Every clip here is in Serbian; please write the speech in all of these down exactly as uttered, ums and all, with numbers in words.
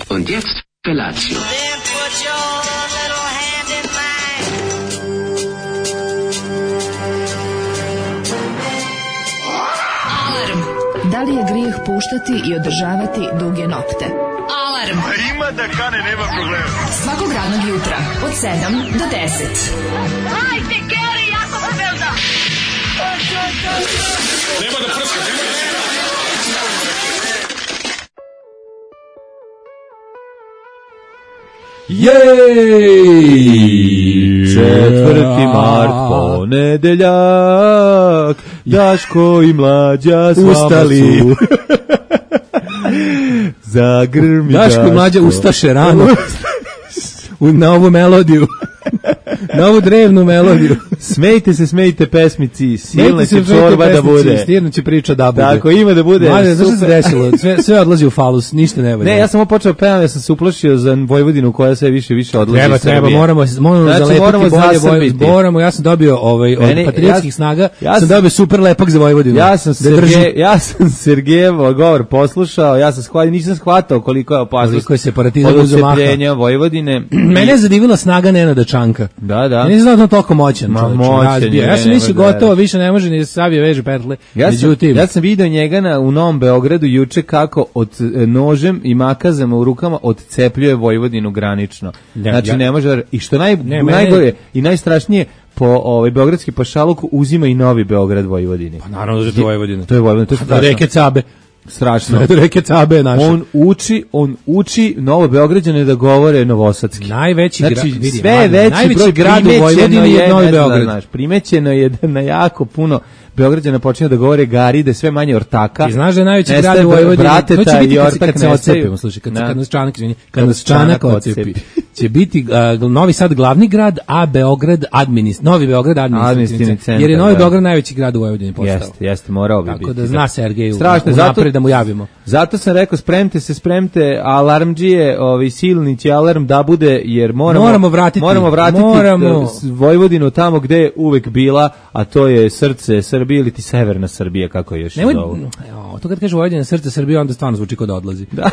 Und jetzt Felatio. Then put your little hand in mine. Alarm. Da li je grijeh puštati i održavati duge nokte? Alarm. A ima da kane, nema problema. Svakog radnog jutra od sedam do deset. Hajde, Geri, jako se velda. Nema da prska, nema da prska. Jej! Četvrti mart, ponedeljak, Daško i Mlađa s vama Ustali. su. Zagrmi Daško i Mlađa ustaše rano u, na ovu melodiju. Na ovu drevnu melodiju. Smejte se, smejte pesmici, silna Smejte će se, čorba da pesnici, bude. Stirno će priča da bude. Tako, ima da bude. Mlađe, znaš što se super. desilo? Sve, sve odlazi u falus, ništa ne valja. Ne, ja sam počeo pevam, ja sam se uplašio za Vojvodinu koja sve više i više odlazi Treba, iz Srbije. treba, moramo, moramo Znači, zalepiti moramo bolje zasrbiti. Vojvodinu. Moramo, ja sam dobio ovaj, od Meni- patriotskih ja- snaga, ja sam sam- dobio super lepak za Vojvodinu. Ja sam da drži. Sergej, ja sam Sergejev govor poslušao, ja sam shvatio, nisam shvatao koliko je opasnost Koliko je separatizam od uzeo maha. odcepljenja Vojvodine. Mene je zadivila snaga Nenada Čanka. Da, da. Ja nisam znao da je on toliko moćan, Ma, čovječe, moćan razbija. je, Ja sam ne, mislio ne, ne. gotovo, više ne može ni da se savije veže petle. Ja sam, Međutim, ja sam vidio njega na, u Novom Beogradu juče kako od e, nožem i makazama u rukama odcepljuje Vojvodinu granično. Ja, Znači ja- ne može, i što naj, Ne, mene- najgore i najstrašnije, po ovaj beogradski pašaluk uzima i Novi Beograd Vojvodini. pa naravno da je to Vojvodina. To je Vojvodina, to je Do strašno. reke Cabe. Strašno. Do reke Cabe je naša. On uči, on uči Novo Beograđane da govore novosadski. Najveći Znači, grad, vidi, sve je mladen, veći najveći broj grad u primećeno Vojvodini je Novi ne znam, Beograd. znaš, primećeno je da na jako puno Beograđana počinju da govore gari, da je sve manje ortaka. I znaš da je najveći Nestaje grad u Vojvodini. brateta To će biti i kad, se- ortak kad se nestaju. ocepimo, slušaj, kad, se- Da. kad nas Čanak, izvini, kad Kad nas nas Čanak Čanak ocepi. ocepi. Će biti a, Novi Sad glavni grad, a Beograd administ, Novi Beograd administrativni Administrativni centar. centar, Jer je Novi da. Beograd najveći grad u Vojvodini postao. Jeste, jeste, morao bi biti. Tako da zna Sergeju Strašno, unapred da mu javimo. Zato sam rekao, spremte se, spremte, alarmđije, ovaj silni će alarm da bude, jer moramo, Moramo vratiti, moramo vratiti moramo. eh, s- Vojvodinu tamo gde je uvek bila, a to je srce Srbije ili ti severna Srbija, kako je još Nemoj, zovu. evo, to kad kaže Vojvodina srce Srbije, onda stvarno zvuči kao da odlazi. Da.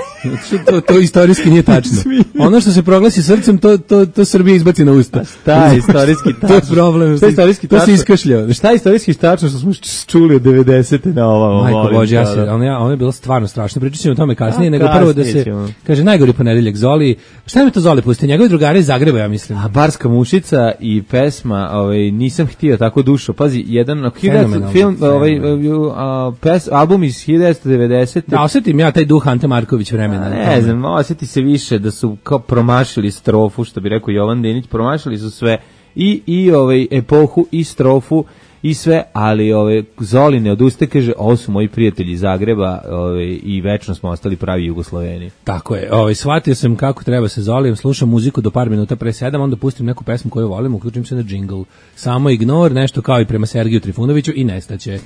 to, to istorijski nije tačno. Ono što se proglasi srcem, to, to, to Srbija izbaci na usta. Šta je istorijski tačno? To je problem. Šta je istorijski To se tačno? iskašljao. Šta je istorijski tačno što smo č- čuli od devedesete na ovamo? Majko molim Bože, ja te, se, ono. ono, ja, ono je bilo stvarno strašno. Pričat ćemo o tome kasnije, A, nego prvo da kasnije se, ćemo. kaže, najgori ponedeljak Zoli. Šta mi to Zoli pusti? Njegovi drugari iz Zagreba, ja mislim. A Barska mušica i pesma, ovaj nisam htio tako dušo. Pazi, jedan Fenomenalno, film, ovaj fenomenalno. a, pes, album iz hiljadu devetsto devedesete. Da, osjetim ja taj duh Ante Marković vremena. A na ne tome. znam, osjeti se više da su kao promašili strofu, što bi rekao Jovan Denić, promašili su sve i i ovaj epohu i strofu i sve, ali ove Zoli ne odustaje, kaže, ovo su moji prijatelji iz Zagreba, ove, i večno smo ostali pravi Jugosloveni. Tako je. Ovaj shvatio sam kako treba se Zolijem, slušam muziku do par minuta pre sedam, onda pustim neku pesmu koju volim, uključim se na džingl. Samo ignor, nešto kao i prema Sergeju Trifunoviću i nestaće.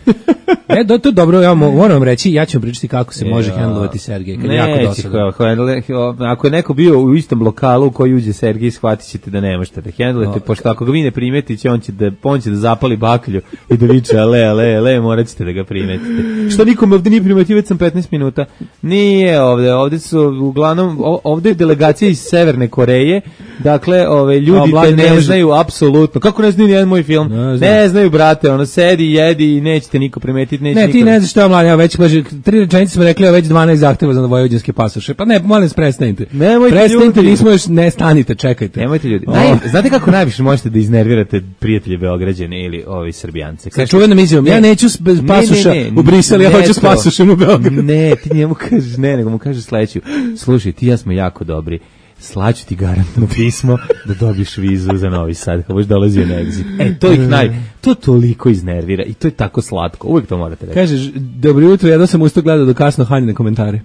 E, do, to je dobro, ja mo- moram vam reći, ja ću vam pričati kako se može Ja. hendlovati Sergej, kad je jako Neće, dosadan. ho- ho- ako je neko bio u istom lokalu u koji uđe Sergij, shvatit ćete da ne možete da hendlujete, No, pošto ako ga vi ne primetite, on će da, on će da zapali baklju i da viče ale, ale, ale, morat ćete da ga primetite. Što nikom ovde nije primetio, već sam petnaest minuta. Nije ovde, ovde su uglavnom, o- ovde je delegacija iz Severne Koreje, dakle, ove, A, ljudi Mladen te ne ne može- znaju apsolutno. Kako ne znaju nijedan moj film? Ne Ne, znam. znaju, brate, ono, sedi, jedi i nećete niko primetiti, neće Ne, niko... ti ne znaš šta je mladen, ja već kaže, tri rečenice smo rekli, a već dvanaest zahteva za vojvođanske pasoše. Pa ne, molim se, prestanite. Nemojte, Prestanite, ljudi. nismo još, ne stanite, čekajte. Nemojte ljudi. O. Naj, znate kako najviše možete da iznervirate prijatelje Beograđane ili ovi Srbijance? Sa čuvenom izjavom, ja neću s bez Ne, pasoša ne, ne, u Brisel, ja ne hoću s to. pasošem u Beograd. Ne, ti njemu kažeš ne, nego mu kažeš sledeću. Slušaj, ti i ja smo jako dobri. Slaću ti garantno pismo da dobiješ vizu za Novi Sad, kao boš dolazio na exit. E, to ih naj... To toliko iznervira i to je tako slatko. Uvijek to morate reći. Kažeš, dobro jutro, jedno sam usto gledao do kasno Hanjine komentare.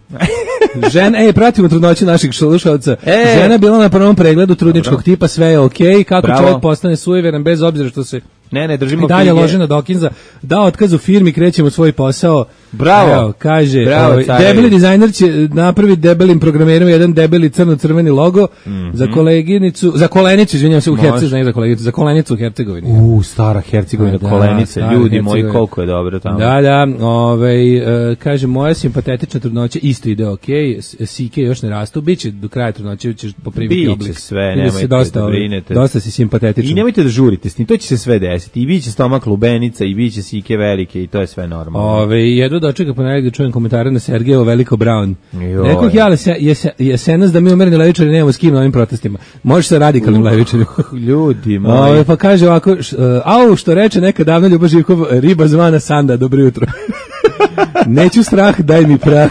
Žena, ej, pratimo trudnoću naših slušalca. E. Žena bila na prvom pregledu trudničkog Dobro. tipa, sve je okej, kako Bravo. čovjek postane sujeveran bez obzira što se Ne, ne, držimo i dalje knjige. lože na Dokinza, da otkaz u firmi, krećemo u svoj posao. Bravo. Evo, kaže, Bravo, ovaj, carevi. debeli dizajner će napraviti debelim programerom jedan debeli crno-crveni logo Mhm. za koleginicu, za kolenicu, izvinjavam se, u Može. Hercegovini, ne za koleginicu, za kolenicu u Hercegovini. U, stara Hercegovina, Da, kolenice, stara ljudi moji, Hercegovina. koliko je dobro tamo. Da, da, ovaj, e, kaže, moja simpatetična trudnoća isto ide okej, s- sike još ne rastu, bit će do kraja trudnoće, ćeš poprimiti Biće oblik. sve, Vidim nemojte se dosta, da ovaj, brinete. dosta si simpatetičan. I nemojte da žurite s tim, to će se sve desiti. I biće stomak lubenica, i biće sike velike, i to je sve normalno. Ove, jedno dočeka ponedjeljak da čujem komentare na Sergejevo Veliko Brown. Joj. Rekoh ja, ali se, jese, jesenas da mi umereni levičari nemamo s kim na ovim protestima. Može sa radikalnim levičarima. Ljudi moji. Ove, pa kaže ovako, š, uh, au, što reče neka davno Ljubo Živkov, riba zvana Sanda, dobro jutro. Neću strah, daj mi prah.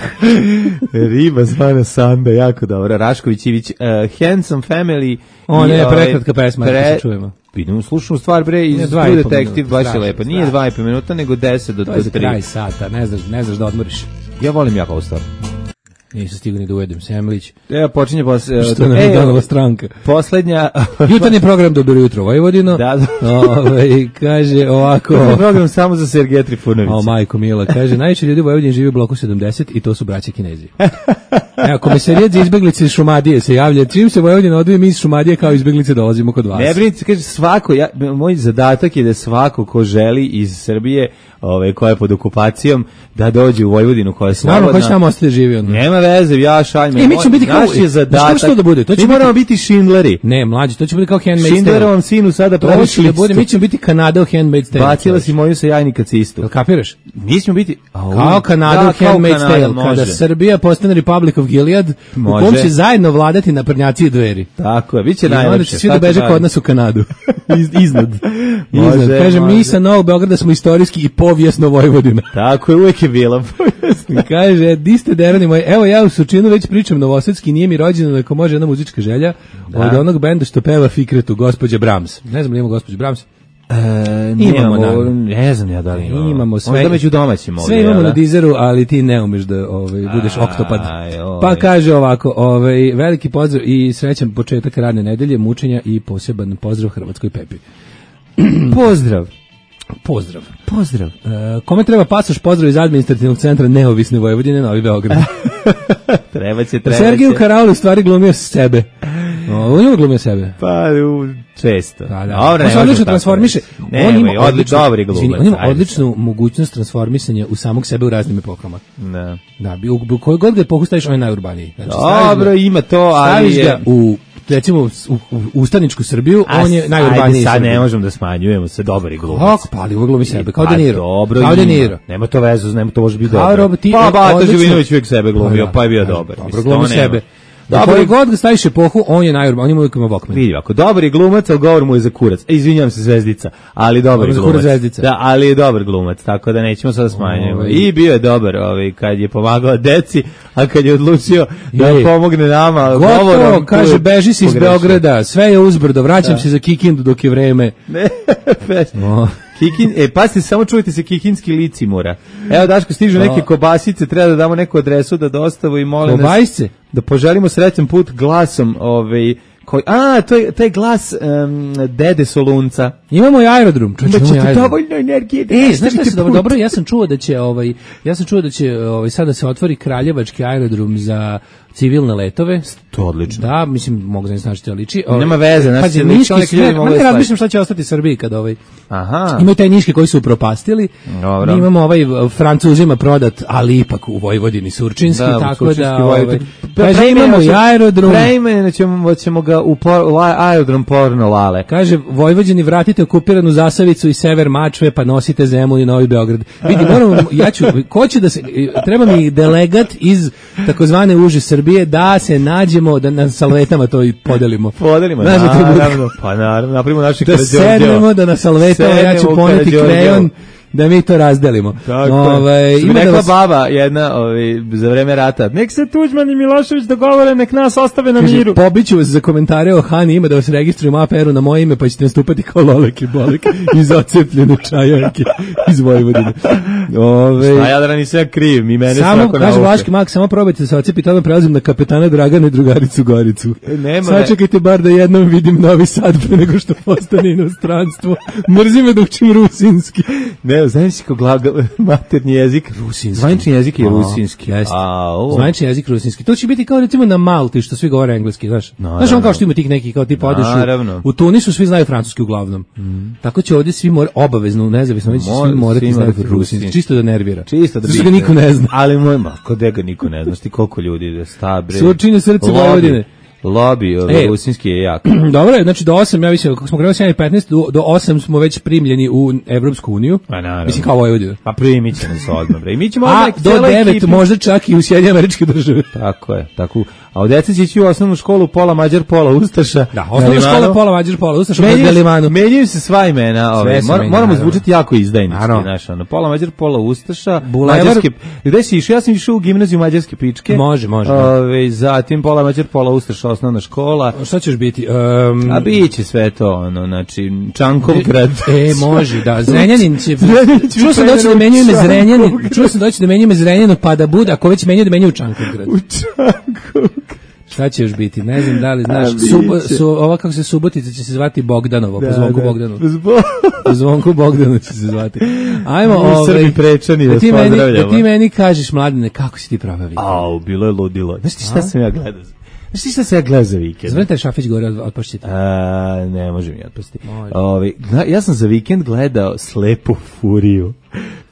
Riba zvana Sanda, jako dobro. Rašković Ivić, uh, Handsome Family. O, i, ne, ovaj, prekratka pesma, pre... se čujemo. Idemo slušnu stvar, bre, iz Ne, dva True i po Detective, minuta, baš je strašno, lepa. Nije strašno. dva i po minuta, nego deset do To je za tri. kraj sata, ne znaš, ne znaš da odmoriš. Ja volim jako ovu stvar. Nisam stigao ni da ujedem, Semlić. Evo, počinje posle... Što nam je donala stranka. Poslednja... Jutarnji program Dobro jutro Vojvodino. Da, da. Ove, kaže ovako... To je program samo za Sergeja Trifunovića. O, majko mila, kaže, najviše ljudi u Vojvodini živi u bloku sedamdeset i to su braća Kinezi. Evo, komisarijat za izbeglice iz Šumadije se javlja. Čim se Vojvodina odvoji, mi iz Šumadije kao izbeglice dolazimo kod vas. Ne brinite, kaže svako, ja, moj zadatak je da svako ko želi iz Srbije, ove, koja je pod okupacijom, da dođe u Vojvodinu koja je slobodna. Naravno, ko će tamo ostati da živi onda? Nema veze, ja šaljme. E, mi ćemo biti kao- Naš je Znaš zadatak. kako će to da bude? To će mi biti- moramo biti Schindleri. Ne, mlađi, to će biti kao Handmaid's Tale. Schindlerovom sinu sada To praviš će da listu. bude, mi ćemo biti Kanada u Handmaid's Tale. Bacila si moju sa jajnika cistu. Jel kapiraš? Mi ćemo biti... Au, Kao Kanada da, u kao Handmaid's Kanada, Tale, može. kada Srbija postane Republic of Gilead, u Može. kom će zajedno vladati naprednjaci i dveri. Tako je, bit će I onda najlepše. će svi da tako beže dalje. kod nas u Kanadu. Iz, iznad. Može, iznad. Kaže, mi može. sa Novog Beograda smo istorijski i povijesno Vojvodina. Tako je, uvijek je bila. I kaže, di ste derani moji, evo ja u Surčinu već pričam novosadski, nije mi rođena, ako može jedna muzička želja, od onog benda što peva Fikretu, gospođa Brahms. Ne znam li ima gospođa Brahms? E, Imamo, nemamo, naravno. ne znam ja da li imamo. Imamo sve. Možda među domaćim ovdje. Sve imamo jel na da? Dizeru, ali ti ne umeš da ovaj, budeš Aj, oktopad. oj. Pa kaže ovako, ovaj, veliki pozdrav i srećan početak radne nedelje, mučenja i poseban pozdrav Hrvatskoj Pepi. Pozdrav. Pozdrav. Pozdrav. E, kome treba pasoš, pozdrav iz administrativnog centra Neovisne Vojvodine, Novi Beograd. Treba će, treba Sergiju će. Karaulu stvari glumio sebe. O, on je glumio sebe. Pa, u, često. Da, da. Dobro, on ne se možemo odlično tako transformiše. reći. On Nemoj, ima odli- odličnu, dobri glumac, izvini, on ima ajde odličnu mogućnost transformisanja u samog sebe u raznim epokama. Ne. Da, bi, u, u kojoj god ga epohu staviš, on je najurbaniji. Znači, staviš Dobro, ga- ima to, ali staviš je... ga u recimo u, u ustaničku Srbiju, A, on je najurbaniji. Ajde, sad Srbin. ne možemo da smanjujemo se, dobar je glumac. Kako, pa ali uvijek glumi sebe, kao Pa De Niro. Dobro, kao De ima. Niro. Nema to vezu, nema to može biti Kao dobro. Rob- ti- Pa, Bata odlično- Živinović uvijek sebe glumio, da, pa je bio da, dobar. Dobro, Mislim, glumi to nema. sebe. Da Dobar koji je- god ga staviš epohu, on je najurbaniji, on ima uvijek ima Walkman. Vidi ovako, dobar je glumac, ali govor mu je za kurac. E, izvinjam se, Zvezdica, ali dobar Dobro, je za glumac. kurac Zvezdica. Da, ali je dobar glumac, tako da nećemo sada smanjujemo. Ovaj. I bio je dobar, ovaj, kad je pomagao deci, a kad je odlučio da Ej. pomogne nama Gotovo, govorom, kaže, tu je beži si iz pogrešio. Beograda, sve je uzbrdo, vraćam se za Kikindu dok je vreme. Ne, pes. O. Kikin, e, pasite, samo čujte se kikinski licimura. Evo, Daško, stižu neke kobasice, treba da damo neku adresu da dostavu i molim nas Kobasice? da poželimo srećan put glasom, ovaj, koji, a, to je, to je glas um, Dede Solunca. Imamo i aerodrom. Čovječe, Da imamo i ćete aerodrom. dovoljno energije da E, znaš nastavite šta se dobro, put. dobro, ja sam čuo da će ovaj ja sam čuo da će ovaj sada se otvori Kraljevački aerodrom za civilne letove. To je odlično. Da, mislim, mogu da znači to liči. Ovaj, Nema veze, znači, pazi, liči, niški neki ljudi sve, mogu ma da ne slažu. razmišljam šta će ostati Srbiji kad ovaj Aha. imaju taj niški koji su upropastili. Dobro. Mi imamo ovaj uh, Francuzima prodat, ali ipak u Vojvodini Surčinski, Da, tako Surčinski da Vojvodin. ovaj, Pa kaže, preimenovat imamo i ćemo- aerodrom. Preimenovat ćemo, ćemo ga u por, la, aerodrom Porno Lale. Kaže, Vojvođani, vratite okupiranu Zasavicu i sever Mačve, pa nosite Zemun i Novi Beograd. Vidi, moramo, ja ću, ko će da se, treba mi delegat iz takozvane uže Srbije da se nađemo, da na salvetama to i podelimo. Podelimo, Znaš da to bude- naravno, pa naravno, napravimo naši Da sednemo, da na salvetama, ja ću Sednemo u poneti Karađorđevo. krejon, da mi to razdelimo. Tako Ovaj, je. Što bi ima da rekla vas- baba jedna ovaj, za vreme rata, nek se Tuđman i Milošević dogovore, nek nas ostave na Kaže, miru. pobiću vas za komentare o Hani, ima da vas registrujem A P R-u na moje ime, pa ćete nastupati kao Lolek i Bolek iz ocepljene čajanke iz Vojvodine. Ove, A ja da nisam kriv, mi mene samo, svako kaže nauče. Vlaški mak, samo probajte da se ocepiti, odmah prelazim na kapetana Dragana i drugaricu Goricu. Nema, Sačekajte bar da jednom vidim Novi Sad pre nego što postane inostranstvo. Mrzi me da učim rusinski. Ne Ne, znaš si kao glagol, maternji jezik. Rusinski. Zvanični jezik je A, rusinski. jeste. A, ovo. Zvanični jezik rusinski. To će biti kao recimo na Malti što svi govore engleski, znaš. Znaš on kao što ima tih neki kao tipa odeš Naravno. u, u Tunisu svi znaju francuski uglavnom. Mm. Tako će ovdje svi mora obavezno nezavisno već Mora- svi morati svi znati morati rusinski, rusinski. čisto da nervira. Čisto da Zato što bi- ga niko ne zna. Ali moj, ma, kod ga niko ne znaš ti koliko ljudi da sta, bre. Surčine srce Lobby- Vojvodine. Lobby, ovaj, E. rusinski je jak. Dobro je, znači do osam, ja mislim, kako smo krenuli sedam i petnaest, do, do osam smo već primljeni u Evropsku uniju. Pa naravno. Mislim kao Vojvodina. Pa primit će nas odmah, bre. I mi ćemo A odmah do cijela devet ekipa- možda čak i u Sjedinjene Američke Države. Tako je, tako. A od deca će ići u osnovnu školu, pola Mađar, pola Ustaša. Da, Na osnovna Limanu. škola pola Mađar, pola Ustaša, na Menjaju se- Limanu. Menjaju se sva imena, ove, se mor, menja, moramo naravno. zvučati jako izdajnički, Naravno. znaš, ono, pola Mađar, pola Ustaša, Bulevar- mađarske, gde si išao? Ja sam išao u gimnaziju Mađarske pičke. Može, može, da. Ove, zatim pola Mađar, pola Ustaša, osnovna škola. Šta ćeš biti? Um, A biće sve to, ono, znači, Čankovgrad. E, može, da. Zrenjanin će... Zrenjanin će Čuo sam doći da u menjaju ime Zrenjanin, Čankovgrad. čuo sam doći da menjaju ime Zrenjaninu, pa da bude, ako već menjaju da menjaju u Čankovgrad. U Čankovgrad. Šta će još biti? Ne znam da li znaš. A, biće. Subo, su, ova kako se Subotica će se zvati Bogdanovo, po zvonku Bogdanu. Zbog... Po zvonku Bogdanu će se zvati. Ajmo, Mi ovaj, Srbi prečani, vas da ti meni, pozdravljamo. da ti meni kažeš, Mladene, kako si ti proveo vikend? Au, bilo je ludilo. Znaš ti šta sam ja gledao? Znaš ti šta sam ja gledao za vikend? Zvonite Šafić gore, od- otpašćite. A, ne može mi otpasti. Može. Ovi, gla- ja sam za vikend gledao Slepu furiju.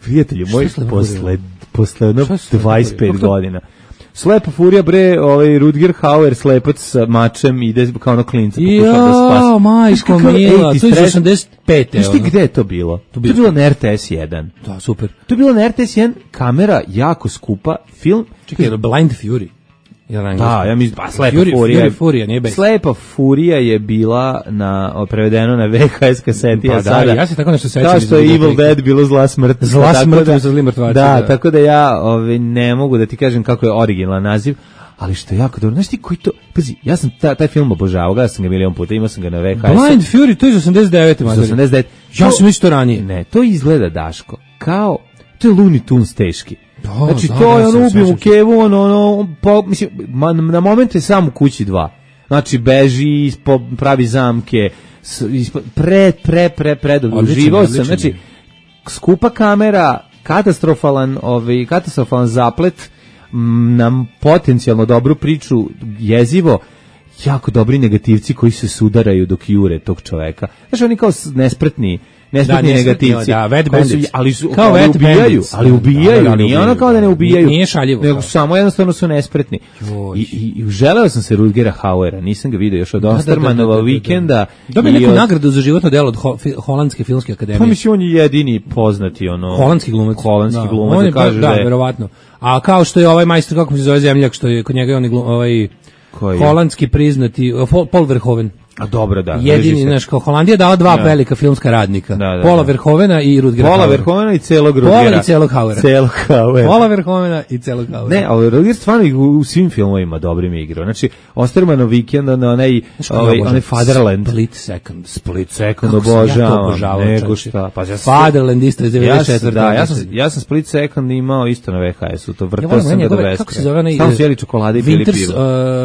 Prijatelju, moj, je Slepa posle, furija? posle jedno Šta je Slepa dvadeset pet furija? Kako to? godina. Slepa furija, bre, ovaj Rutger Hauer, slepac sa mačem, ide kao ono klinca, pokušava da spasi. Jao, majko Znaš kakav mila, eighties to je iz trash- osamdeset pete. Znaš ti ono. gde je to bilo? To, bio je bilo na R T S jedan. Da, super. To je bilo na R T S jedan, kamera jako skupa, film. Čekaj, Blind Fury. Jel na engleskom? Da, ja mislim, pa Slepa Fury, furija. Fury, Furija, nije bez. Slepa furija je bila na o, prevedeno na V H S kaseti, Pa a da, sada ja se tako nešto sećam kao iz što je videoteke. Evil Dead bilo zla smrt. Zla tako smrt da, sa zli mrtvaci, Da, da. tako da ja ovaj, ne mogu da ti kažem kako je originalan naziv, ali što je jako dobro. Znaš ti koji to... Pazi, ja sam ta, taj film obožavao, gledao sam ga milion puta, imao sam ga na V H S-u. Blind Fury, to je iz osamdeset devete. Iz madari. osamdeset devete. Ja sam mislio to ranije. Ne, to izgleda, Daško, kao... To je Looney Tunes teški. Da, Znači, da, to da, je sam- ono, ubijemo sećam se. kevu, ono, ono, po, mislim, ma, na moment je sam u kući dva. Znači, beži, ispo, pravi zamke, s, ispo, pre, pre, pre, pre, Odličan, uživao sam, odličan znači, je. skupa kamera, katastrofalan, ovaj, katastrofalan zaplet, m, nam potencijalno dobru priču, jezivo, jako dobri negativci koji se sudaraju dok jure tog čoveka. Znači, oni kao s- nespretni, nespretni Da, nespretni, negativci. da, wet koji su- bandits. ali su, Kao ali wet ubijaju, bandits. ali ubijaju, Da, da, da, nije ono ubijaju, kao da ne da. ubijaju. Nije šaljivo, Nego da. samo jednostavno su nespretni. Joj. I, i, i želeo sam se Rutgera Hauera, nisam ga vidio još od Da, da, da, Ostermanova da, da, da. vikenda. Dobio i neku od- nagradu za životno delo od Ho- fi- Holandske filmske akademije. Pa mislim, on je jedini poznati, ono... Holandski glumac. Holandski Da. glumac, On da je, kaže da, da je- verovatno. A kao što je ovaj majstor, kako mu se zove zemljak, što je kod njega je on je glum, ovaj Koji? holandski priznati, uh, Paul- Paul Verhoeven. A dobro, da. Jedini, režiser. znaš, kao Holandija je dala dva Da. velika filmska radnika. Da, da, Paula da. Verhovena i Rutgera Pola Hauera. Verhovena i celog Pola Rutgera. i celog Hauera. Celog Hauera. Paula Verhovena i celog Hauera. Ne, ali Rutger stvarno i u, u svim filmovima dobrim igrao. Znači, Ostermanov vikend, ono, onaj, Znaš kako ovaj, ja obožavam? onaj Fatherland. Split Second. Split Second Kako sam ja to obožavam. obožavao, Nego čoveče. šta. Pa ja sam, Fatherland isto iz ja devedeset sam, četvrte. da, ja sam, ja sam Split Second imao isto na V H S-u. To vrtao volim sam ga do njegove- beskraja. kako se zove onaj, Samo e, su jeli čokolade i pili Winters, pivo.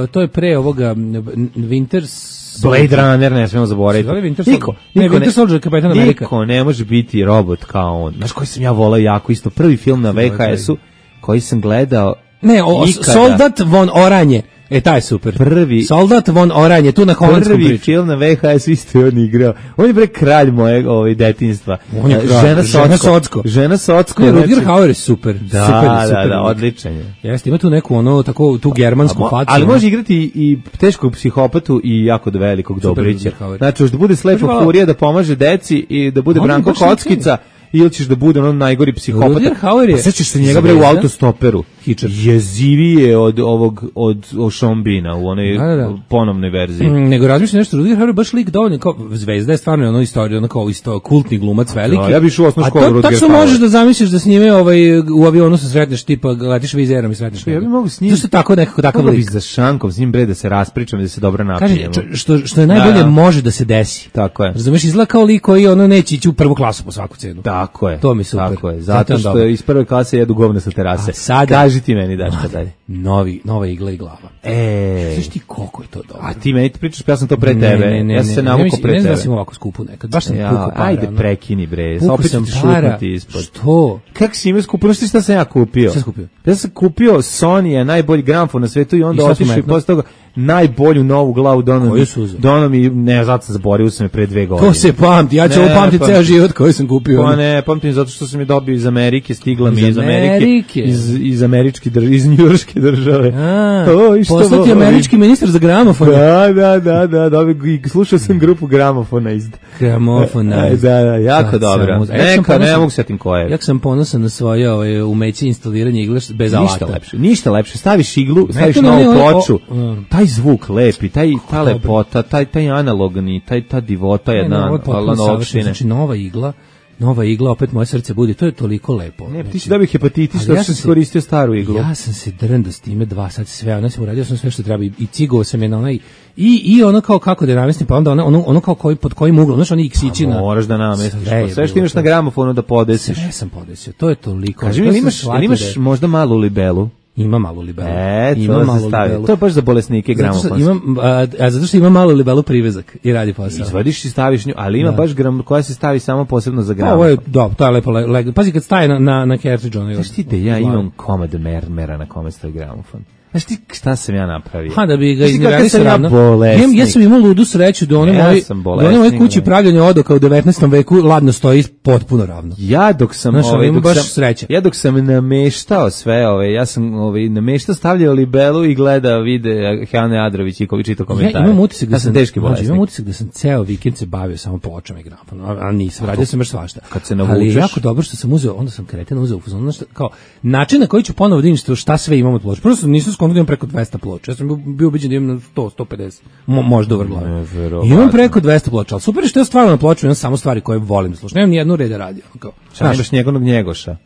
uh, to je pre ovoga m, Winters Blade Runner, ne smemo zaboraviti. Se zove Winter Niko, Soldier? Ne, niko Winter Soldier, Kapetan Amerika. Niko ne može biti robot kao on. Znaš koji sam ja volao jako isto? Prvi film na V H S-u koji sam gledao Ne, o, ikada. Soldat von Oranje. E, taj je super. Prvi- Soldat von Oranje, tu na holandskom Prvi priču. film na V H S isto je on igrao. On je bre kralj mojeg ovaj detinjstva. On je E, kralj. Žena Žena Socko. Socko. Žena Socko. Ne, znači- Rutger Hauer je super. Da, super, da, super da, lik. odličan je. Jeste, ima tu neku ono, tako, tu germansku A mo- facu. ali ono. može igrati i teškog psihopatu i jako velikog Dobrića. Rutger Hauer. Znači, hoće da bude slepa Može malo- furija, da pomaže deci i da bude On je Branko baš Kockica, ili ćeš da bude on najgori psihopata. Rutger Hauer je Pa sećaš se njega bre u zvezda. autostoperu. Hičar. Jezivije od ovog, od, od Šombina u onoj Da, da, da. ponovnoj verziji. Mm, nego razmišljam nešto, Rutger Hauer je baš lik dovoljno kao zvezda je stvarno ono istorija, ono kao isto kultni glumac veliki. Da, ja bi išao u osnovnu A školu to Rutger tačno Hauer. možeš da zamisliš da s njime ovaj u avionu se sretneš tipa letiš vizerom i sretneš. Ja bi njega. mogu s njim- Zašto tako nekako takav Mogu bi lik? za šankom s njim bre da se raspričam i da se dobro Kaže napijemo. č- što što je najbolje Da, da. može da se desi. Tako je. Razumeš, izgleda kao lik koji ono neće ići u prvu klasu po svaku cenu. Tako je. To mi super. Tako je. Zato Zato je što dobro. iz prve klase jedu govne sa terase. A sada- Kaži kaži ti meni, Daška, dalje. Novi, nova igla i glava. E, Znaš ti koliko je to dobro? a ti meni ti pričaš, pa ja sam to pre Ne, tebe. ne, ne, ja sam se ne, navukao mislim, pre ne znam tebe. da sam ovako skupu nekad. Baš sam Ja, pukao para. ajde, ono. prekini, bre. Pukao Opet ću sam ti para. šutnuti ispod. Što? Kako si imao skupio? Znaš ti šta sam ja kupio? Šta si kupio? Ja sam kupio Sony, najbolji gramofon na svetu i onda I šta su otišao i metno? posle toga najbolju novu glavu dono Koju su uzeli? dono mi, ne, zato sam zaboravio sam je pre dve godine. To se pamti, ja ću Ne, ovo pamtiti pa- ceo život koji sam kupio. Pa ne, pamtim zato što sam je dobio iz Amerike, stigla mi Iz iz Amerike, Amerike? iz, iz američke države, iz njujorške države. A, O, i što poslati voli? američki ministar za gramofon. Da, da, da, da, dobio, i slušao sam grupu gramofona iz... Gramofon, E, da, da, jako Sad sam dobro. uz- Ja sam Neka, ne ponosan- mogu setim koje. Ja sam ponosan na svoje ovaj, umeće instaliranja igle bez alata. Ništa lepše, ništa lepše. Staviš iglu, staviš to ne, novu ne, o- ploču, o- mm. taj zvuk lepi, taj, ta dobro. lepota, taj, taj analogni, taj, ta divota Ne, ne, jedna, ovo je potpuno ala savršeno. opštine. Znači, nova igla, nova igla, opet moje srce budi, to je toliko lepo. Ne, ti Znači, si dobio hepatitis, ali što ja sam sam se- koristio staru iglu. Ja sam se drndo s time dva sata sve, ono sam uradio sam sve što treba i, i cigovao sam je na onaj i i ono kao kako da namestim, pa onda ono ono, ono kao koji pod kojim uglom, znaš, oni iksići na. Moraš da namestiš, Sve je pa sve što bilo imaš to. na gramofonu da podesiš. Sve sam podesio. To je toliko. Kaži mi, To jel sam imaš, jel shvatio imaš da je- možda malu libelu? ima malu libelu. E, ima to malu se stavi. libelu. To je baš za bolesnike Zato što gramofon. imam, a, a zato što ima malu libelu privezak i radi posao. Izvadiš i staviš nju, ali ima Da. baš gram koja se stavi samo posebno za Pa, gramofon. ovo je, da, to je lepo. Le, le, pazi kad staje na, na, na cartridge, ono je... Znaš ti da ja imam komad mermera na kome stoji gramofon? Znaš ti šta sam ja napravio? Ha, da bi ga Znaš ti kakav izniveli sam ja ravno. bolesnik? Ja, ja sam imao ludu sreću da one Ja moji, sam da one moje bolesnik, kući bre. pravljanja odoka u devetnaestom veku ladno stoji potpuno ravno. Ja dok sam Znaš, ovaj ima dok baš sam sreće. ja dok sam nameštao sve, ove, ja sam ovaj nameštao, stavljao libelu i gleda vide Hane Adrović i koji čita komentare. Ja imam utisak da ja sam teški mlađe, bolesnik. imam utisak da sam ceo vikend se bavio samo pločama i gramofonom, a, a nisam, radio sam još svašta. kad se Ali navučeš- je jako dobro što sam uzeo, onda sam kreten uzeo u fazonu, znaš šta, kao način na koji ću ponovo da vidim što- šta sve imam od ploča. Prvo sam nisam skonto da imam preko dvesta ploča. Ja sam bio, bio ubeđen da imam na sto, sto pedeset, mo, možda u vrglavi. Neverovatno. Imam preko dvesta ploča, ali super je što ja stvarno na ploču imam samo stvari koje volim da slušam. Nemam ni jednu reda radio. Kao, Šta nemaš njegovog njegoša?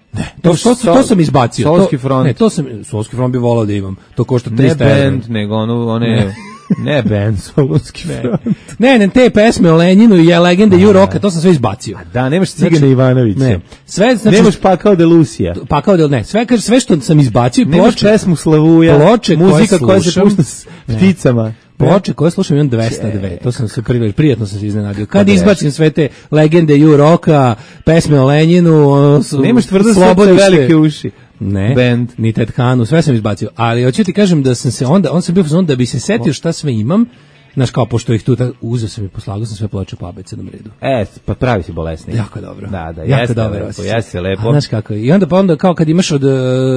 to, to, to, to sam izbacio. Solski to, front. Ne, to sam, Solski front bi volao da imam. To košta Ne trista evra. band, nego ono, one... Ne band, Solunski front. Ne, ne, te pesme o Lenjinu i je legende Ju Roka, to sam sve izbacio. Da, nemaš Cigana Znači, Ivanovića. Ne, sve, znači, Nemaš Pakao de Lucija. pa kao da ne, sve, kaže, sve što sam izbacio i Nemaš ploče, pesmu Slavuja. ploče koje muzika koja se slušam. pušta s Ne. pticama. ploče koje slušam imam dvesta dve, to sam se prvi, prijatno sam se iznenadio. Kad Pa izbacim sve te legende Ju Roka, pesme o Lenjinu, ono, su- Nemaš tvrdo srce, Slobodište. velike uši. Ne, Band. ni Ted Kanu, sve sam izbacio. Ali hoću ti kažem da sam se onda, on sam bio u fazonu da bi se setio šta sve imam, znaš kao, pošto ih tu, ta- uzeo sam i poslagao sam sve ploče po abecednom redu. E, pa pravi si bolesnik. Jako dobro. Da, da, jako jeste dobro. lepo, osjećaj. jeste lepo. A znaš kako je. I onda pa onda kao kad imaš od e,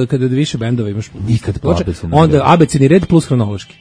kad od više bendova imaš Nikad po ploče, abecednom onda redu. abecedni red plus hronološki.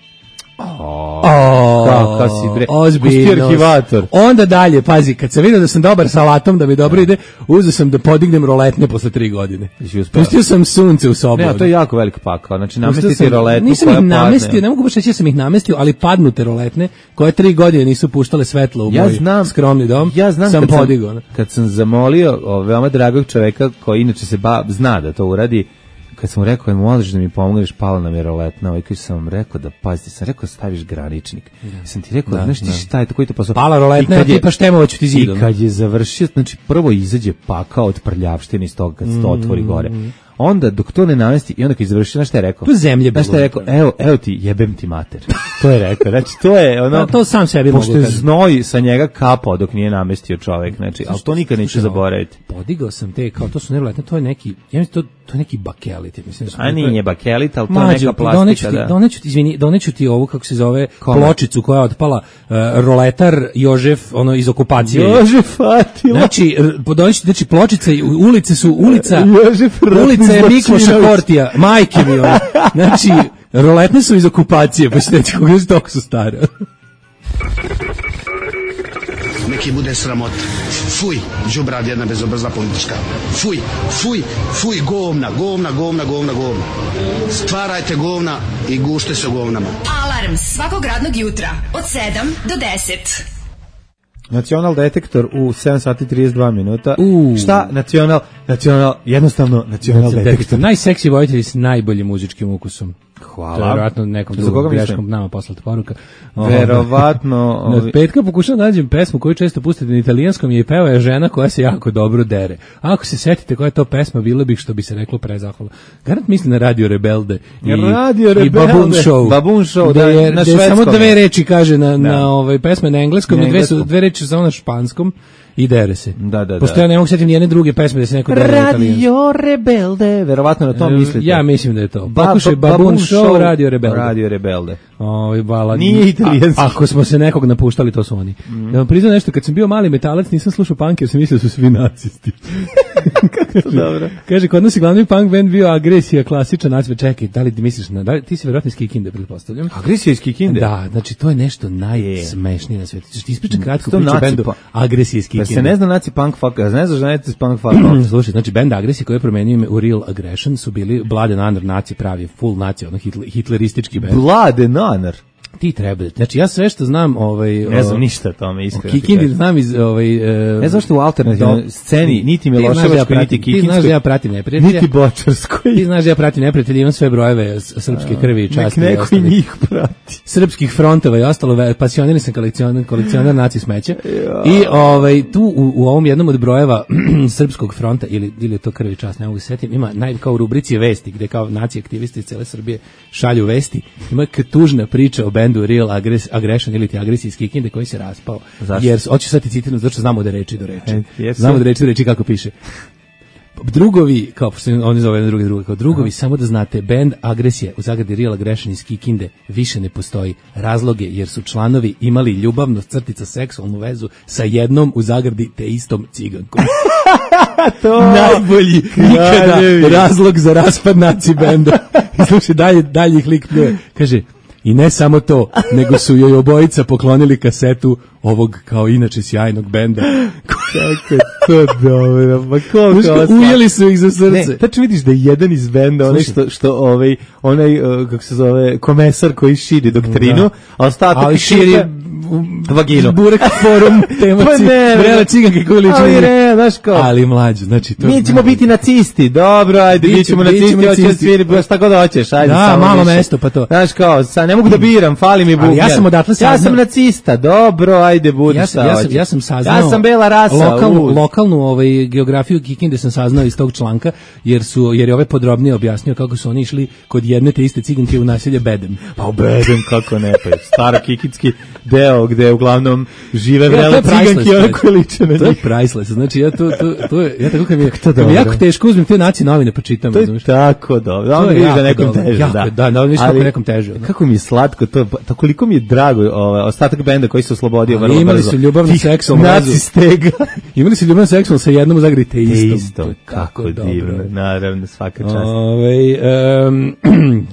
O, O, kakav si bre. ozbiljno. Pusti arhivator. Onda dalje, pazi, kad sam vidio da sam dobar sa alatom, da mi dobro ide, uzeo sam da podignem roletne posle tri godine. Jesi uspeo? Pustio sam sunce u sobu. Ne, a to je jako velik pakao. Znači, Pustio namestiti sam- roletu nisam koja ih padne. namestio, ne mogu baš reći da sam ih namestio, ali padnute roletne, koje tri godine nisu puštale svetlo u Ja moj znam, skromni dom, ja znam sam kad podigao. Sam, kad sam zamolio o, veoma dragog čoveka koji inače se ba, zna da to uradi, kad sam mu rekao, možeš da mi pomogneš, pala nam je roletna, ovaj koji sam vam rekao da, pazite, sam rekao da staviš graničnik. Ja sam ti rekao, Da, znaš ti da. šta je to, koji to posao? Pala roletna, I kad je- tipa Štemovaću ti zidom. I kad je završio, znači prvo izađe pakao od prljavštine iz toga kad se to otvori gore. Onda dok to ne namesti i onda kad je završio, znaš šta je rekao? To je zemlje Znaš šta je bilo. rekao? Evo, evo ti, jebem ti mater. To je rekao. Znači to je ono. Pa to sam sebi pošto mogu je kažem. znoj sa njega kapao dok nije namestio čovek, znači, ali to nikad neću Slušaj, zaboraviti. Podigao sam te, kao to su nevjerojatne, to je neki, ja mislim, to, to je neki bakelit, ja mislim. Da su- A nije bakelit, ali to je Mađo, neka doneću plastika, ti, da. doneću ti, izvini, doneću ti ovu, kako se zove, Kome? pločicu koja je otpala, uh, roletar Jožef, ono, iz okupacije. Jože Fatila. Znači, r- doneću ti, znači, pločice, i ulice su, ulica, Jožef Ratni ulica je Mikloša Zločinović. Kortija, majke mi ono. Znači, roletne su iz okupacije, pa ćete reći kako su toliko su stare. Neki bude sramot. Fuj, đubrad jedna bezobrazna politička. Fuj, fuj, fuj, govna, govna, govna, govna, govna. Stvarajte govna i gušte se u govnama. Alarm svakog radnog jutra od sedam do deset. Nacional detektor u sedam sati trideset dva minuta. U. Šta? Nacional, nacional, jednostavno nacional detektor. Najseksi vojitelji s najboljim muzičkim ukusom. Hvala. To je verovatno nekom Za drugom koga greškom mislim? nama poslati poruka. Verovatno. Od petka pokušam da nađem pesmu koju često pustite na italijanskom i peva je žena koja se jako dobro dere. A ako se setite koja je to pesma, bilo bih što bi se reklo prezahvalno. Garant mislim na Radio Rebelde i, Radio Rebelde. i Baboon Show. Baboon Show, da, da, je, na da je švedskom. samo dve reči kaže na, Da. na ovaj, pesme na engleskom, Na na dve, su, engleskom. dve reči su samo na španskom i dere se. Da, da, Pošto da. ja ne mogu setiti nijedne druge pesme da se neko dere na italijanskom. Radio Rebelde, verovatno na to mislite. Ja mislim da je to. Ba- Pokušaj ba- Baboon Baboon Show, Show, Radio Rebelde. Radio Rebelde. Ovaj balad. Nije italijanski. A- Ako smo se nekog napuštali, to su oni. Mm. Da vam priznam nešto, kad sam bio mali metalac, nisam slušao punk jer sam mislio da su svi nacisti. Kako dobro. Kaže, kod nas je glavni punk band bio Agresija, klasičan naciv. Čekaj, da li ti misliš na, da li, ti si verovatno iz Kikinde, pretpostavljam. Agresija iz Kikinde? Da, znači to je nešto najsmešnije na svetu. Ćeš ti ispričati kratko To priču o naci bendu pa- Agresija iz Da Kikinde. se ne zna naci punk fuck, a ne znaš da naci punk fuck. Slušaj, znači band Agresija koji je promenio ime u Real Aggression su bili Blood and Honor naci pravi, full naci, ono hitler, hitleristički band. Blade nanar. Ti treba. Znači ja sve što znam, ovaj Ne znam o- ništa o tome, o iskreno. ti Kikindi kažem. znam iz ovaj e, Ne znaš što u alternativnoj do- sceni niti Ti znaš da ja Miloševačkoj, pratim- niti Ti znaš da Kikinskoj, ja pratim neprijatelja. niti Bočarskoj. Ti znaš da ja pratim neprijatelja, imam sve brojeve s- srpske krvi i Nek časti. i neko i ostalih. njih prati. Srpskih frontova i ostalo, ve- pasionirani sam kolekcioner, kolekcioner naci smeća. I ovaj tu u, u ovom jednom od brojeva srpskog fronta ili ili je to krvi i čast, ne mogu se setim, ima naj kao u rubrici vesti gde kao naci aktivisti iz cele Srbije šalju vesti. Ima k- tužna priča o bendu Real Agres, Aggression ili ti Agresija iz Kikinde koji se raspao. Zašto? Jer hoću sad ti citiram zato što znamo da reči do reči. E, jesu. Znamo da reči do reči kako piše. Drugovi, kao pošto oni zove jedan drugi drugi, kao drugovi, samo da znate, band Agresija u zagradi Real Aggression iz Kikinde više ne postoji. Razloge jer su članovi imali ljubavnu crtica seksualnu vezu sa jednom u zagradi te istom cigankom. To Najbolji ikada kraljevi. razlog za raspad naci benda. I slušaj, dalje, dalje ih lik pljuje. Kaže, i ne samo to, nego su joj obojica poklonili kasetu ovog kao inače sjajnog benda. Kako je to dobro, ma koliko Znaš, vas- ujeli su ih za srce. Ne, tačno vidiš da je jedan iz benda, onaj što, što ovaj, onaj, uh, kako se zove, komesar koji širi doktrinu, Da. a ostatak Ali ekipe- širi vaginu. Burek forum tema Pa ne, vrela ciganke koju liči. ali na njih. re, znaš kao, Ali mlađe, znači to. mi ćemo biti nacisti, dobro, ajde, Biće- mi ćemo bit ćemo nacisti, hoće da nacisti. sviri, šta god hoćeš, ajde, Da, samo malo više. mesto, pa to. Znaš kao, sad ne mogu da biram, fali mi bubnjar. ja sam odatle Ja saznao- sam nacista, dobro, ajde, budi Ja šta sam, ja sam, hoćeš. ja sam saznao Ja sam bela rasa, lokalnu, u. lokalnu ovaj, geografiju Kikinde sam saznao iz tog članka, jer su jer je ovaj podrobnije objasnio kako su oni išli kod jedne te iste ciganke u naselje Bedem. Pa ubedem kako ne, pa je staro kikitski deo gde uglavnom žive Ja, to vrele je priceless, ciganke i one znači. koje liče na To je njih. priceless. Znači ja to to to je ja tako kad mi je, to kad mi je dobro. jako teško uzmem te naci novine pa čitam, To je razumeš? tako dobro. Da, To onda je vidiš da jako nekom dobro. teže, Jako da. je, da, da, onda vidiš kako Ali je nekom teže, ono. Kako mi je slatko to, pa, to koliko mi je drago ovaj, ostatak benda koji se oslobodio Ali vrlo imali brzo. su ljubavnu Tih seksualnu vezu. naci stega. Imali su ljubavnu seksualnu sa jednom u zagradi te Te istom. isto, To je kako tako dobro. divno, naravno, svaka čast. Ove, um,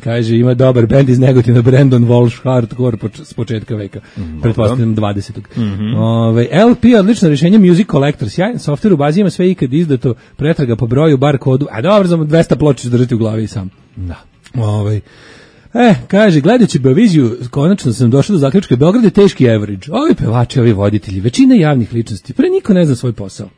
kaže, ima dobar bend iz Negotina, Brandon Walsh, hardcore poč, s početka veka, pretpostavljam dvadesetog. Ove, L P je odlično rješenje, Music Collector, sjajan software u bazi ima sve ikad izdato, pretraga po broju, bar kodu, a dobro, za dvesta ploča ću držati u glavi i sam. Da. Ove, E, kaže, gledajući Beoviziju, konačno sam došao do zaključka, Beograd je teški average. Ovi pevači, ovi voditelji, većina javnih ličnosti, pre niko ne zna svoj posao.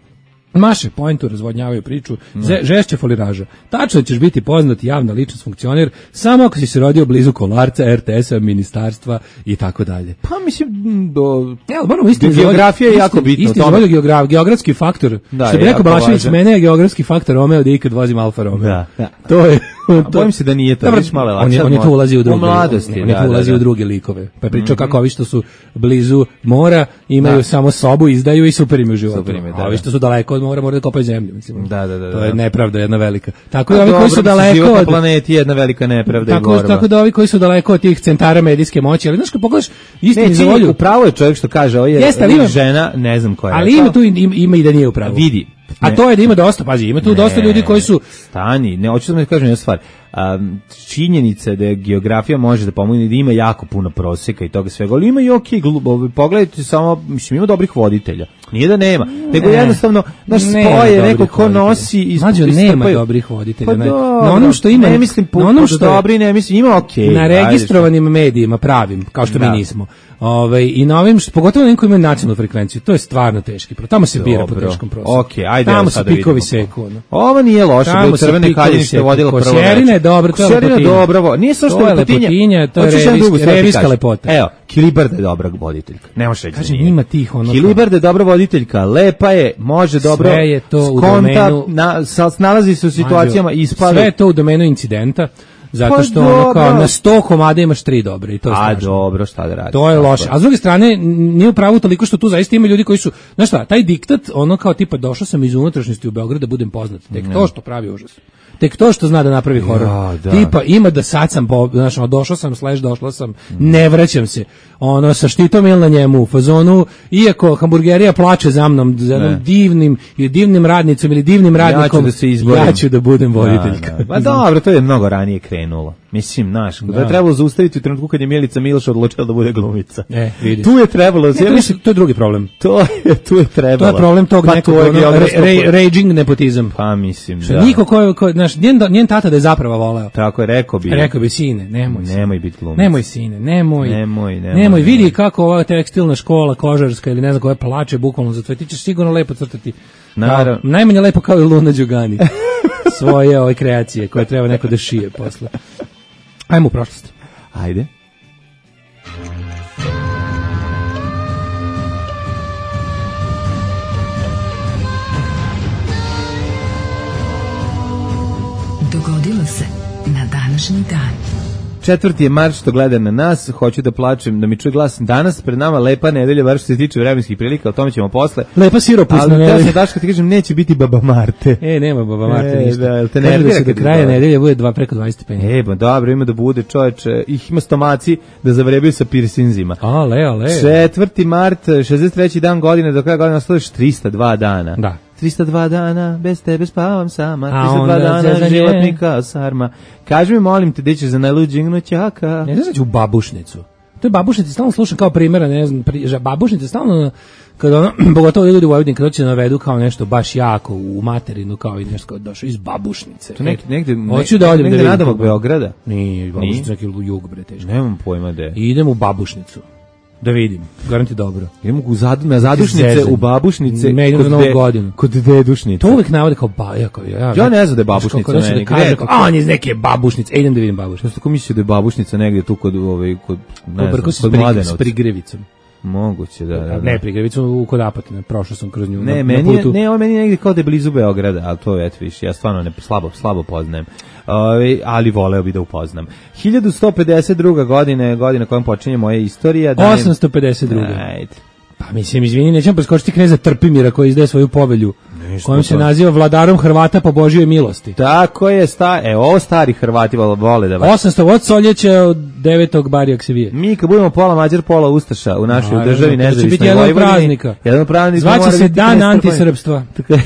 Maše pointu, razvodnjavaju priču, ze, žešće foliraža. Tačno ćeš biti poznat, javna ličnost, funkcioner, samo ako si se rodio blizu Kolarca, R T S-a, ministarstva i tako dalje. Pa mislim, do... Ja, moramo istinu Ge- geografija je jako bitna u Istinu tome. zavolio geograf, geografski faktor. Da, što bi je rekao jako Balašević, važan. mene je geografski faktor Romeo da ikad vozim Alfa Romeo. Da, da. To je... A bojim se da nije to, Dobro, viš malo je on je, lakše on je od tu mlad- ulazi u u druge, mladosti, on je da, tu da, ulazi da. u druge likove. Pa je pričao kako ovi što su blizu mora imaju Da. samo sobu, izdaju i super im u životu. Super im je, da, a ovi da. što su daleko od mora moraju da kopaju zemlju, mislim. Da, da, da, To je da. nepravda jedna velika. Tako da A ovi koji dobro, su mislim, život daleko na od planeti je jedna velika nepravda i tako, borba. tako da ovi koji su daleko od tih centara medijske moći, ali znaš kad pogledaš istini Ne, za čini, volju, upravo je čovjek što kaže, ovo je Jeste, ali ima- žena, ne znam koja je. ali rekla. ima tu ima, ima i da nije u pravu. Vidi. A Ne. to je da ima dosta, pazi, ima tu dosta ljudi koji su Stani, ne, hoću da mi kažem jednu stvar. Um, činjenica da je geografija može da pomogne, da ima jako puno proseka i toga svega, ali ima i okej, okay, pogledajte samo, mislim, ima dobrih voditelja. Nije da nema, nego jednostavno, naš Nema spoje, dobrih neko ko voditelja. nosi iz Mlađo, nema istrpaju. dobrih voditelja. Pa na, dobro, na onom što ima, ne mislim na onom što je- dobri, ne mislim, ima okej. na ajde, registrovanim medijima pravim, kao što Da. mi nismo. Ovaj i na ovim, što- pogotovo na onim koji imaju nacionalnu frekvenciju, to je stvarno teški. pro- Tamo se bira po Dobro. teškom prostoru. Okej, ajde, Tamo evo se sada pikovi vidimo. seku. Ono. Ovo nije loše, Tamo bilo se Crvene pikovi Kaljine što je seku. vodila prvo Kosjerina je reč. dobro, to je Kćerina lepotinja. dobra, vo- nije samo što To je lepotinja. lepotinja, to je Hoćeš jednu revijska- drugu stvar ti revijska kažem? lepota. Evo, Hilibarda je dobra voditeljka. Ne možeš reći da Kažem, nije. ima tih ono. Hilibarda je dobra voditeljka, lepa je, može dobro, Sve je to u skonta, domenu- na, sa, nalazi se u situacijama, Mađo, ispali. Sve je to u domenu incidenta, zato Pa što ono kao dobro. na sto komada imaš tri dobre i to je A strašno. dobro, šta da radiš? To je Tako loše. A s druge strane, n- nije u pravu toliko što tu zaista ima ljudi koji su, znaš šta, taj diktat, ono kao tipa došao sam iz unutrašnjosti u Beograd da budem poznat. Tek to što pravi užas. Tek to što zna da napravi horor. Ja, da. Tipa ima da sad sam, po, znaš, ono, došao sam, slash došla sam, ne vraćam se. Ono, sa štitom ili na njemu, u fazonu, iako hamburgerija plače za mnom, za jednom Ne. divnim, ili divnim radnicom, ili divnim radnikom, da se izborim. ja ću da budem voditeljka. Da, da. Pa dobro, to je mnogo ranije krenulo. Mislim, znaš, da je trebalo zaustaviti u trenutku kad je Milica Miloš odlučila da bude glumica. E, vidiš. Tu je trebalo, Ne, to, ja mislim, je, to je drugi problem. to je, tu je trebalo. To je problem tog pa nekog to je ono, geografsko re, po- re, raging nepotizam. Pa mislim, Što da. niko ko, ko znaš, njen, njen tata da je zapravo voleo. Tako je, rekao bi. Rekao bi, sine, nemoj, sine. Nemoj biti glumica. Nemoj, sine, nemoj. Nemoj, nemoj, Nemoj, vidi nemoj. kako ova tekstilna škola, kožarska ili ne znam koja plače bukvalno za tvoje. Ti ćeš sigurno lepo crtati. Naravno. Kao, najmanje lepo kao i Luna Đugani. Svoje ove kreacije koje treba neko da šije posle. Ajmo u prošlost. Ajde. Dogodilo se na današnji dan. Četvrti je mart što gleda na nas, hoću da plačem, da mi čuje glas. Danas pred nama lepa nedelja, bar što se tiče vremenskih prilika, o tome ćemo posle. Lepa siropusna Ali nedelja. da sam Daška ti kažem, neće biti Baba Marte. E, nema Baba Marte E, ništa. da, jel te Kaže nervira da se kad do je kraja to? nedelje bude dva preko dvadeset stepeni. E, ba dobro, ima da bude čoveče, ih ima stomaci da zavrebaju sa piercingima. A, le, le. Četvrti mart, šezdeset treći dan godine, do kraja godine ostalo još trista dva dana. Da. trista dva dana, bez tebe spavam sama, A trista dva onda dana, zezanje. život mi kao sarma. Kaži mi, molim te, gde ćeš za najluđeg ćaka? Ne znaš da ću u babušnicu. To je babušnica, stalno slušam kao primjera, ne znam, pri, že babušnica stalno, kada ono, pogotovo ljudi u Vojvodini, kada će navedu kao nešto baš jako u materinu, kao i nešto kao došao iz babušnice. To negde, negde, Hoću da odem negde da vidim nadomak kako- Beograda. Nije, babušnica Nije? neki jug, bre, teško. Nemam pojma gde. I idem u babušnicu. Da vidim, garanti dobro. Idemo u zadu, na zadušnice, Zezanje. u babušnice, Ne, idem kod, za Novu de- godinu. kod dedušnice. To uvek navode kao ba, ja, kao, ja, Ja ne znam da je znaš, babušnica kako hoće meni, da kaže, gde? kao, a on je iz neke babušnice, e, idem da vidim babušnicu. Što ste ko mislio da je babušnica negdje tu kod, ovaj, kod, ne znam, Pobrko se kod s, pri, s Mladenovca? prigrevicom. Moguće, da, da, da. Ne, prigrevicom u kod Apatina, prošao sam kroz nju. Ne, na, meni na je, putu. ne, ovo meni je negdje kao da je blizu Beograda, ali to je, eto više, ja stvarno ne, slabo, slabo poznajem. Ove, ali voleo bi da upoznam. hiljadu sto pedeset druga godine, godina kojom počinje moja istorija. Da osamsto pedeset druga. Ajde. Pa mislim, izvini, nećemo preskočiti kneza Trpimira koji izdaje svoju povelju, Ništa kojom po se tome. naziva vladarom Hrvata po Božjoj milosti. Tako je, sta, e, ovo stari Hrvati vole, vole da vas. osamsto od Soljeća od devetog Barijak se vije. Mi kad budemo pola Mađar, pola Ustaša u našoj Naravno, državi to će nezavisnoj biti jedan od Vojvodini, praznika. Jedan od praznika. Zvaće mora se biti Dan knez antisrpstva. Trpimira.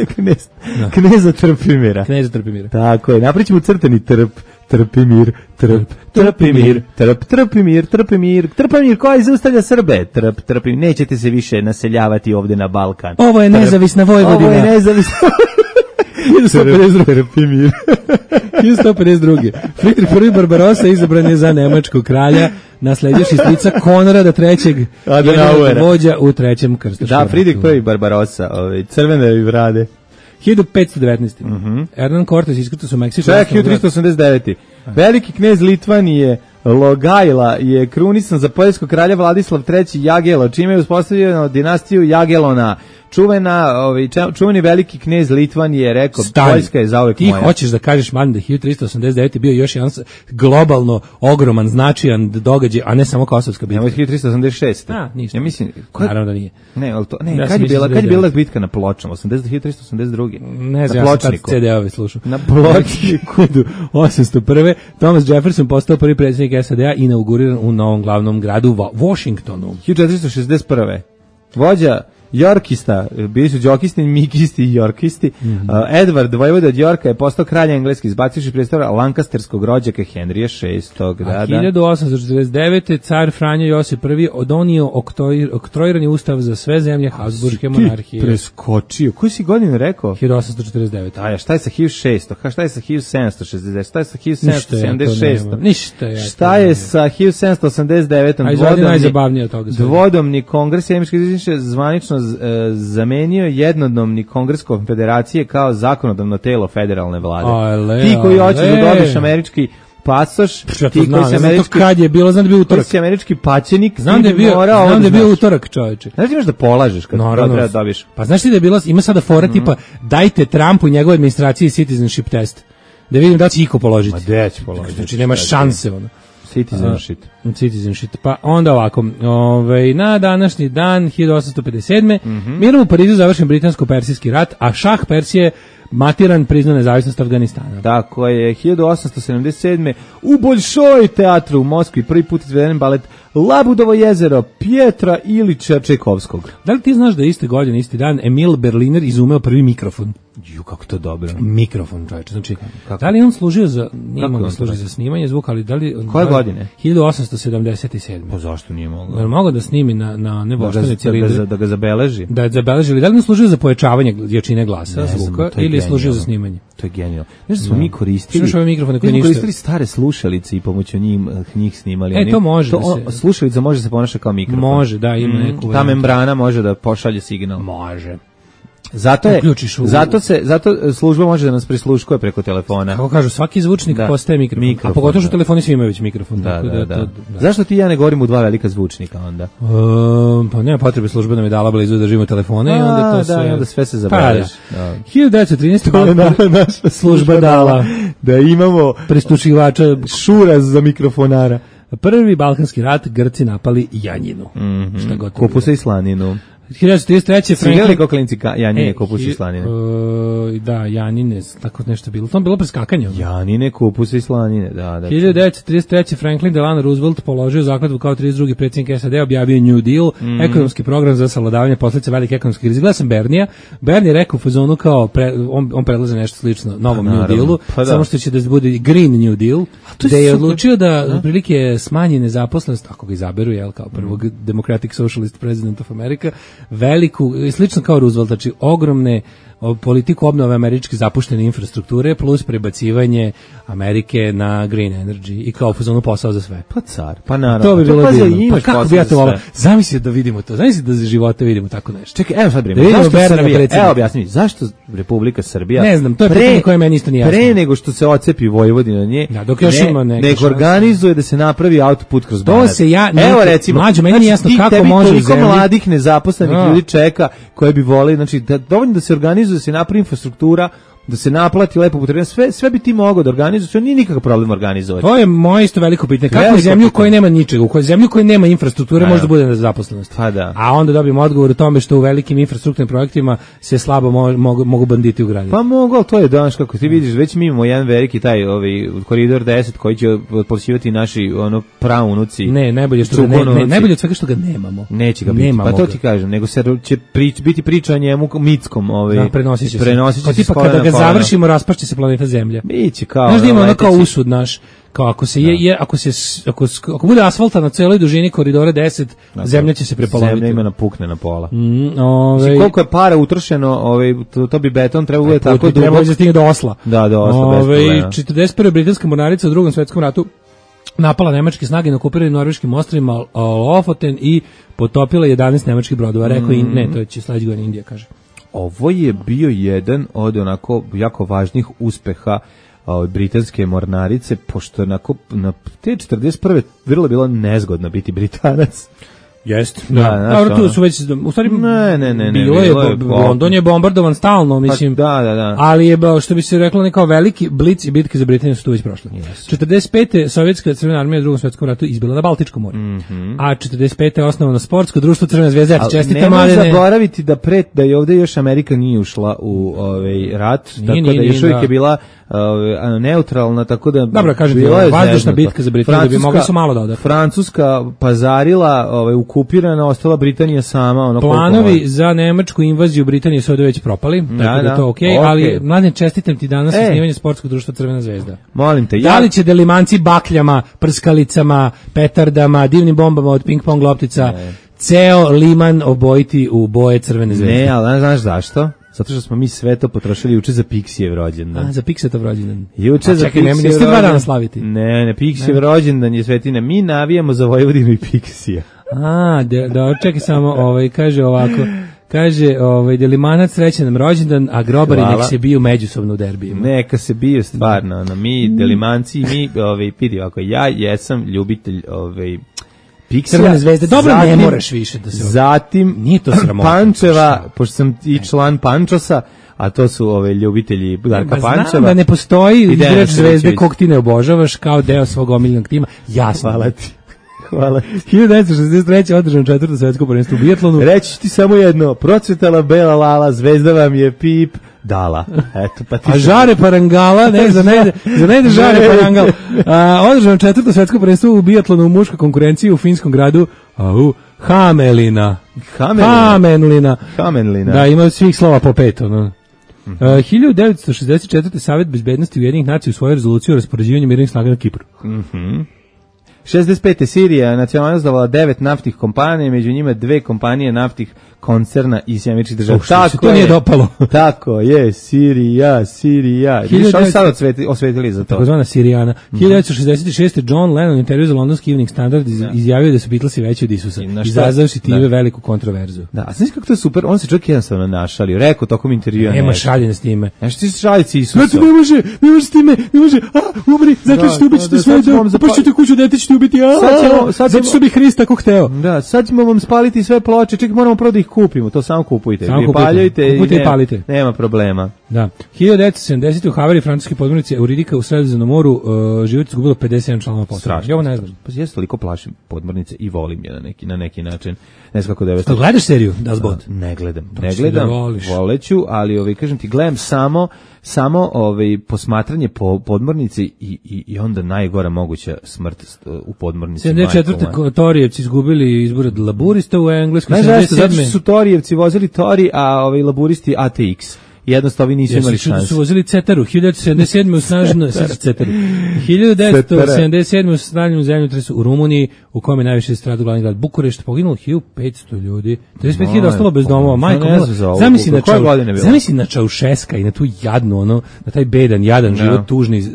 Knez, kneza Trpimira. Kneza Trpimira. Tako je, napričamo crtani trp, Trpimir, trp, Trpimir, trp, Trpimir, Trpimir, Trpimir koji zaustavlja Srbe, trp, Trpimir, nećete se više naseljavati ovde na Balkan. Ovo je nezavisna Vojvodina. Ovo je nezavisna hiljadu sto pedeset druga. Trpimir. hiljadu sto pedeset druga. Friedrich prvi Barbarossa izabran je za nemačkog kralja, nasledivši strica Konrada trećeg. Adenauera. Vođa u trećem krstaškom Da, ratu. Friedrich prvi Barbarossa, ovaj, crvene brade. hiljadu petsto devetnaeste. Hernan Cortes iskrcao se u Meksiku. Čak, hiljadu tristo osamdeset devete. Veliki knez Litvanije Logajla je krunisan za poljskog kralja Vladislav treći Jagelo, čime je uspostavljeno dinastiju Jagelona. Čuvena, ovaj, čuveni veliki knez Litvanije je rekao, Stani. Poljska je zauvek Ti moja. hoćeš da kažeš, man, da hiljadu tristo osamdeset devete bio još jedan s- globalno ogroman, značajan događaj, a ne samo Kosovska bitka. Nemoj hiljadu tristo osamdeset šeste. A, ništa. Ja mislim, Naravno da nije. Ne, ali to, ne, Ja sam kad je mislio bila, za kad je bila devedeset. bitka na Pločama? osamdeset hiljadu tristo osamdeset druge. Ne znam, na ja sam tad Pločniku. C D-ove slušao. Na Pločniku. Hiljadu osamsto prve. Thomas Jefferson postao prvi predsjednik S A D-a, inauguriran u novom glavnom gradu Wa- Washingtonu. hiljadu četiristo šezdeset prve. Vođa Yorkista, bili su džokisti, mikisti i jorkisti. Mhm. uh, Edward, vojvoda od Yorka, je postao kralj engleski, izbacivši predstavlja lankasterskog rođaka Henrija šestog. Da, A da. hiljadu osamsto četrdeset devete. car Franjo Josip prvi odonio oktoj- oktroirani ustav za sve zemlje Habsburške monarhije. Preskočio. Koju si godinu rekao? hiljadu osamsto četrdeset devete. A ja, šta je sa hiljadu šesto? Ha, šta je sa hiljadu sedamsto šezdeset? Šta je sa hiljadu Ništa sedamsto ja to sedamdeset šest? nemam. Ništa ja to Šta je nemam. sa hiljadu sedamsto osamdeset devet? A izvodi najzabavnije od toga svega. Dvodomni kongres Sjemičke izviše zvanično z- e, zamenio jednodnevni kongres konfederacije kao zakonodavno telo federalne vlade. Ale, Ti koji hoćeš ale. da dobiješ američki pasoš, Ja ti to znam, koji si ne znam to američki, kad je bilo, znam da je bio koji utorak. si američki paćenik, Znam ti da je bi bio, morao ovo znam da je bio znaš. utorak, čoveče. Znaš ti imaš da polažeš kad Naravno. treba da dobiješ? Pa znaš ti da je bilo, ima sada fora Mhm. tipa, dajte Trumpu i njegove administraciji citizenship test. Da vidim da će iko položiti. Ma gde će položiti? Znači nema šanse ono. Citizenship. Citizenship. Pa onda ovako, ovaj, na današnji dan hiljadu osamsto pedeset sedme Mhm. mirom u Parizu završen britansko-persijski rat, a šah Persije matiran priznao nezavisnost Afganistana. Tako je, hiljadu osamsto sedamdeset sedme u Boljšoj teatru u Moskvi prvi put izveden balet Labudovo jezero Pjetra Ilića Čajkovskog. Da li ti znaš da je iste godine, isti dan, Emil Berliner izumeo prvi mikrofon? Ju, kako to dobro. Mikrofon, čovječe. Znači, Kako? da li on služio za, nije Kako mogao on da služi to za snimanje zvuka, ali da li... Koje da li- godine? hiljadu osamsto sedamdeset sedme. Pa zašto nije mogao? Je li mogao da snimi na, na ne Da ga, voštane da, ga, cilindre? da ga zabeleži? Da je zabeležili, da li on služio za pojačavanje jačine glasa, Ne znam, zvuka, to je ili je služio genijalno. za snimanje? To je genijalno. Znaš da smo mi koristili... Slušaj ove mikrofone koji mi smo ništa. koristili stare slušalice i pomoću njih, njih snimali. E, Oni- to može da on- se- Slušalica može se ponaša kao mikrofon. Može, da, ima Mm, neku Ta varijantu. membrana može da pošalje signal. Može. Zato je, Uključiš u- zato se, zato služba može da nas prisluškuje preko telefona. Kako kažu, svaki zvučnik Da. postaje mikrofon. Mikrofon, A pogotovo što da. telefoni svi imaju već mikrofon. Da, tako da, da. to- Zašto ti i ja ne govorim u dva velika zvučnika onda? Um, pa nema potrebe, služba nam je dala blizu da držimo telefone i onda to A, sve... da, i onda sve se zabeleži. Pa, da. Da. hiljadu devetsto trinaeste. To je naša, naša služba dala da imamo prestučivača šuraz za mikrofonara. Prvi balkanski rat, Grci napali Janjinu. Mhm. Šta god to Kupusa bilo. i slaninu. hiljadu devetsto trideset treće. Si igrali kao klinci ka, Janine, E, kupusa i hi- slanine? e, da, Janine, tako nešto bilo. To je bilo preskakanje. ono. Janine, kupusa i slanine, da, da. hiljadu devetsto trideset treće. Franklin Delano Roosevelt položio zakletvu kao trideset drugi predsjednik S A D, objavio New Deal, Mhm. ekonomski program za savladavanje posljedica velike ekonomske krize. Gledao sam Bernija. Bernie je rekao u fazonu kao pre, on, on predlaže nešto slično novom Pa, New naravno. Dealu, Pa da. samo što će da bude Green New Deal, to je da je super. odlučio da otprilike smanji nezaposlenost, ako ga izaberu, jel, kao prvog Mhm. Democratic Socialist President of America, veliku, slično kao Roosevelt, znači ogromne o, politiku obnove američke zapuštene infrastrukture plus prebacivanje Amerike na green energy i kao u fazonu posao za sve. Pa car, pa naravno. To bi bilo pazi, divno. Pa imaš kako posao bi ja za to volao? sve. Zamisli da vidimo to. Zamisli da za života vidimo tako nešto. Čekaj, evo sad Da brimo. vidimo Zašto Bernija Srbija? predsjednika. Evo objasni mi, zašto Republika Srbija? Ne znam, to je pitanje koje meni isto nije jasno. Pre nego što se ocepi Vojvodina od nje, Da, dok još ne, ima neke nego šanse. organizuje da se napravi autoput kroz To Banat. se ja- Evo neki- recimo, mlađo, meni nije jasno ti- kako tebi može u toliko zemlji- mladih nezaposlenih Da. ljudi čeka koje bi voleli, znači da dovoljno da se organizuje, da se napravi infrastruktura, da se naplati lepo putarina, sve sve bi ti mogao da organizuješ, to nije nikakav problem organizovati. To je moje isto veliko pitanje. Kako Veliko u zemlju u kojoj pitanje. nema ničega, u kojoj zemlju u kojoj nema infrastrukture Pa može da. da bude nezaposlenost. Pa da. A onda dobijemo odgovor o tome što u velikim infrastrukturnim projektima se slabo mo- mogu, mogu banditi ugraditi. Pa mogu, ali to je danas kako ti vidiš, već mi imamo jedan veliki taj ovaj koridor deset koji će otplaćivati naši ono praunuci. Ne, najbolje što ga ne, ne, Čukunovci. najbolje od svega što ga nemamo. Neće ga biti. Nemamo Pa to ga. ti kažem, nego se će prič, biti priča o njemu mitskom, ovaj Da, prenosit će se. prenosit Kao će se tipa s kolena kada ga na koleno. završimo raspašće se planeta Zemlja. Biće kao. Znaš da ima ono kao leteći- usud naš, kao ako se je, je ako se s- ako, s- ako bude asfalta na celoj dužini koridora deset, Dakle, zemlja će se prepoloviti. Zemlja ima napukne na pola. Mm, ovaj, Znači, koliko je para utrošeno, ovaj, to, to bi beton trebao bude tako put bi trebalo dubok. da stigne do Osla. Da, do Osla, bez Ovaj, problema. četrdeset prve britanska mornarica u Drugom svetskom ratu napala nemačke snage na okupiranim norveškim ostrvima Lofoten i potopila jedanaest nemačkih brodova. Rekao i Mm. ne, to će sledeće godine Indija, kaže. Ovo je bio jedan od onako jako važnih uspeha ovaj, britanske mornarice, pošto onako na te četrdeset prve vrlo bilo nezgodno biti Britanac. Jest. Da, Da, znaš, dobro, tu ono. su već u stvari Ne, ne, ne, ne, bilo je, bilo je bo- po- London je bombardovan stalno, mislim. Pa, da, da, da. Ali je ba- što bi se reklo nekao veliki blic i bitke za Britaniju su tu već prošle. Jesu. četrdeset pete sovjetska crvena armija u Drugom svetskom ratu izbila na Baltičkom moru. A četrdeset pete je osnovano sportsko društvo Crvena zvezda. Ja ti Ali čestitam, nemoj Mladene. zaboraviti da pre da je ovde još Amerika nije ušla u ovaj rat, Nije, tako nije, da nije, još uvijek da. je bila ovaj, neutralna, tako da Dobro, kažem ti, bila je vazdušna zeznuto. bitka za Britaniju, da bi Francuska- mogli su malo da odahnu. Francuska pazarila, ovaj, okupirana, ostala Britanija sama. Ono koliko Planovi može. za nemačku invaziju Britanije su ovdje već propali, tako da, da. je to okej, Okej. ali mladen, čestitam ti danas E. osnivanje sportskog društva Crvena zvezda. Molim te, Da ja... li će delimanci bakljama, prskalicama, petardama, divnim bombama od ping-pong loptica, ceo liman obojiti u boje Crvene zvezde? Ne, ali znaš zašto? Zato što smo mi sve to potrošili juče za Pixijev rođendan. A, za Piksetov rođendan. Juče A za čekaj, nema- Pixijev niste dva dana rođendan- slaviti? Ne, ne, Pixijev rođendan je Svetina. Mi navijamo za Vojvodinu i Pixija. A, da, da čekaj samo, ovaj, kaže ovako, Kaže, ovaj, Delimanac srećan nam rođendan, a grobari Hvala. nek se biju međusobno u derbijima. Neka se bije stvarno, ono, mi Delimanci, mi, ovaj, vidi ovako, ja jesam ljubitelj, ovaj, Piksija. Crvene zvezde, dobro, zatim, ne moraš više da se... Zatim, Nije to sramota. Pančeva, pošto sam i član Pančosa, a to su ove ljubitelji Darka Pančeva. Znam da ne postoji I Dejan igrač zvezde Ševićević. kog ti ne obožavaš kao deo svog omiljenog tima. Jasno. Hvala ti. Hvala. hiljadu devetsto šezdeset treće održano četvrto svetsko prvenstvo u bijatlonu. Reći ti samo jedno, procvetala bela lala, zvezda vam je pip dala. Eto, pa ti A žare parangala, ne, za ne, za ne ide žare parangal. A, održano četvrto svetsko prvenstvo u bijatlonu u muškoj konkurenciji u finskom gradu au, Hamelina. Hamelina. Hamelina. Hamelina. Da, ima od svih slova po pet, ono. Uh, hiljadu devetsto šezdeset četvrte Savet bezbednosti Ujedinjenih nacija u svojoj rezoluciji o raspoređivanju mirnih snaga na Kipru. Mhm. šezdeset pete Sirija nacionalizovala devet naftnih kompanija, među njima dve kompanije naftnih koncerna iz Američkih država. Oh, što se to nije dopalo. Tako je, Sirija, Sirija. Viš, oni sad osveti, osvetili za to. Takozvana Sirijana. Mm-hmm. hiljadu devetsto šezdeset šeste John Lennon intervju za londonski Evening Standard iz, izjavio da su Beatlesi veći od Isusa, izazavši time da. veliku kontroverzu. Da, a znaš kako to je super? On se čovjek jednostavno našalio. Rekao tokom intervjua. Nema šaljenja s time. Znaš ti se šaljici Isusa. Znači, ne može, ne može s time, ne može, a, umri, zaključite, ubit ćete sve, zapašćete kuću, dete ćete ubiti, a, zato što bi Hrist tako hteo. Da, sad ćemo vam spaliti sve ploče, čekaj, moramo prvo da ih kupimo, to samo kupujte. Samo kupujte, paljujte kupujte i, i palite. Nema problema. Da. hiljadu devetsto sedamdesete u Havari francuske podmornice Euridika u Sredozemnom moru uh, život izgubilo pedeset sedam članova posade. Ja ovo ne znam. Pa ja se toliko plašim podmornice i volim je na neki na neki način. Ne znam kako da je. To gledaš seriju Das Boot? Ne gledam. Ne gledam. Da voleću, ali ovaj kažem ti gledam samo samo ovaj posmatranje po podmornici i i i onda najgora moguća smrt u podmornici. sedamdeset četvrte Torijevci izgubili izbore od laburista u Engleskoj. sedamdeset sedme su Torijevci vozili Tori, a ovaj laburisti A T X. Jednostavno ovi nisu imali šanse. Su vozili Cetaru, hiljadu devetsto sedamdeset sedme u snažno Cetaru. hiljadu devetsto sedamdeset sedme u snažnom zemljotresu u Rumuniji, u kome je najviše stradao glavni grad Bukurešt, poginulo hiljadu petsto ljudi. trideset pet hiljada ostalo bez domova. Majko, zamisli na Čau, zamisli na Čaušeska i na tu jadnu, ono, na taj bedan, jadan život, tužni,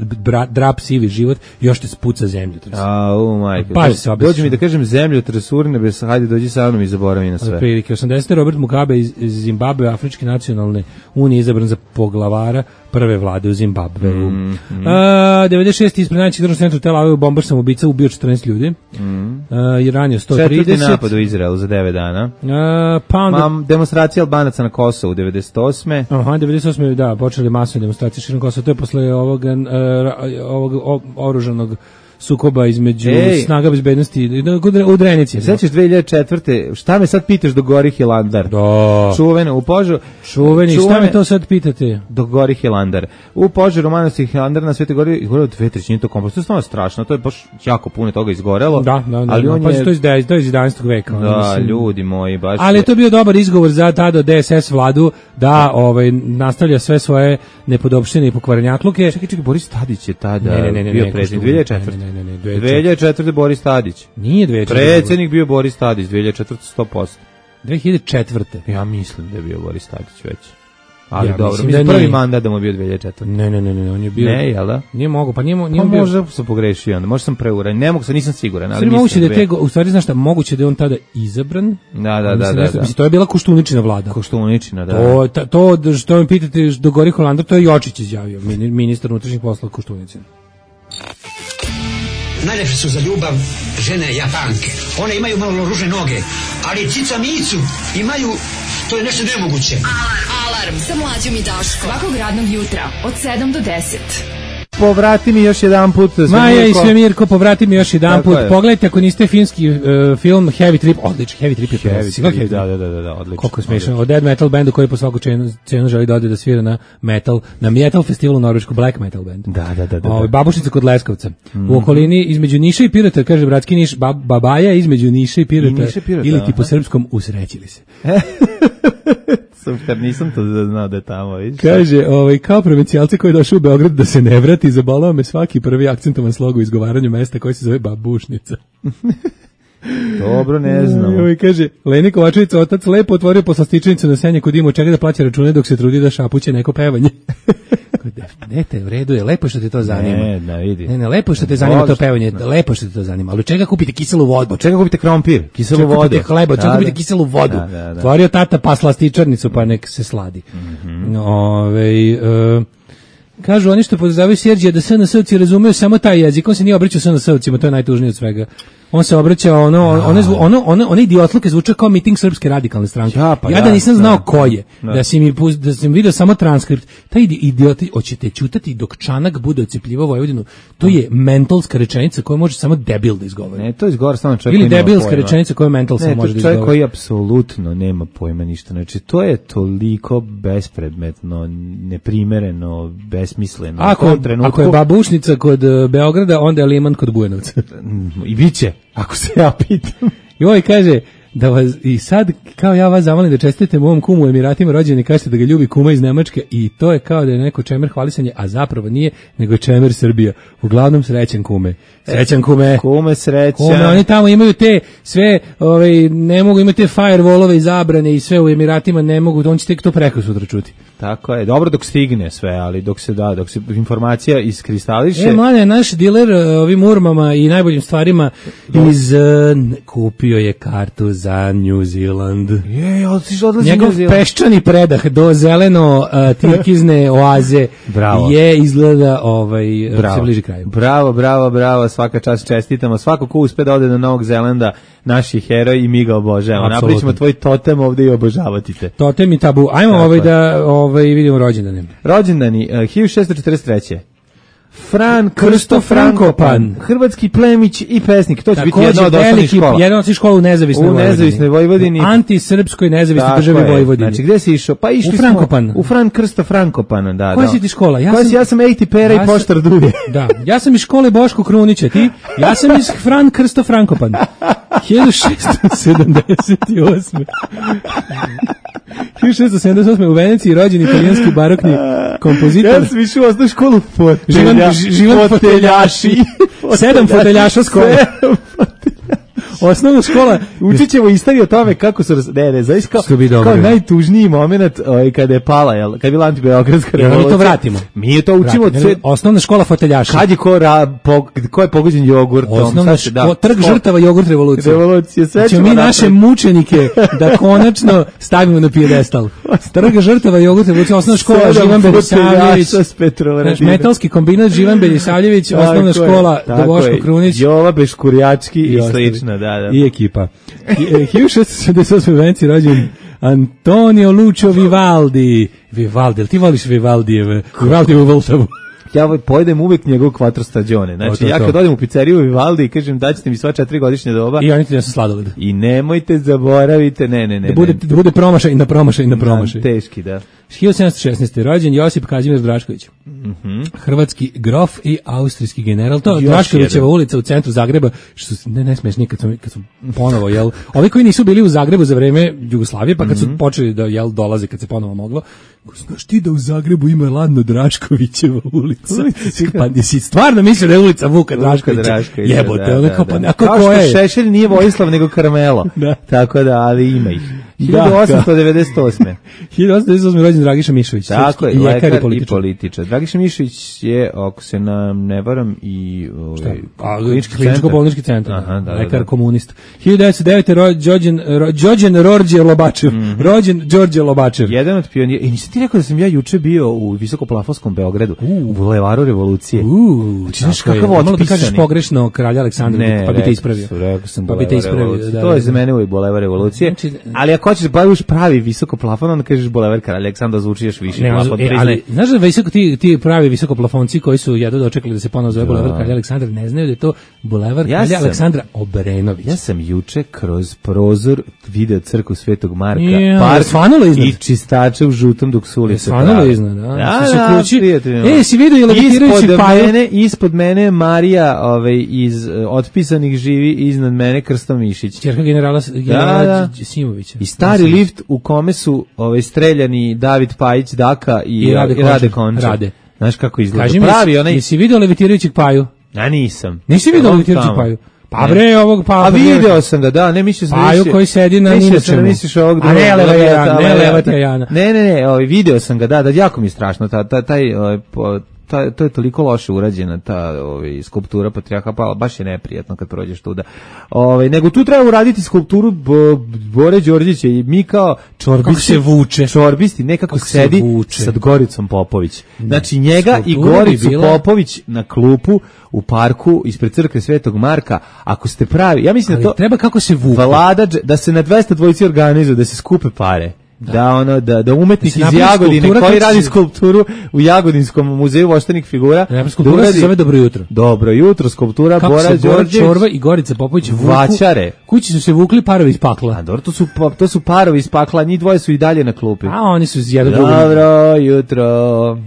drap sivi život, još te spuca zemljotres. A, u majko. Dođi mi da kažem zemljotres Urnebes, hajde dođi sa mnom i zaboravi na sve. Prilike osamdesete Robert Mugabe iz Zimbabwe, Afričke nacionalne unije, izabran za poglavara prve vlade u Zimbabveu. Mm, mm. A, devedeset šeste ispred najvećeg državnog centra Tel Aviv bombard samobica ubio četrnaest ljudi. Mm. A, I ranio sto trideset. Četvrti napad u Izraelu za devet dana. A, pa onda... Mam, demonstracija Albanaca na Kosovu devedeset osme. Aha, devedeset osme, da, počeli masovne demonstracije širom Kosova. To je posle ovog, uh, ovog oružanog sukoba između Ej. snaga bezbednosti u Drenici. Sećaš dve hiljade četvrte. Šta me sad pitaš do gori Hilandar? Da. Čuveno u požaru. Čuveni, čuvene, šta me to sad pitate? Do gori Hilandar. U požaru manastira Hilandar na Svetoj gori izgorelo dve trećine tog komposta. To je stvarno strašno. To je baš jako puno toga izgorelo. Da, da, da. Ali da, on pa je... to je to je iz jedanaestog veka. Da, mislim. Ljudi moji, baš. Ali je to bio dobar izgovor za tada D S S vladu da ovaj nastavlja sve svoje nepodopštine i pokvarenjakluke. Čekaj, čekaj, Boris Tadić je tada ne, ne, ne, ne, bio ne, predsjednik dve hiljade četvrte. Ne, ne, ne, dve hiljade četvrte Boris Tadić. Nije dve hiljade četvrte. Predsjednik bio Boris Tadić, dve hiljade četvrte sto posto. dve hiljade četvrte. Ja mislim da je bio Boris Tadić već. Ali ja dobro, mislim, mislim da prvi nije. mandat da mu bio dve hiljade četvrte. Ne, ne, ne, ne, on je bio. Ne, jel da? Nije mogu, pa nije, nije pa bio. Možda sam pogrešio, onda možda sam preuran. Ne mogu se, nisam siguran, ali mislim. Moguće da je te, u stvari znaš šta, moguće da je on tada izabran. Da, da, da, mislim, da, nešto, da. mislim, to je bila Koštuničina vlada. Koštuničina, da. To ta, to što me pitate do gori Holandar, to je Jočić izjavio, ministar unutrašnjih poslova Koštuničina. Najlepše su za ljubav žene Japanke. One imaju malo ružne noge, ali cica micu imaju, to je nešto nemoguće. Alarm, alarm, sa mlađom i Daškom. Svakog radnog jutra, od sedam do deset. Povrati mi još jedan put. Maja i Svemirko, povrati mi još jedan put. Pogledajte ako niste finski uh, film Heavy Trip, odličan, Heavy Trip je Heavy Trip, Trip, da, da, da, da, odlično. Koliko je smiješno, od dead metal bandu koji po svaku cenu, cenu želi da ode da svira na metal, na metal festivalu u Norvešku, black metal band. Da, da, da. da, o, babušnica kod Leskovca. Mm. U okolini između Niša i Pirota, kaže bratski Niš, bab, babaja između Niša i Pirota, I Pirota ili ti po srpskom usrećili se. Super, nisam to znao da je tamo, vidiš. Kaže, ovaj, kao provincijalce koji je došao u Beograd da se ne vrati, zabolao me svaki prvi akcentovan slog u izgovaranju mesta koji se zove Babušnica. Dobro, ne znam. Ovaj, kaže, Leni Kovačevica, otac, lepo otvorio poslastičnicu na senje kod ima, čega da plaća račune dok se trudi da šapuće neko pevanje. Dete, u redu je, lepo što te to zanima. Ne, da vidi. Ne, ne, lepo što te zanima to pevanje, lepo što te to zanima. Ali od čega kupite kiselu vodu? Od čega kupite krompir, kiselu vodu? Kupite hleba, od čega kupite kiselu vodu? Da, da, da. Tvorio tata pa slastičarnicu, pa nek se sladi. Mm-hmm. Ove, e, kažu oni što podržavaju Serđija da S N S-ovci razumeju samo taj jezik, on se nije obraćao S N S-ovcima, to je najtužnije od svega. On se obraćao ono ono ono ono one idiotluke zvuče kao miting Srpske radikalne stranke. Ja, pa ja da nisam znao da, ko je. Da. da si mi da sam video samo transkript. Taj idioti hoćete ćutati dok Čanak bude ocepljivao Vojvodinu. To je mentalska rečenica koju može samo debil da izgovori. Ne, to izgovara samo čovjek. Ili debilska rečenica koju mental samo može da izgovori. Čovjek koji apsolutno nema pojma ništa. Znači to je toliko bespredmetno, neprimereno, besmisleno. Ako, ako je babušnica kod Beograda, onda je Liman kod Bujanovca. I biće. Ako se ja pitam. Joj, kaže, da vas, i sad, kao ja vas zamolim da čestite mom kumu u Emiratima rođeni, kažete da ga ljubi kuma iz Nemačke i to je kao da je neko čemer hvalisanje, a zapravo nije, nego je čemer Srbija. Uglavnom srećan kume. Srećan kume. Kume srećan. Kume, oni tamo imaju te sve, ovaj, ne mogu imati te firewallove i zabrane i sve u Emiratima ne mogu, on će tek to preko sutra čuti. Tako je, dobro dok stigne sve, ali dok se da, dok se informacija iskristališe. E, mlade, naš diler ovim urmama i najboljim stvarima iz, uh, kupio je kartu za New Zealand. Je, odlazi odlazi njegov peščani predah do zeleno uh, tirkizne oaze bravo. Je izgleda ovaj, bravo. Se bliži kraju. Bravo, bravo, bravo, svaka čast čestitamo. Svako ko uspe da ode do Novog Zelanda, naši heroji i mi ga obožavamo. Napričamo tvoj totem ovde i obožavati te. Totem i tabu. Ajmo tako ovaj da ovaj, vidimo rođendane. Rođendani, uh, hiljadu šessto četrdeset treće Fran Krsto Frankopan, hrvatski plemić i pesnik. To će biti jedna od osnovnih škola. Jedna od svih škola u nezavisnoj Vojvodini. U nezavisnoj Vojvodini. U antisrpskoj nezavisnoj državi Vojvodini. Znači, gde si išao? Pa išli u Frankopan. Smo, u Fran Krsto Frankopan, da. Koja si ti škola? Ja sam, ja sam Ejti Pera ja i Poštar Duje. Da, ja sam iz škole Boško Krunića, ti? Ja sam iz Fran Krsto Frankopan. hiljadu šessto sedamdeset osme hiljadu šessto sedamdeset osme u Veneciji rođen italijanski barokni kompozitor. Ja sam išao u osnovnu školu Živan, živan foteljaši. Sedam foteljaša skoro. Osnovna škola. Učit ćemo istoriju o tome kako su... Ne, ne, zavis kao, kao najtužniji moment ovaj, kada je pala, jel, kada je bila antibeogradska revolucija. Mi to vratimo. Mi to učimo. Vratimo. Sve... Osnovna škola foteljaša. Kad je ko, ra, po, ko je pogođen jogurtom? Osnovna škola, da, trg žrtava jogurt revolucije. Revolucije, sve ćemo mi naše mučenike da konačno stavimo na pijedestal. Trg žrtava jogurt revolucije, osnovna škola Živan Belisavljević. Metalski kombinat Živan Belisavljević, osnovna škola do Boško Krunić. Jova Beškurjački i slično, da. Da, da. I ekipa. hiljadu šessto sedamdeset osme u Veneciji rođen Antonio Lucio Vivaldi. Vivaldi, ti voliš Vivaldijeve? Vivaldijevu Voltavu. Ja pojedem uvek njegov quattro stagione. Znači, to, to, ja kad odem u pizzeriju Vivaldi i kažem daćete mi sva četiri godišnje doba. I oni ti nesu sladoled. I nemojte zaboravite, ne, ne, ne. Da bude, ne. Da bude promašaj na promašaj na promašaj. Da, teški, da. hiljadu sedamsto šesnaeste rođen Josip Kazimir Drašković. Mhm. Hrvatski grof i austrijski general. To je Draškovićeva ulica u centru Zagreba, što ne ne smeš nikad kad, kad su ponovo jel. Ovi koji nisu bili u Zagrebu za vreme Jugoslavije, pa kad su mm-hmm. počeli da jel dolaze kad se ponovo moglo. Znaš ti da u Zagrebu ima ladno Draškovićeva ulica? Pa nisi stvarno mislio da je ulica Vuka Draškovića? Jebote, ona kao pa kako kao što Šešelj nije Vojislav nego Karmelo. Da. Tako da, ali ima ih. hiljadu osamsto devedeset osme hiljadu osamsto devedeset osme rođen Dragiša Mišović. Tako je, lekar i političar. I političar. Dragiša Mišović je, ako se nam ne varam, i ovaj, kliničko-bolnički centar. Aha, da, lekar da. komunista. hiljadu devetsto devete rođen Đorđe Rorđe Lobačev. Mm-hmm. Rođen Đorđe Lobačev. Jedan od pionira. I nisi ti rekao da sam ja juče bio u visokoplafonskom Beogradu, uh. u Bulevaru Revolucije. Uh, znači, znaš kakav otpisani. Malo da kažeš pogrešno kralja Aleksandra, ne, pa bi te ispravio. Rekao sam pa bi te ispravio. Da, to je za mene u Bulevar Revolucije. Znači, ali ako hoćeš da baviš pravi visoko plafon, onda kažeš Bulevar kralja Aleksandra, zvuči još više. Ne, plafon, e, ali, znaš da visoko, ti, ti pravi visokoplafonci koji su jedno dočekali da se ponovo zove Bulevar kralja Aleksandra, ne znaju da je to Bulevar kralja ja sam, Aleksandra Obrenović. Ja sam juče kroz prozor video crkvu Svetog Marka, ja, park i čistače u žutom dok su ulice svanulo iznad, da. Da, da, e, si vidio je levitirajući mene, ispod mene Marija ovaj, iz uh, otpisanih živi, iznad mene Krsto Mišić. Ćerka generala, generala da, da. Simovića. I stari Simović. Lift u kome su ovaj, streljani David Pajić, Daka i, I Rade, i Rade Konča. Rade. Znaš kako izgleda? Kaži pravi mi, onaj... jesi vidio levitirajućeg Paju? Ja nisam. Nisi vidio levitirajućeg Paju? Pa bre, ovog pa. A video sam ga, da, ne misliš Paju koji sedi na Ninačemu. Misliš ovog drugog. A ne leva Jana, ne leva Jana. Ne, ne, ne, ovaj video sam ga, da, da jako mi je strašno ta ta taj ovaj, ta, to je toliko loše urađena ta ovaj skulptura patrijarha Pavla, baš je neprijatno kad prođeš tuda. Ovaj nego tu treba uraditi skulpturu Bore Đorđevića i mi kao čorbisti se vuče. Čorbisti nekako kako sedi sa Goricom Popović. Znači njega skulptura i Goricu bila... Popović na klupu u parku ispred crkve Svetog Marka. Ako ste pravi, ja mislim ali da to treba kako se vuče. Vlada da se na dvesta dvojici organizuje da se skupe pare. Da. da ono da da umetnik da iz Jagodine koji radi skulpturu u Jagodinskom muzeju voštanih figura, da skulptura se zove Dobro jutro. Dobro jutro, skulptura Bora Đorđević, Čorba i Gorica Popović vaćare. Kući su se vukli parovi iz pakla. A dobro, to su to su parovi iz pakla, njih dvoje su i dalje na klupi. A oni su jedan drugi. Dobro jutro.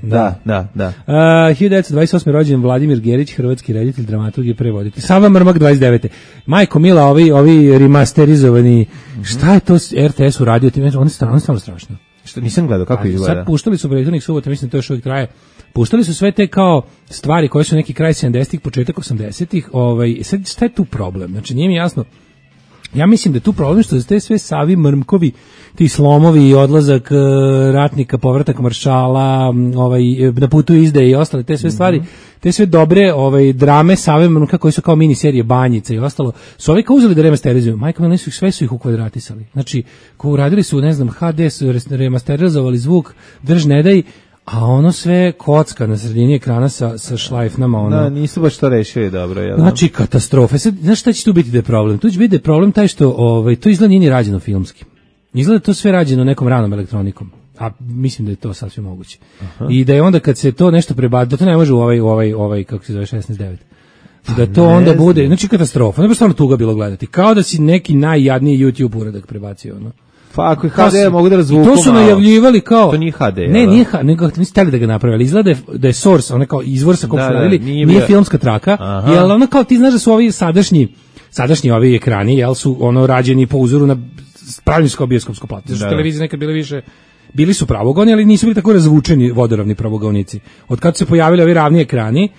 Da, da, da. Uh, hiljadu devetsto dvadeset osme rođen Vladimir Gerić, hrvatski reditelj, dramaturg i prevoditelj. Sava Mrmak dvadeset devete Majko Mila, ovi ovi remasterizovani. Mm-hmm. Šta je to R T S uradio tim? Oni stvarno stvarno strašno. Što nisam gledao kako izgleda. Sad puštali su prethodnih subota, mislim da to još uvijek traje. Puštali su sve te kao stvari koje su neki kraj sedamdesetih, početak osamdesetih, ovaj sad šta je tu problem? Znači nije mi jasno. Ja mislim da je tu problem što te sve Savi Mrmkovi, ti slomovi i odlazak uh, ratnika, povratak maršala, ovaj na putu izdaje i ostale te sve mm-hmm. stvari, te sve dobre ovaj drame Save Mrmka koji su kao mini serije Banjica i ostalo, su ovi kao uzeli da remasterizuju. Majka Mila su sve su ih ukvadratisali. Znači, ko uradili su, ne znam, ha de su remasterizovali zvuk, drž ne daj, a ono sve kocka na sredini ekrana sa, sa šlajfnama. Ono. Da, nisu baš to rešili dobro. Jel? Znači, katastrofe. Sad, znaš šta će tu biti da je problem? Tu će biti da je problem taj što ovaj, to izgleda nije ni rađeno filmski. Izgleda to sve rađeno nekom ranom elektronikom. A mislim da je to sasvim moguće. Aha. I da je onda kad se to nešto prebaci, da to ne može u ovaj, ovaj, ovaj kako se zove, šesnaest devet Da to ne onda znam. Bude, znači katastrofa. Ne bi stvarno tuga bilo gledati. Kao da si neki najjadniji YouTube uradak prebacio, ono. Pa ako je ha de mogu da razvuku. To su najavljivali kao to nije ha de. Ne, nije ha de, nego nisu hteli da ga naprave, ali izgleda da je source, ona kao izvor sa kog su radili, nije, nije filmska traka, jel ona kao ti znaš da su ovi sadašnji sadašnji ovi ekrani, jel su ono rađeni po uzoru na pravinsko bioskopsko platno. Što televizije nekad bile više bili su pravogoni, ali nisu bili tako razvučeni vodoravni pravogonici. Od kad se pojavili ovi ravni ekrani,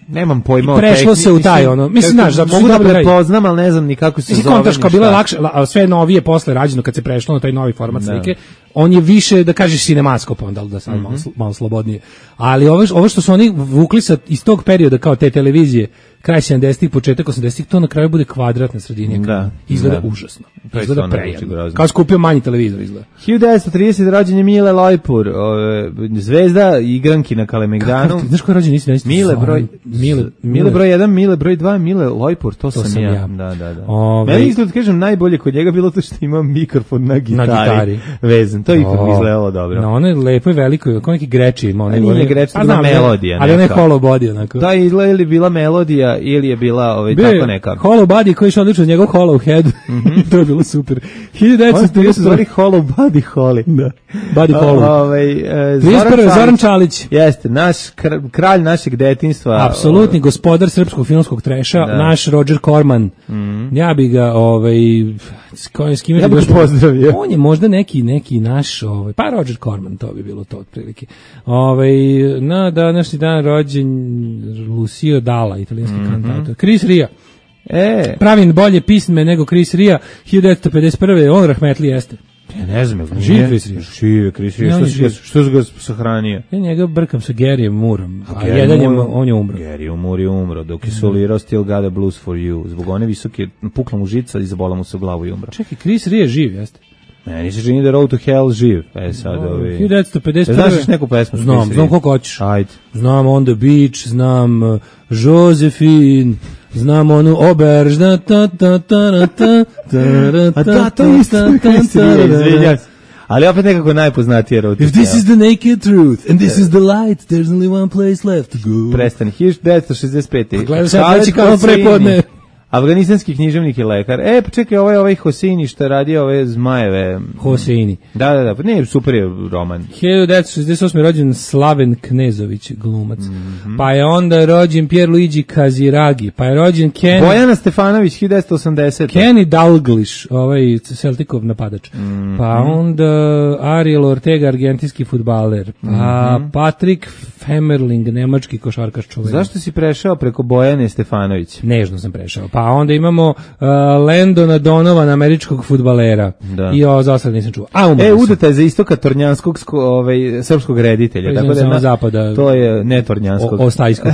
nemam pojma o prešlo se u taj ono mislim znaš da mogu da prepoznam al ne znam ni kako se zove. Kontaš kao bilo lakše, a sve novije posle rađeno kad se prešlo na taj novi format slike. On je više da kažeš sinemaskop onda da sad malo, malo slobodnije. Ali ovo ovo što su oni vukli sa iz tog perioda kao te televizije kraj sedamdesetih početak osamdesetih to na kraju bude kvadrat na sredini ekrana. Izgleda da. Užasno. Izgleda prejadno. Kao skupio manji televizor izgleda. hiljadu devetsto tridesete rođen je Mile Lojpur, zvezda igranki na Kalemegdanu. Znaš ko je rođen isti? Mile broj Mile Mile broj jedan, Mile broj dva, Mile Lojpur, to, to sam, sam ja. ja. Da, da, da. Ove... Meni izgleda kažem najbolje kod njega bilo to što ima mikrofon na gitari. Na gitari. Vezan. To ipak mi izgledalo dobro. No, ono je lepo i veliko, kao neki greči ima. Ono nije greči, to melodija. Ali ona je hollow body onako. Da, ili bila melodija ili je bila ovaj Be, tako neka. Hollow body koji je odlično njegov hollow head. Mm-hmm. To je bilo super. hiljadu devetsto trideset hollow body Holly. Da. Body hollow. Ovaj e, Zoran, Zoran Čalić. Jeste, naš kralj našeg detinjstva. Apsolutni gospodar srpskog filmskog treša, da. Naš Roger Corman. Mm. Ja bi ga ovaj s kojim s kim ja bih pozdravio. On je možda neki neki naš ovaj pa Roger Corman, to bi bilo to otprilike. Ovaj na današnji dan rođen Lucio Dalla, italijanski mm-hmm. kantator. Chris Ria. E, pravim bolje pisme nego Chris Ria. hiljadu devetsto pedeset prve on rahmetli jeste. Ja ne znam, živ Chris Ria. Živ Chris Ria. Što se što se ga sahranio? Ja njega brkam sa Garyjem Moorom. A, a jedan je on je umro. Gary Moore je umro dok je solirao Still Got a Blues for You. Zbog one visoke pukla mu žica i zabola mu se u glavu i umro. Čekaj, Chris Ria živ jeste. Meni se čini da Road to Hell živ. E sad no, ovi... hiljadu devetsto pedeset prve Znaš neku pesmu? Znam, znam koliko hoćeš. Ajde. Znam On the Beach, znam uh, Josephine, znam onu Oberž, da ta ta ta ta ta a da, to je isto izvinjam se. Ali opet nekako najpoznatije Road to Hell. If this is the naked truth and this is the light, there's only one place left to go. Prestani, hiljadu devetsto šezdeset pete Gledaj sad reći kao prepodne. Afganistanski književnik i lekar. E, pa čekaj, ovaj ovaj Hoseini što radi ove zmajeve. Hoseini. Da, da, da, ne, super je roman. hiljadu devetsto šezdeset osme rođen Slaven Knezović, glumac. Mm-hmm. Pa je onda rođen Pierluigi Kaziragi, pa je rođen Kenny Bojana Stefanović hiljadu devetsto osamdesete Kenny Dalglish, ovaj Celticov napadač. Mm-hmm. Pa onda Ariel Ortega, argentinski fudbaler. Pa mm-hmm. Patrick Femerling, nemački košarkaš čuveni. Zašto si prešao preko Bojane Stefanović? Nežno sam prešao. Pa Pa onda imamo uh, Landona Donovana, američkog fudbalera. Da. I ovo za sad nisam čuo. A, umrli E, su. udata je za istoka tornjanskog sko- ovaj, srpskog reditelja. Tako da Samo na, zapada. to je ne tornjanskog. O, ostajskog.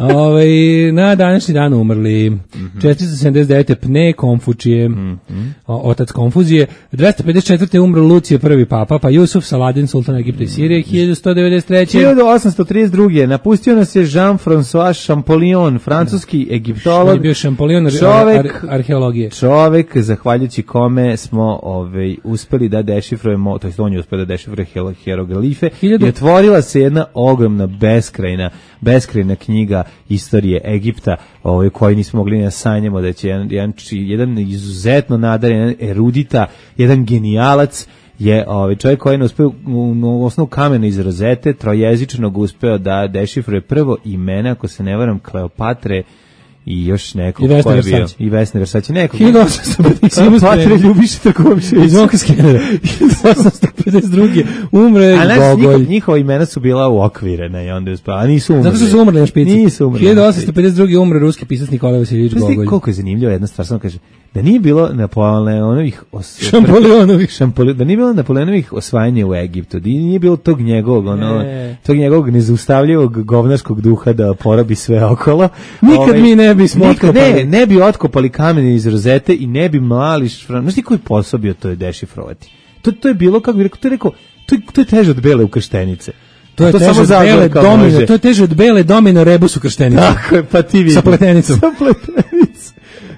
Ovaj na današnji dan umrli Mm-hmm. četiristo sedamdeset devete Pne Konfučije, Mm-hmm. o, otac Konfuzije, dvesta pedeset četvrte umro Lucije, prvi papa, pa Jusuf Saladin, sultan Egipta i Sirije, hiljadu sto devedeset treće hiljadu osamsto trideset druge napustio nas je Jean-François Champollion, francuski egiptolog. On je bio Champollion ar, čovek, ar, arheologije. Čovek, zahvaljujući kome smo ovaj, uspeli da dešifrujemo, to jest on je uspio da dešifruje hieroglife, Hiljadu- i otvorila se jedna ogromna, beskrajna, beskrajna knjiga istorije Egipta, ovaj, koju nismo mogli ni da sanjamo, da će jedan, jedan, jedan izuzetno nadaren, jedan erudita, jedan genijalac, je ovaj čovjek koji je uspeo u, u osnovu kamena iz rozete trojezičnog uspeo da dešifruje prvo imena, ako se ne varam, Kleopatre i još nekog I Vesne ko je bio. Versace. I Vesne Versace. Nekog. hiljadu osamsto pedeset Kleopatre Ljubiša Takovšević. iz Zvonka Skenera. hiljadu osamsto pedeset druge umre A znaš, Gogolj. njihova, njihova imena su bila uokvirena i onda je uspela, a nisu umrli. Zato što su umrli na špici. Nisu umrli. hiljadu osamsto pedeset druge umre ruski pisac Nikolaj Vasiljević Znaš ti Gogolj. koliko je zanimljivo jedna stvar, samo kaže, da nije bilo Napoleonovih os... Šampolionovih. Šampoli... da nije bilo Napoleonovih osvajanja u Egiptu, da nije bilo tog njegovog, ono, Ne. tog njegovog nezaustavljivog govnarskog duha da porabi sve okolo. Nikad mi ne bismo nikad, otkopali. Ne, ne bi otkopali kamene iz rozete i ne bi mlali šfran... Znaš ti koji posao bio to je dešifrovati? To, to je bilo, kako bi rekao, to je rekao, to je, to je teže od bele ukrštenice. To je To teže samo od bele Zagorka domino, može. to je teže od bele domino rebus u krštenici. Tako je, pa ti vidi. Sa pletenicom. Sa pletenicom.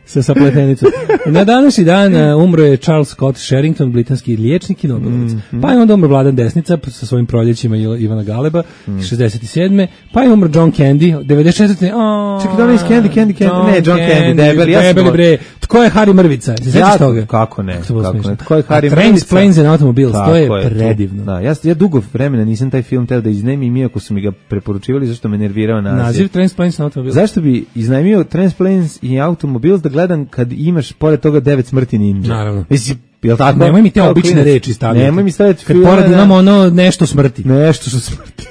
Sa sapletenicom. Na današnji dan uh, umro je Charles Scott Sherrington, britanski liječnik i nobelovac. Mm-hmm. Pa je onda umro Vladan Desnica sa svojim proljećima Ivana Galeba, Mm. šezdeset sedme Pa je umro John Candy, devedeset četvrte Oh, Čekaj, da li iz Candy, Candy, Candy? Ne, John Candy, debeli, ja sam debeli go- bre. Tko je Harry Mrvica? Se sećaš Ja- toga? kako ne, to bilo kako smiješno. ne. Tko je Harry A Trains, Mrvica? Planes and Automobiles, to Tako je to. predivno. Da, ja, ja dugo vremena nisam taj film teo da iznajmim, iako su mi ga preporučivali, zašto me nervirao naziv. Naziv Trains, Planes and Automobiles. Zašto bi iznajmio Transplanes i Automobiles da gledam kad imaš pored toga devet smrti ninja? Naravno. Mislim, jel tako? Nemoj mi te Kao obične klinac. reči stavljati. Nemoj mi staviti Kad filme, pored da- imamo ono nešto smrti. Nešto što smrti.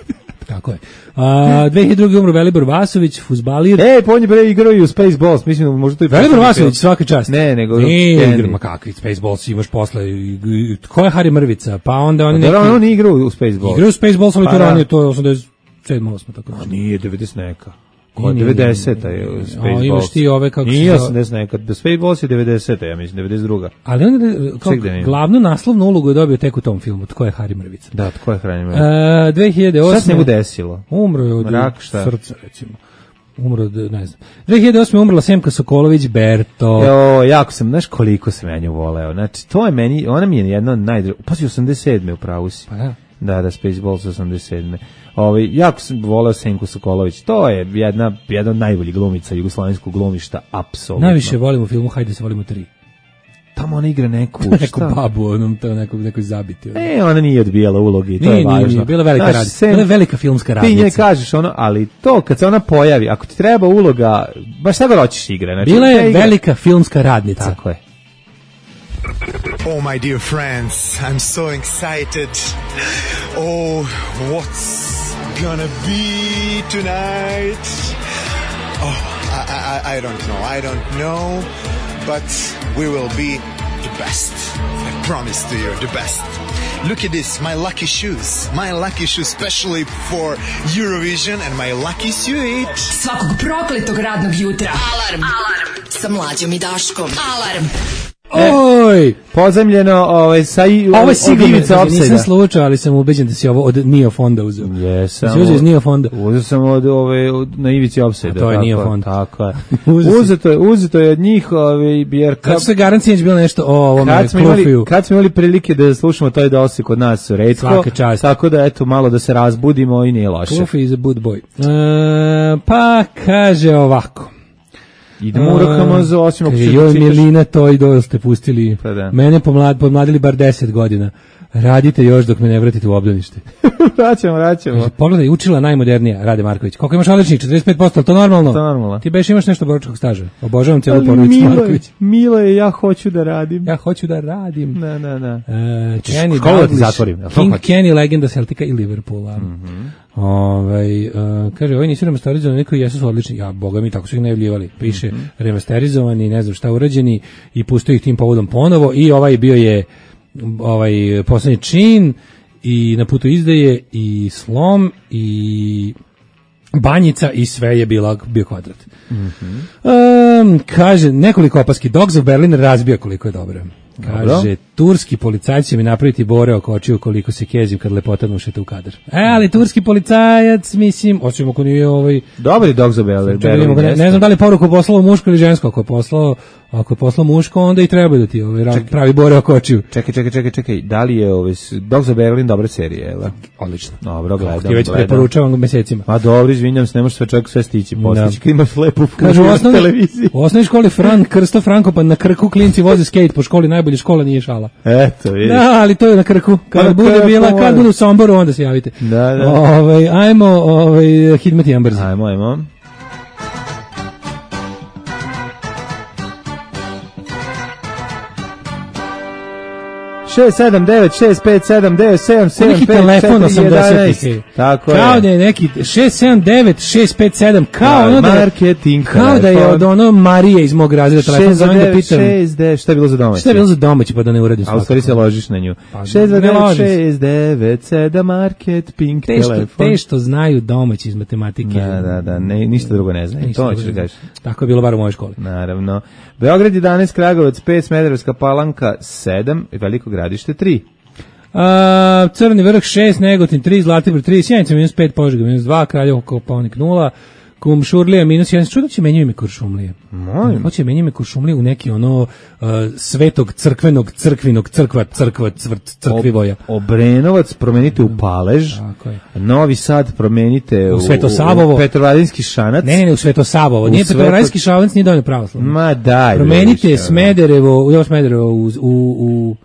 Tako je. A, dve hiljade druge umro Velibor Vasović, fuzbalir. Ej, pa on je bre igrao i u Spaceballs, mislim da možda to i Velibor poslednji Vasović, film. svaka čast. Ne, nego Nije Candy. igra, ma kakvi Spaceballs imaš posle. i- i- Ko je Harry Mrvica? Pa onda oni Da, neki... on nije igrao u Spaceballs. Igraju Spaceballs, ali Pa to da. ranije, to je osamdeset sedma osma tako da. Nije devedeset neka. Nije, Ko nije, devedeseta je nije. Spaceballs. A, imaš ti ove kako se Nije zove- osamdeset neka. Spaceballs je devedeseta, ja mislim, devedeset druga. Ali on je, kao Ček da vidim. glavnu naslovnu ulogu je dobio tek u tom filmu. Tko je Harry Mrvica? Da, tko je hranio? E, dve hiljade osme Šta se njemu desilo? Umro je od Rak, šta? srca, recimo. Umro od, ne znam. dve hiljade osme umrla Semka Sokolović Berto. Jo, jako sam, znaš koliko sam ja nju voleo. Znači, to je meni, ona mi je jedna od najdra... Pa si osamdeset sedme u pravu si. Pa da. Da, da, Spaceballs osamdeset sedme Ovaj jako sam voleo Senku Sokolović. To je jedna, jedna od najboljih glumica jugoslovenskog glumišta, apsolutno. Najviše volim u filmu Hajde se volimo tri. Tamo ona igra neku, Neku šta? babu, onom, to nekog, nekoj zabiti. ono. E, ona nije odbijala uloge i to Nije, je nije, važno. nije, bila velika Znaš, radnica. sem- Bila je velika filmska Ti nje radnica. kažeš ono, ali to kad se ona pojavi, ako ti treba uloga, baš šta god hoćeš igra. Znači, Bila te je igra- velika filmska radnica. Tako je. Oh, my dear friends, I'm so excited. Oh, what's gonna be tonight? Oh, I, I, I don't know, I don't know, but we will be the best. I promise to you, the best. Look at this, my lucky shoes. My lucky shoes, especially for Eurovision, and my lucky suit. Svakog prokletog radnog jutra. Alarm. Alarm. Sa Mlađom i Daškom. Alarm. Oj! Pozemljeno, ovaj, sa i... Ovo je od sigurno, ivice znači, nisam opsajda. slučao, ali sam ubeđen da si ovo od Neo Fonda uzeo. Jesam. Si uzeo iz Neo Fonda? Uzeo sam od ove od, na ivici opsajda. A to je tako, Neo Fond. Tako je. Uzeo si. uzeto je, uzeto je od njih, ovaj, jer Kako se garancija bilo nešto o ovome kad smo, imali, Klufiju? kad smo imali prilike da slušamo to je da osi kod nas retko, Svaka čast. tako da eto malo da se razbudimo i nije loše. Klufi is a good boy. E, pa kaže ovako. Idemo u Rokamazo, osim ako Kaže, ćeš da joj čitaš. Milina, to i dojel ste pustili. Pa da. Mene pomlad, pomladili bar deset godina. radite još dok me ne vratite u obdanište. vraćamo, vraćamo. Pogledaj, učila najmodernija, Rade Marković. Koliko imaš odličnih? četrdeset pet posto, to normalno? To normalno. Ti beš imaš nešto boročkog staža. Obožavam cijelu porodicu Marković. Milo je, ja hoću da radim. Ja hoću da radim. Da, da, da. Uh, Kenny Školu ti Dalglish, zatvorim. King Kenny, legenda Celtica i Liverpoola. Mm-hmm. Ovaj uh, kaže, ovi nisu remasterizovani, neki jesu su odlični. Ja, boga mi, tako su ih najavljivali. Piše mm-hmm. remasterizovani, ne znam šta urađeni i pustio ih tim povodom ponovo i ovaj bio je ovaj poslednji čin i na putu izdaje i slom i banjica i sve je bila bio kvadrat. Mm-hmm. Um, kaže, nekoliko opaski. Dogs of Berlin razbija koliko je dobro. Kaže, dobro. Turski policajci će mi napraviti bore oko očiju koliko se kezim kad lepota ušete u kadar. E, ali turski policajac, mislim, osim ako nije ovaj... Dobri Dogs of Berlin. Berlin ne, ne znam da li poruku poslao muško ili žensko. Ako je poslao, ako je poslao muško, onda i treba da ti ovaj, čekaj, pravi bore oko očiju. Čekaj, čekaj, čekaj, čekaj. Da li je ovaj Dogs of Berlin dobra serija, je li? Odlično. Dobro, gledam. Ti već preporučavam mesecima. A dobro, izvinjam se, ne možeš sve čovjek sve stići. Postići kad imaš lepu kažu, u televiziji. U osnovnoj školi Fran Krsto Frankopan na Krku klinci voze skate po školi, najbolje škola nije šala. Eto, vidiš. Da, ali to je na Krku. Kad na bude krku, bila, kad bude u Somboru, onda se javite. Da, da. Ovaj, ajmo, ovaj, Hidmet i Ambrzi. Ajmo, ajmo. šest sedam devet šest pet sedam devet sedam sedam pet telefon osamdesetih. Tako je. Kao je. da je neki šest sedam devet šest pet sedam kao ono da marketing. Kao da je od ono Marije iz mog razreda telefon zovem da pitam. šest devet šta je bilo za domaći? Šta je bilo za domaći pa da ne uradim svakako. A u stvari se ložiš na nju. šest devet šest devet sedam market pink telefon. Te što znaju domaći iz matematike. Da, da, da, ne, ništa drugo ne znaju. To ćeš da kažeš. Tako je bilo bar u mojoj školi. Naravno. Beograd jedanaest, Kragujevac pet, Smederevska Palanka sedam, Veliko Gradište tri. A, Crni vrh šest, Negotin tri, Zlatibor tri, Sjenica minus pet, Požega minus dva, Kraljevo Kopaonik nula, Kumšurlija minus jedan. Čudo će menjaju ime Kuršumlije. Mojim. Hoće menjaju ime Kuršumlije u neki ono uh, svetog crkvenog crkvinog crkva crkva cvrt crkvivoja. Ob, Obrenovac promenite u Palež. Tako je. Novi Sad promenite u, u Svetosavovo. U Petrovaradinski Šanac. Ne, ne, ne, u Svetosavovo. Nije Sveto... Petrovaradinski Šanac, nije dovoljno pravoslavno. Ma daj. Promenite vidiš, Smederevo, u Smederevo u u,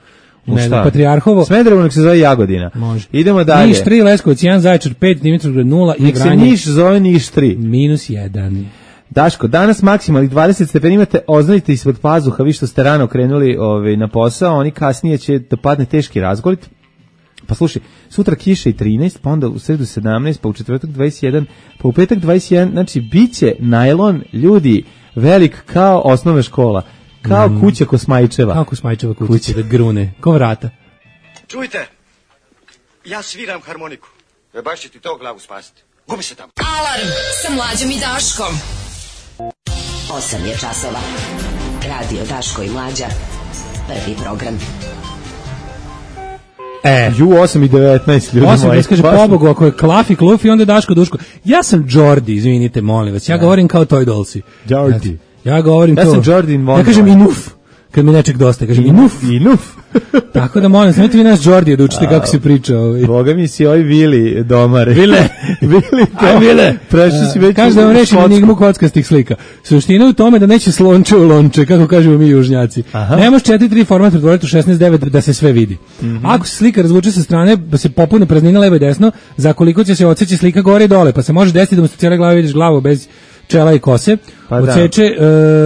u ne znam, Patrijarhovo. Smederevo nek se zove Jagodina. Može. Idemo dalje. Niš tri, Leskovac jedan, Zaječar pet, Dimitrovgrad nula i Vranje. Nek se Niš zove Niš tri. Minus jedan. Daško, danas maksimalnih dvadeset stepeni imate, oznajte ispod pazuha, vi što ste rano krenuli ovaj, na posao, oni kasnije će da padne teški razgolit. Pa slušaj, sutra kiša i trinaest, pa onda u sredu sedamnaest, pa u četvrtak dvadeset jedan, pa u petak dvadeset jedan, znači biće najlon, ljudi, velik kao osnovna škola. Kao mm. kuća Kosmajčeva. Kao Kosmajčeva kuća, kuća. Da grune, ko vrata. Čujte, ja sviram harmoniku. E baš će ti to glavu spasiti. Gubi se tamo. Alarm sa Mlađom i Daškom. osam je časova. Radio Daško i Mlađa. Prvi program. E, ju osam i devetnaest ljudi osam moji. Kaže, pobogu, ako je Klafi, Klufi, onda je Daško, Duško. Ja sam Jordi, izvinite, molim vas. Ja ne. govorim kao Toy Dolsi. Jordi. Ja, ja govorim ja to. Ja sam Jordi Von. Ja kažem inuf. Kad mi nečeg dosta, kažem inuf. Inuf. Tako da molim, smijete vi nas Jordi da učite kako se priča. Ovaj. Boga mi si ovi Vili domare. Vile. Vili Aj, Vile. Prešli si već. Kaže da vam rešim enigmu kockastih slika. Suština je u tome da neće slonče u lonče, kako kažemo mi južnjaci. Ne može četiri tri format pretvoriti u šesnaest devet da se sve vidi. Mm-hmm. Ako se slika razvuče sa strane, da se popune praznina levo i desno, za koliko će se odseći slika gore i dole, pa se može desiti da mu se cijela glava vidiš glavu bez čela i kose, pa odseče,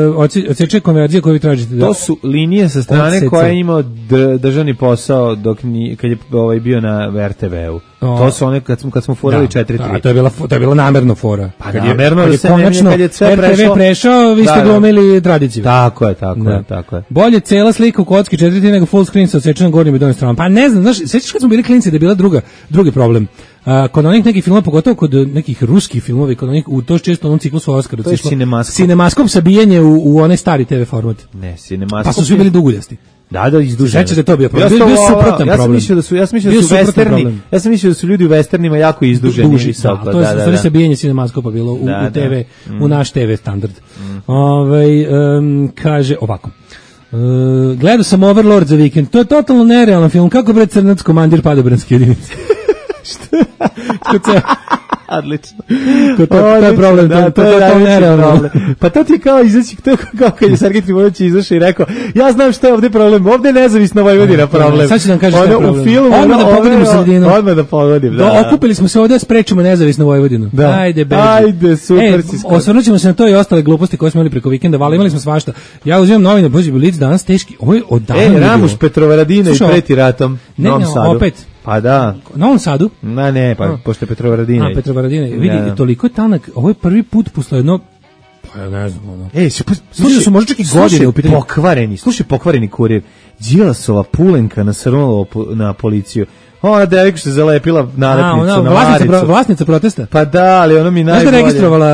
uh, odseče konverzije koju vi tražite. To su linije sa strane odseče. Koja je imao d- državni posao dok ni, kad je ovaj, bio na er te veu. O, to su one kad smo, kad smo forali četiri tri. Da, to je bila, to je bila namerno fora. Pa kad namerno, je, kad je konačno kad je sve er te ve prešao, prešao, vi ste da, glumili tradiciju. Tako je, tako da. je, tako je. Bolje cela slika u kocki četiri tri nego full screen sa odsečenom gornjim i donjim stranom. Pa ne znam, znaš, sećaš kad smo bili klinci da je bila druga, drugi problem. Uh, kod onih nekih filmova, pogotovo kod nekih ruskih filmova, kod onih, u to često onom ciklusu Oskara. To je Cinemaskop. Cinemaskop sabijanje u, u onaj stari te ve format. Ne, Cinemaskop. Pa su svi bili duguljasti. Da, da, izduženi. Sećate to bio problem. Bio, bio suprotan ja problem. Sam mislio da su, ja sam mislio da su westerni. Ja sam mislio da su ljudi u westernima jako izduženi. Duži, da, da, to je da, da, da. sabijanje Cinemaskopa bilo u, da, u te ve, da. u naš te ve standard. Mm. Ovaj um, kaže ovako. Uh, gledao sam Overlord za vikend. To je totalno nerealan film. Kako bre crnac komandir padobranske jedinice? Što? Odlično. To, to, to je problem, da, to, to, to, je to, to nerealno. problem. Pa to ti je kao izaći, to je kao kad je Sergej Trifunović izašao i rekao, ja znam šta je ovdje problem, ovdje je nezavisna Vojvodina problem. Sad ću da vam kažem šta je problem. U filmu, odmah da pogodim u sredinu. Odmah da pogodim, da. da. Okupili smo se ovdje da sprečimo nezavisnu Vojvodinu. Da. Ajde, beži. Ajde, super e, si skoro. osvrnut ćemo se na to i ostale gluposti koje smo imali preko vikenda, vali imali smo svašta. Ja uzimam novine, bože, Blic danas teški. Ovo je odavno. E, Ramuš Petrovaradina i preti ratom. Ne, ne, opet. Pa da. Na Novom Sadu? Na ne, pa pošto je Petrovaradina. A, Petrovaradina. Vidi, da. Toliko je tanak. Ovo je prvi put posle jedno, pa ja ne znam, ono. Ej, slušaj, slušaj, su možda čak i godine u pitanju. Pokvareni, slušaj, pokvareni kurir. Đilasova pulenka nasrnula na policiju. Ona devojka što je zalepila nalepnicu A, na vlasnica, maricu. Pro, vlasnica protesta? Pa da, ali ono mi najbolje. Znaš da je registrovala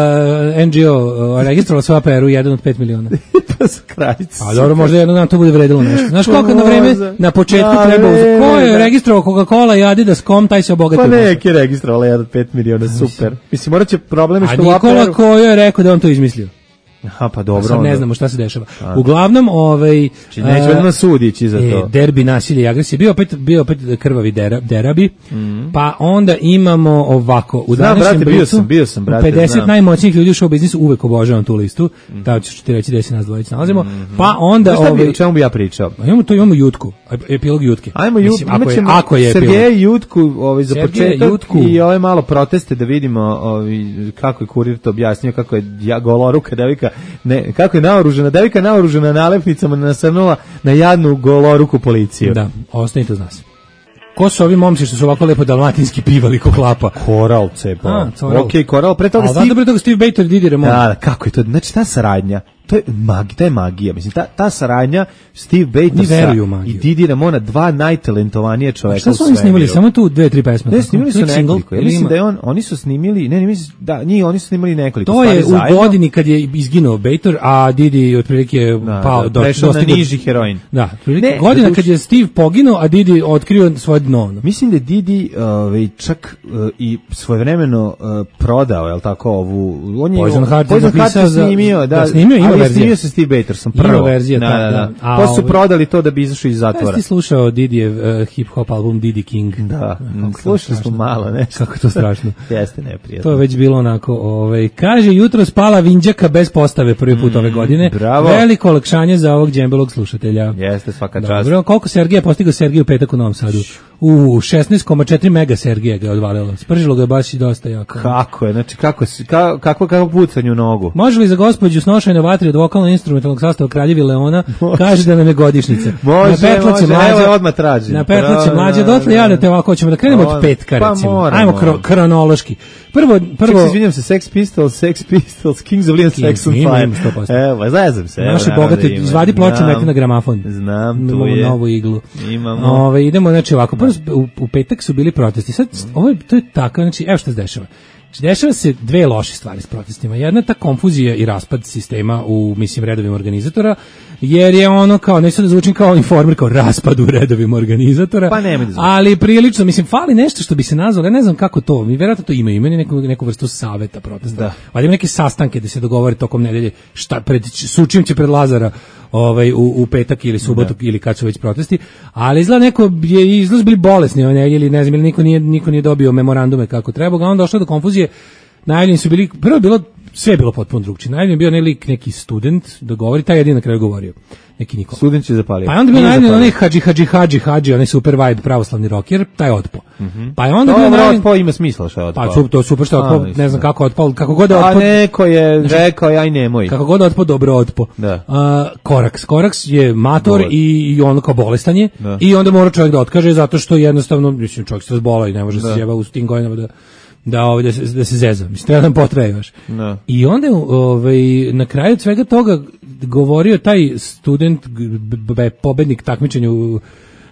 N G O, registrovala svoja P R U jedan od pet miliona. Pa za kraljicu. A dobro, možda jedno dan to bude vredilo nešto. Znaš koliko na vreme, na početku da, treba uzeti. Ko je registrovao Coca-Cola i Adidas, kom, taj se obogatio. Pa neki je registrovala jedan od pet miliona, super. Mislim, morat će probleme što u A Nikola Kojo je rekao da on to izmislio. Aha, pa dobro. Sad ne znamo šta se dešava. A. Uglavnom, ovaj či neće vedno sudići za to. E, derbi nasilje i agresije. Bio opet bio opet krvavi dera, derabi. Mm. Pa onda imamo ovako u znam, današnjem brate, bio sam, bio sam, brate, pedeset znam. najmoćnijih ljudi u show biznisu, uvek obožavam tu listu. Mm. Da ću ti reći gde se nas dvojica nalazimo. Mm-hmm. Pa onda ovaj bi, o čemu bi ja pričao? Imamo to, imamo Jutku, epilog Jutke. Ajmo Jutku, ako je, ako je Sergej Jutku, ovaj za Sergej početak Jutku. I ove malo proteste da vidimo, ovaj kako je kurir to objasnio, kako je ja goloruka devika, ne, kako je naoružana devika, naoružana nalepnicama nasrnula na jadnu goloruku policiju. Da, ostanite uz nas. Ko su ovi momci što su ovako lepo dalmatinski pivali ko klapa? Koral cepa. Okej, Koral, pre toga Steve... pre toga Steve Bator i Didi Ramon. Da, kako je to? Znači, ta saradnja, to je magija, to je magija. Mislim, ta, ta saradnja Steve Batorsa i Didi Ramona, dva najtalentovanije čoveka u svemiru. Šta su oni snimili? Samo tu dve, tri pesme? Ne, snimili su nekoliko. Ja mislim da je on, oni su snimili, ne, ne mislim, da, njih, oni su snimili nekoliko. To je u zajedno. Godini kad je izginuo Bator, a Didi otprilike da, pao da, do prešao na niži heroin. Da, ne, godina kad je Steve poginuo, a Didi otkrio svoje dno. Mislim da je Didi uh, čak uh, i svojevremeno uh, prodao, je li tako, ovu... On je Poison Heart je snimio, da, da snimio, ima ali verzija. snimio se Steve Batorsom, prvo. Ima verzija, da, ta, da, da. A, pa su ovaj, prodali to da bi izašao iz zatvora. Jesi ti slušao Didijev uh, hip-hop album Didi King? Da, slušali smo malo, ne? Kako je to strašno. Jeste neprijatno. To je već bilo onako, ovaj, kaže, jutro spala Vinđaka bez postave prvi put mm, ove godine. Bravo. Veliko olakšanje za ovog džembelog slušatelja. Jeste, svaka čast. Dobro, koliko Sergeja postigao Sergej u petak u Novom Sadu? U šesnaest zarez četiri mega Sergeja ga je odvalilo. Spržilo ga je baš i dosta jako. Kako je? Znači, kako, kako, kako, kako pucanje u nogu? Može li za gospođu snošajne vatri od vokalno-instrumentalnog sastava Kraljevi Leona, kaže da nam je godišnjica. Može, na petlace može, mlađe, evo odmah tražim. Na petlace mlađe, dotle ja da te ovako ćemo da krenemo od petka, pa recimo. Moramo. Ajmo kro, kronološki. Prvo, prvo... Ček se izvinjam se, Sex Pistols, Sex Pistols, Kings of Leon, Sex on Fire. Evo, zajezam se. Naše bogate, izvadi ploče, meti na gramafon. Znam, tu imamo je. Novu iglu. Imamo. Ove, idemo, znači ovako, prvo, u, u petak su bili protesti. Sad, ovo je, to je tako, znači, evo što se dešava. Znači, dešava se dve loše stvari s protestima. Jedna je ta konfuzija i raspad sistema u, mislim, redovima organizatora, jer je ono kao, neću da zvučim kao informer, kao raspad u redovima organizatora, pa nema da zvuči. Ali prilično, mislim, fali nešto što bi se nazvalo, ja ne znam kako to, mi vjerojatno to imaju, imaju neku, neku vrstu saveta protesta. Da. Ali ima neke sastanke da se dogovore tokom nedelje, šta, pred, sučim će pred Lazara ovaj, u, u petak ili subotu da. Ili kad su već protesti, ali izgleda neko je, izgleda bili bolesni ove nedelje ili ne znam, ili niko nije, niko nije dobio memorandume kako treba, a onda došlo do konfuzije. Najavljeni su bili, prvo je bilo, sve je bilo potpuno drugčije. Najavljen je bio ne lik, neki student da govori, taj jedin na kraju govorio. Neki Nikola. Student će zapalio. Pa je onda bio najavljen onaj Hadži Hadži Hadži Hadži, onaj super vibe pravoslavni rocker, taj otpo. Mm-hmm. Pa je onda to bio najavljen... otpo ima smisla što je otpo. Pa su, to super što je otpo, ne znam kako otpo, kako god je otpo. A neko je rekao, aj nemoj. Kako god otpo, dobro otpo. Da. Uh, Koraks. Koraks je mator i, i ono kao bolestan je. Da. I onda mora čovjek da otkaže zato što jednostavno, mislim, čovjek se razbola i ne može da. Se jeba u tim godinama da... da ovaj da se da se zeza. Mislim treba nam potraje još. No. I onda ovaj na kraju svega toga govorio taj student be, pobednik takmičenja u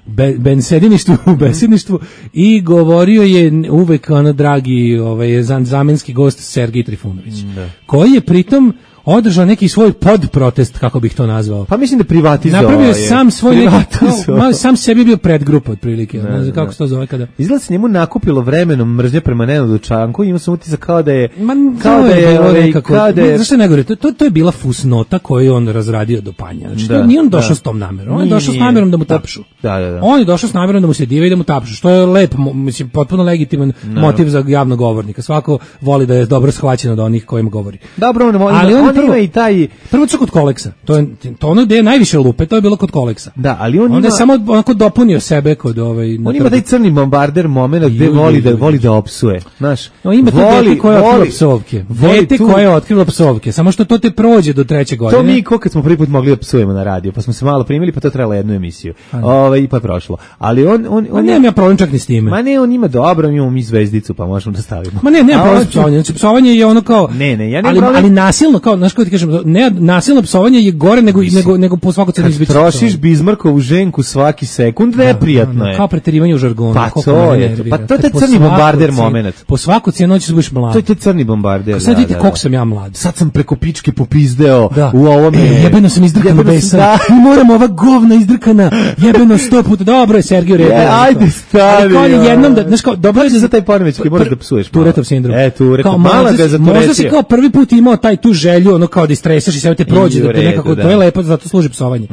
be, bensediništvu, u besedništvu i govorio je uvek ono dragi ovaj zamenski gost Sergej Trifunović. Da. Koji je pritom održao neki svoj podprotest, kako bih to nazvao. Pa mislim da privatizovao. Napravio je sam svoj neki, Privatizovao. kao, sam sebi bio predgrupa otprilike, ne znam kako se to zove kada. Izgleda se njemu nakupilo vremenom mržnje prema Nenadu Čanku, ima sam utisak kao da je Ma, kao da je, bilo ovaj, nekako, kao da je, zašto je najgore, to, to, to je bila fusnota koju on razradio do panja. Znači, Da, nije on došao da. s tom namerom, on je Nije, došao s nije. namerom da mu tapšu. Da, da, da. On je došao s namerom da mu se dive i da mu tapšu, što je lep, mo- mislim, potpuno legitiman motiv za javnog govornika. Svako voli da je dobro shvaćen od onih kojima govori. Dobro, on, Ali on, on on prvo- ima i taj... Prvo su kod Koleksa, to je to ono gde je najviše lupe, to je bilo kod Koleksa. Da, ali on Onda ima... je samo onako dopunio sebe kod ovaj na On ima trgu. taj crni bombarder moment gde Ju, ju, voli da ju, voli da opsuje, znaš. No, ima to voli, dete koje je otkrilo voli- psovke. voli Dete tu- koje je otkrilo psovke. Samo što to te prođe do treće godine. To mi ko kad smo prvi put mogli da psujemo na radio, pa smo se malo primili, pa to trebalo jednu emisiju. Ovaj pa je prošlo. Ali on on Ma on nemam ja problem čak ni s time. Ma ne, on ima dobro, mi imamo mi zvezdicu, pa možemo da stavimo. Ma ne, ne, A problem on- s psovanjem. Znači, psovanje je ono kao... Ne, ne, ja nemam ali, problem- ali nasilno, kao, znaš kako ti kažem, ne, nasilno psovanje je gore nego, nego, nego po svaku cenu Kad izbići. trošiš Bizmarkovu ženku svaki sekund, neprijatno je. Kao preterivanje u žargonu. Pa koliko to mene je, nervira. pa to je Kad taj po crni svaku bombarder cenu- moment. Po svaku cijenu hoćeš da budeš mlad. To je taj crni bombarder. Sad da, vidite da, koliko da. sam ja mlad. Sad sam preko pičke popizdeo Da. u ovome. E, jebeno sam izdrkano Jebeno sam- besan. da. Mi moramo ova govna izdrkana. Jebeno sto puta. Dobro je Sergiju Redu. Je, ajde, stani, Ali kao on je joj. jednom da, znaš kao, dobro je Kako da se za taj poremećaj moraš da psuješ malo? Turetov sindrom. E, Turetov. Kao, Mala možda ga je si- zaturetio. Možda si kao prvi put imao taj tu želju, ono kao da istresaš i sve te prođe, I u da te redu, nekako, da. to je lepo, zato služi psovanje.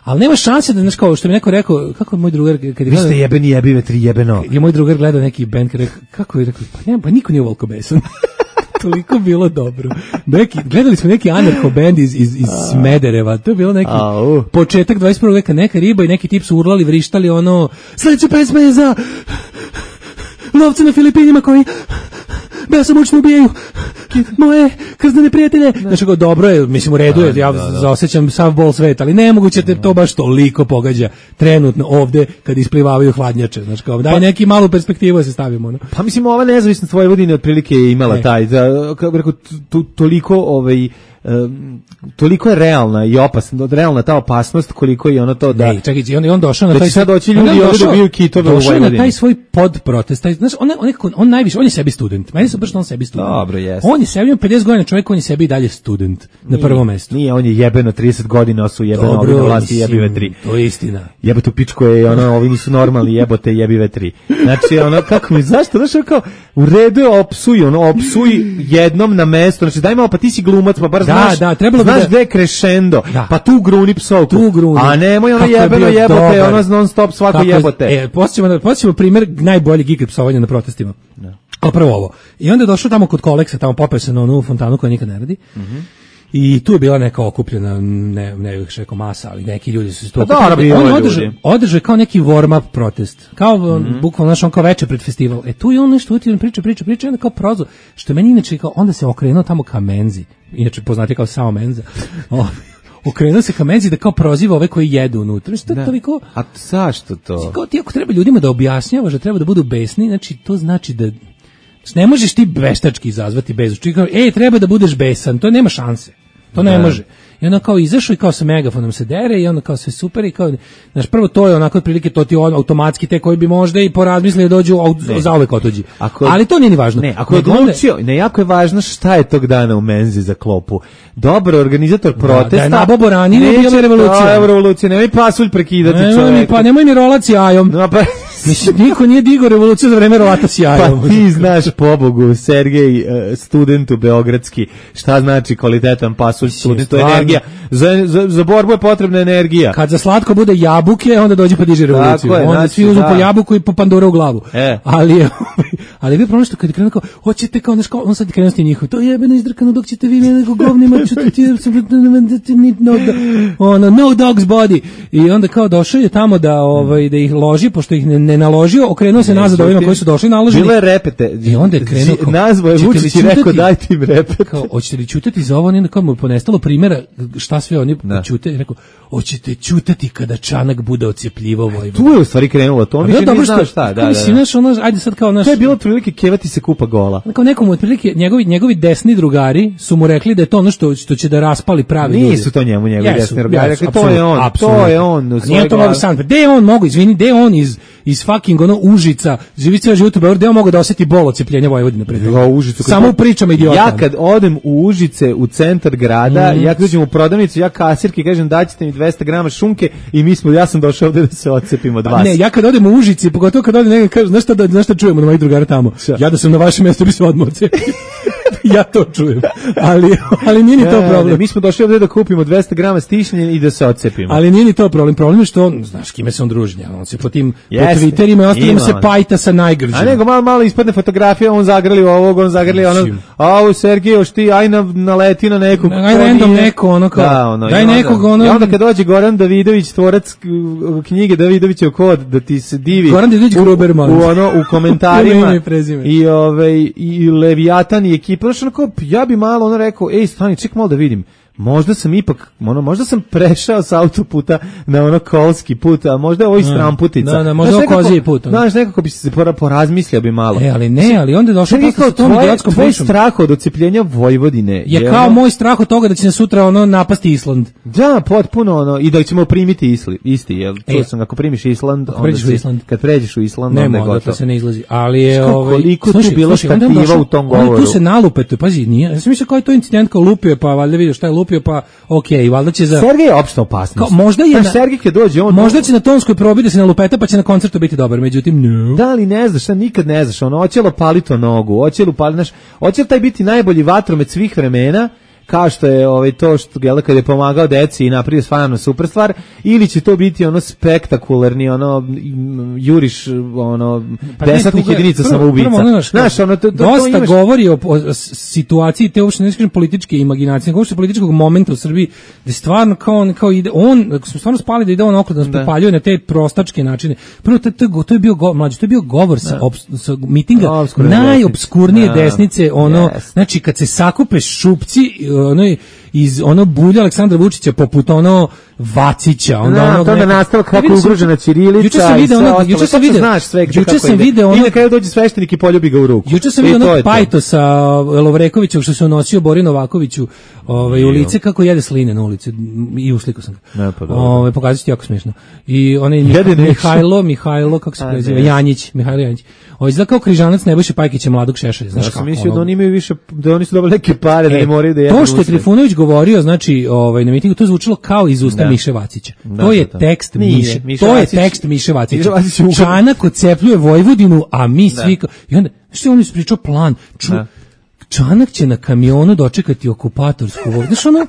Ali nema šanse da, znaš kao, što mi neko rekao, kako je moj drugar, kad je Vi gledao, ste jebeni jebive tri jebeno. je moj drugar gledao neki band, kad je rekao, kako je rekao, pa nema, pa niko nije ovoliko besan. Toliko bilo dobro. Neki, gledali smo neki anarcho band iz, iz, iz Smedereva, to je bilo neki Au. početak dvadeset prvog veka, neka riba i neki tip su urlali, vrištali ono, sledeća pesma je za lovce na Filipinima koji besomučno ubijaju moje krznene prijatelje. Znači, kao, dobro je, mislim, u redu je, ja zaosjećam sav bol sveta, ali nemoguće te to baš toliko pogađa trenutno ovde kad isplivavaju hladnjače. Znači, kao, daj neki malu perspektivu da se stavimo. No? Pa mislim, ova nezavisnost Vojvodine otprilike je imala E. taj, da, kako bih rekao, tu- toliko ovaj um, toliko je realna i opasna, realna ta opasnost koliko je ono to da Ne, čekaj, i on, i on došao na da taj će sad svoj- doći on ljudi je ovdje došao- dobiju kitove u došao je na Vojvodini. taj svoj podprotest, taj, znaš, on, je- on, je, on najviše, on je sebi student, meni se baš on sebi student. Dobro, jeste. On je sebi, on pedeset godina čovjek, on je sebi i dalje student, na prvom mestu. Nije, on je jebeno trideset godina su jebeno ovi na vlasti mislim, jebive tri. to je istina. Jebote u pičku je ono, ovi nisu normalni, jebote jebive tri. Znači, ono, kako mi, zašto, znaš, ono kao, u redu je opsuj, ono, opsuj jednom na mesto, znači, daj malo, pa ti si glumac, pa bar Da, znaš, da, trebalo bi znaš da- gde je crescendo, Da. pa tu gruni psovku. Tu gruni. A nemoj ono Kako je jebeno bio jebote, dobar. ono non stop svako Kako je- jebote. E, podsjećamo, na- podsjećamo primjer najboljeg ikad psovanja na protestima. A prvo ovo. I onda je došao tamo kod Koleksa, tamo popeo se na onu fontanu koja nikad ne radi. I tu je bila neka okupljena, ne, ne bih rekao masa, ali neki ljudi su se tu Pa okupili. dobro, bilo On je održao, ljudi. održao je kao neki warm-up protest. Kao, bukvalno, znaš, on kao veče pred festival. E, tu je on nešto utio, priča, priča, priča, i onda kao prozor. Što je meni inače, kao, onda se okrenuo tamo ka Menzi. Inače, poznati kao samo Menza. O, okrenuo se ka Menzi da kao proziva ove koji jedu unutra. Što je toliko... A zašto to? Kao ti ako treba ljudima da objašnjavaš da treba da budu besni, znači to znači da ne možeš ti veštački izazvati bezu. Čekaj, kao, ej, treba da budeš besan, to nema šanse. To ne Da. može. I onda kao izašao i kao sa megafonom se dere i onda kao sve super i kao, znaš, prvo to je onako otprilike to ti on automatski te koji bi možda i porazmislili da dođu au- za uvek otuđi. Ako- Ali to nije ni važno. Ne, ako je Nego onda- odlučio, ne, jako je važno šta je tog dana u menzi za klopu. Dobar organizator protesta. da je nababo ranije, neće- bila revolucija. Da, revolucija, nemoj pasulj prekidati Nemoj mi, čoveka. pa nemoj mi rolat s jajom. No, pa, Mislim, niko nije digao revoluciju za vreme rolata s jajom. pa ti znaš, pobogu, Sergej, eh, studentu beogradski, šta znači kvalitetan pasulj student, to je stvarno. energija. Za, za, za borbu je potrebna energija. Kad za slatko bude jabuke, onda dođe pa diže revoluciju. Tako je, Onda znači, svi uzmu da. po jabuku i po pandura u glavu. E. Ali je, ali je bio problem što kad je krenuo kao, hoćete kao, znaš, kao, on sad je krenuo s tim njihov, to je jebeno izdrkano dok ćete vi mene neko govnima, ćete ti, no, ono, no dog's body. I onda kao došao je tamo da, ovaj, da ih loži, pošto ih ne, ne naložio, okrenuo se nazad ovima koji su došli naloženi. Bilo je repete. I onda je krenuo kao, Nazvo je "Ćete li Vučić i rekao, ćutati?" daj ti im repete. Kao, hoćete li ćutati za ovo? Onda kao mu je ponestalo primjera šta sve oni Da. ćute. I rekao, hoćete ćutati kada Čanak bude ocepljivo Vojvodina. Tu je u stvari krenulo to, on A više bilo nije dobro znao što, šta. Da, kako da, mislim, da. znaš, ono, ajde sad kao naš... To je bilo otprilike kevati se kupa gola. Kao nekom otprilike, njegovi, njegovi desni drugari su mu rekli da je to ono što, što će da raspali pravi ljudi. Nisu to njemu njegovi Jesu, desni drugari, jesu, rekli, to je on, apsolutno, to je on u apsolutno. A svojoj nije to glavi. Novi Sad, gde je on mogu, izvini, gde je on iz, iz fucking ono Užica, živi ceo život u Beogradu, ja mogu da osjeti bol od cepljenja Vojvodine pred toga. Užicu, samo u pričama idiota. Ja kad odem u Užice, u centar grada, mm. ja kad uđem u prodavnicu, ja kasirki kažem daćete mi dvesta grama šunke i mi smo, ja sam došao ovde da se odcepim od vas. Ne, ja kad odem u Užici, pogotovo kad odem negdje, kažem, znaš šta, da, znaš šta čujemo na mojih drugara tamo? Šta? Ja da sam na vašem mjestu bi se odmah odcepio. Ja to čujem, ali, ali nije ni to problem. Ne, mi smo došli ovdje da kupimo dvesta grama stišnjenja i da se odcepimo. Ali nije ni to problem, problem je što on, znaš kime se on druži, on se po tim po Twitterima i ostalima se pajta sa najgrđima. A nego malo, malo ispadne fotografija, on zagrli ovog, on zagrli onog, a ovo Sergej, ti aj na, naleti na nekog. Aj random neko, ono kao, da, ono, daj onda, nekog, ono. I onda kad dođe Goran Davidović, tvorac knjige Davidovićev kod, da ti se divi. Goran Davidović Gruberman. U, ono, u komentarima. I, ove, i Leviatan i ekipa, znaš, onako, ja bi malo ono rekao, ej, stani, ček malo da vidim. Možda sam ipak, ono, možda sam prešao sa autoputa na ono kolski put, a možda je ovo i stramputica. Da, da, možda ovo koziji put. Znaš, nekako bi se porazmislio bi malo. E, ali ne, ali onda je došao posle sa tom idiotskom pričom. Tvoj strah od odcepljenja Vojvodine je kao moj strah od toga da će nas sutra ono napasti Island. Da, potpuno ono, i da ćemo primiti isli, isti, jel? Čuo sam, ako primiš Island, onda si, kad pređeš u Island, onda je gotovo. Ne, se ne izlazi, ali je... Koliko tu bilo štativa u tom govoru? Tu se nalupetuje, pazi, nije, ja sam mislio kao je to incident, kao lupio, pa valjda vidio šta je lupio, pa okej, okay, valjda će za... Sergej je opšta opasnost. Kao, možda je... Na, Sergej kad dođe, on... Možda će na tonskoj probi da se nalupeta, pa će na koncertu biti dobar, međutim, no. Da, ali ne znaš, nikad ne znaš, ono, hoće li opaliti nogu, hoće li upaliti, znaš, hoće li taj biti najbolji vatromet svih vremena, kao što je ovaj to što gela kad je pomagao deci i napravio stvarno super stvar, ili će to biti ono spektakularni ono juriš ono pa desantnih jedinica samoubica. Znaš, ono to, to, dosta to imaš... govori o, o situaciji te uopšte ne kažem političke imaginacije, uopšte političkog momenta u Srbiji, da stvarno kao on kao ide on, smo stvarno spali da ide on okolo da nas popaljuje na te prostačke načine. Prvo to, to, to je bio go, mlađi, to je bio govor sa, ob, sa mitinga najopskurnije da. desnice, ono yes. Znači kad se sakupe šupci ono iz ono bulja Aleksandra Vučića poput ono Vacića, onda ono to da nastalo kako ugrožena ćirilica. Juče sam video ono, juče sam video, znaš sve kako juče sam video ono, i na kraju dođe sveštenik i poljubi ga u ruku. Juče sam video ono pajtosa Lovrekovića što se unosio Bori Novakoviću, ovaj u lice kako jede sline na ulici i uslikao sam ga. Ovaj pokazati jako smešno. I onaj Mihajlo, Mihajlo kako se preziva, Janjić, Mihajlo Janjić. Ovaj izgleda kao križanac Nebojše Pajkića mladog Šešelja, znaš kako. Ja sam mislio da oni imaju više, da oni su dobili neke pare da ne moraju da jedu. To što je Trifunović govorio, znači, ovaj na mitingu to zvučalo kao iz usta Miše Vacića. To je tekst Miše. To je tekst Miše Vacića. Čanak odcepljuje Vojvodinu, a mi svi i onda što je on ispričao plan. Čanak će na kamionu dočekati okupatorsku vojsku. Znaš ono,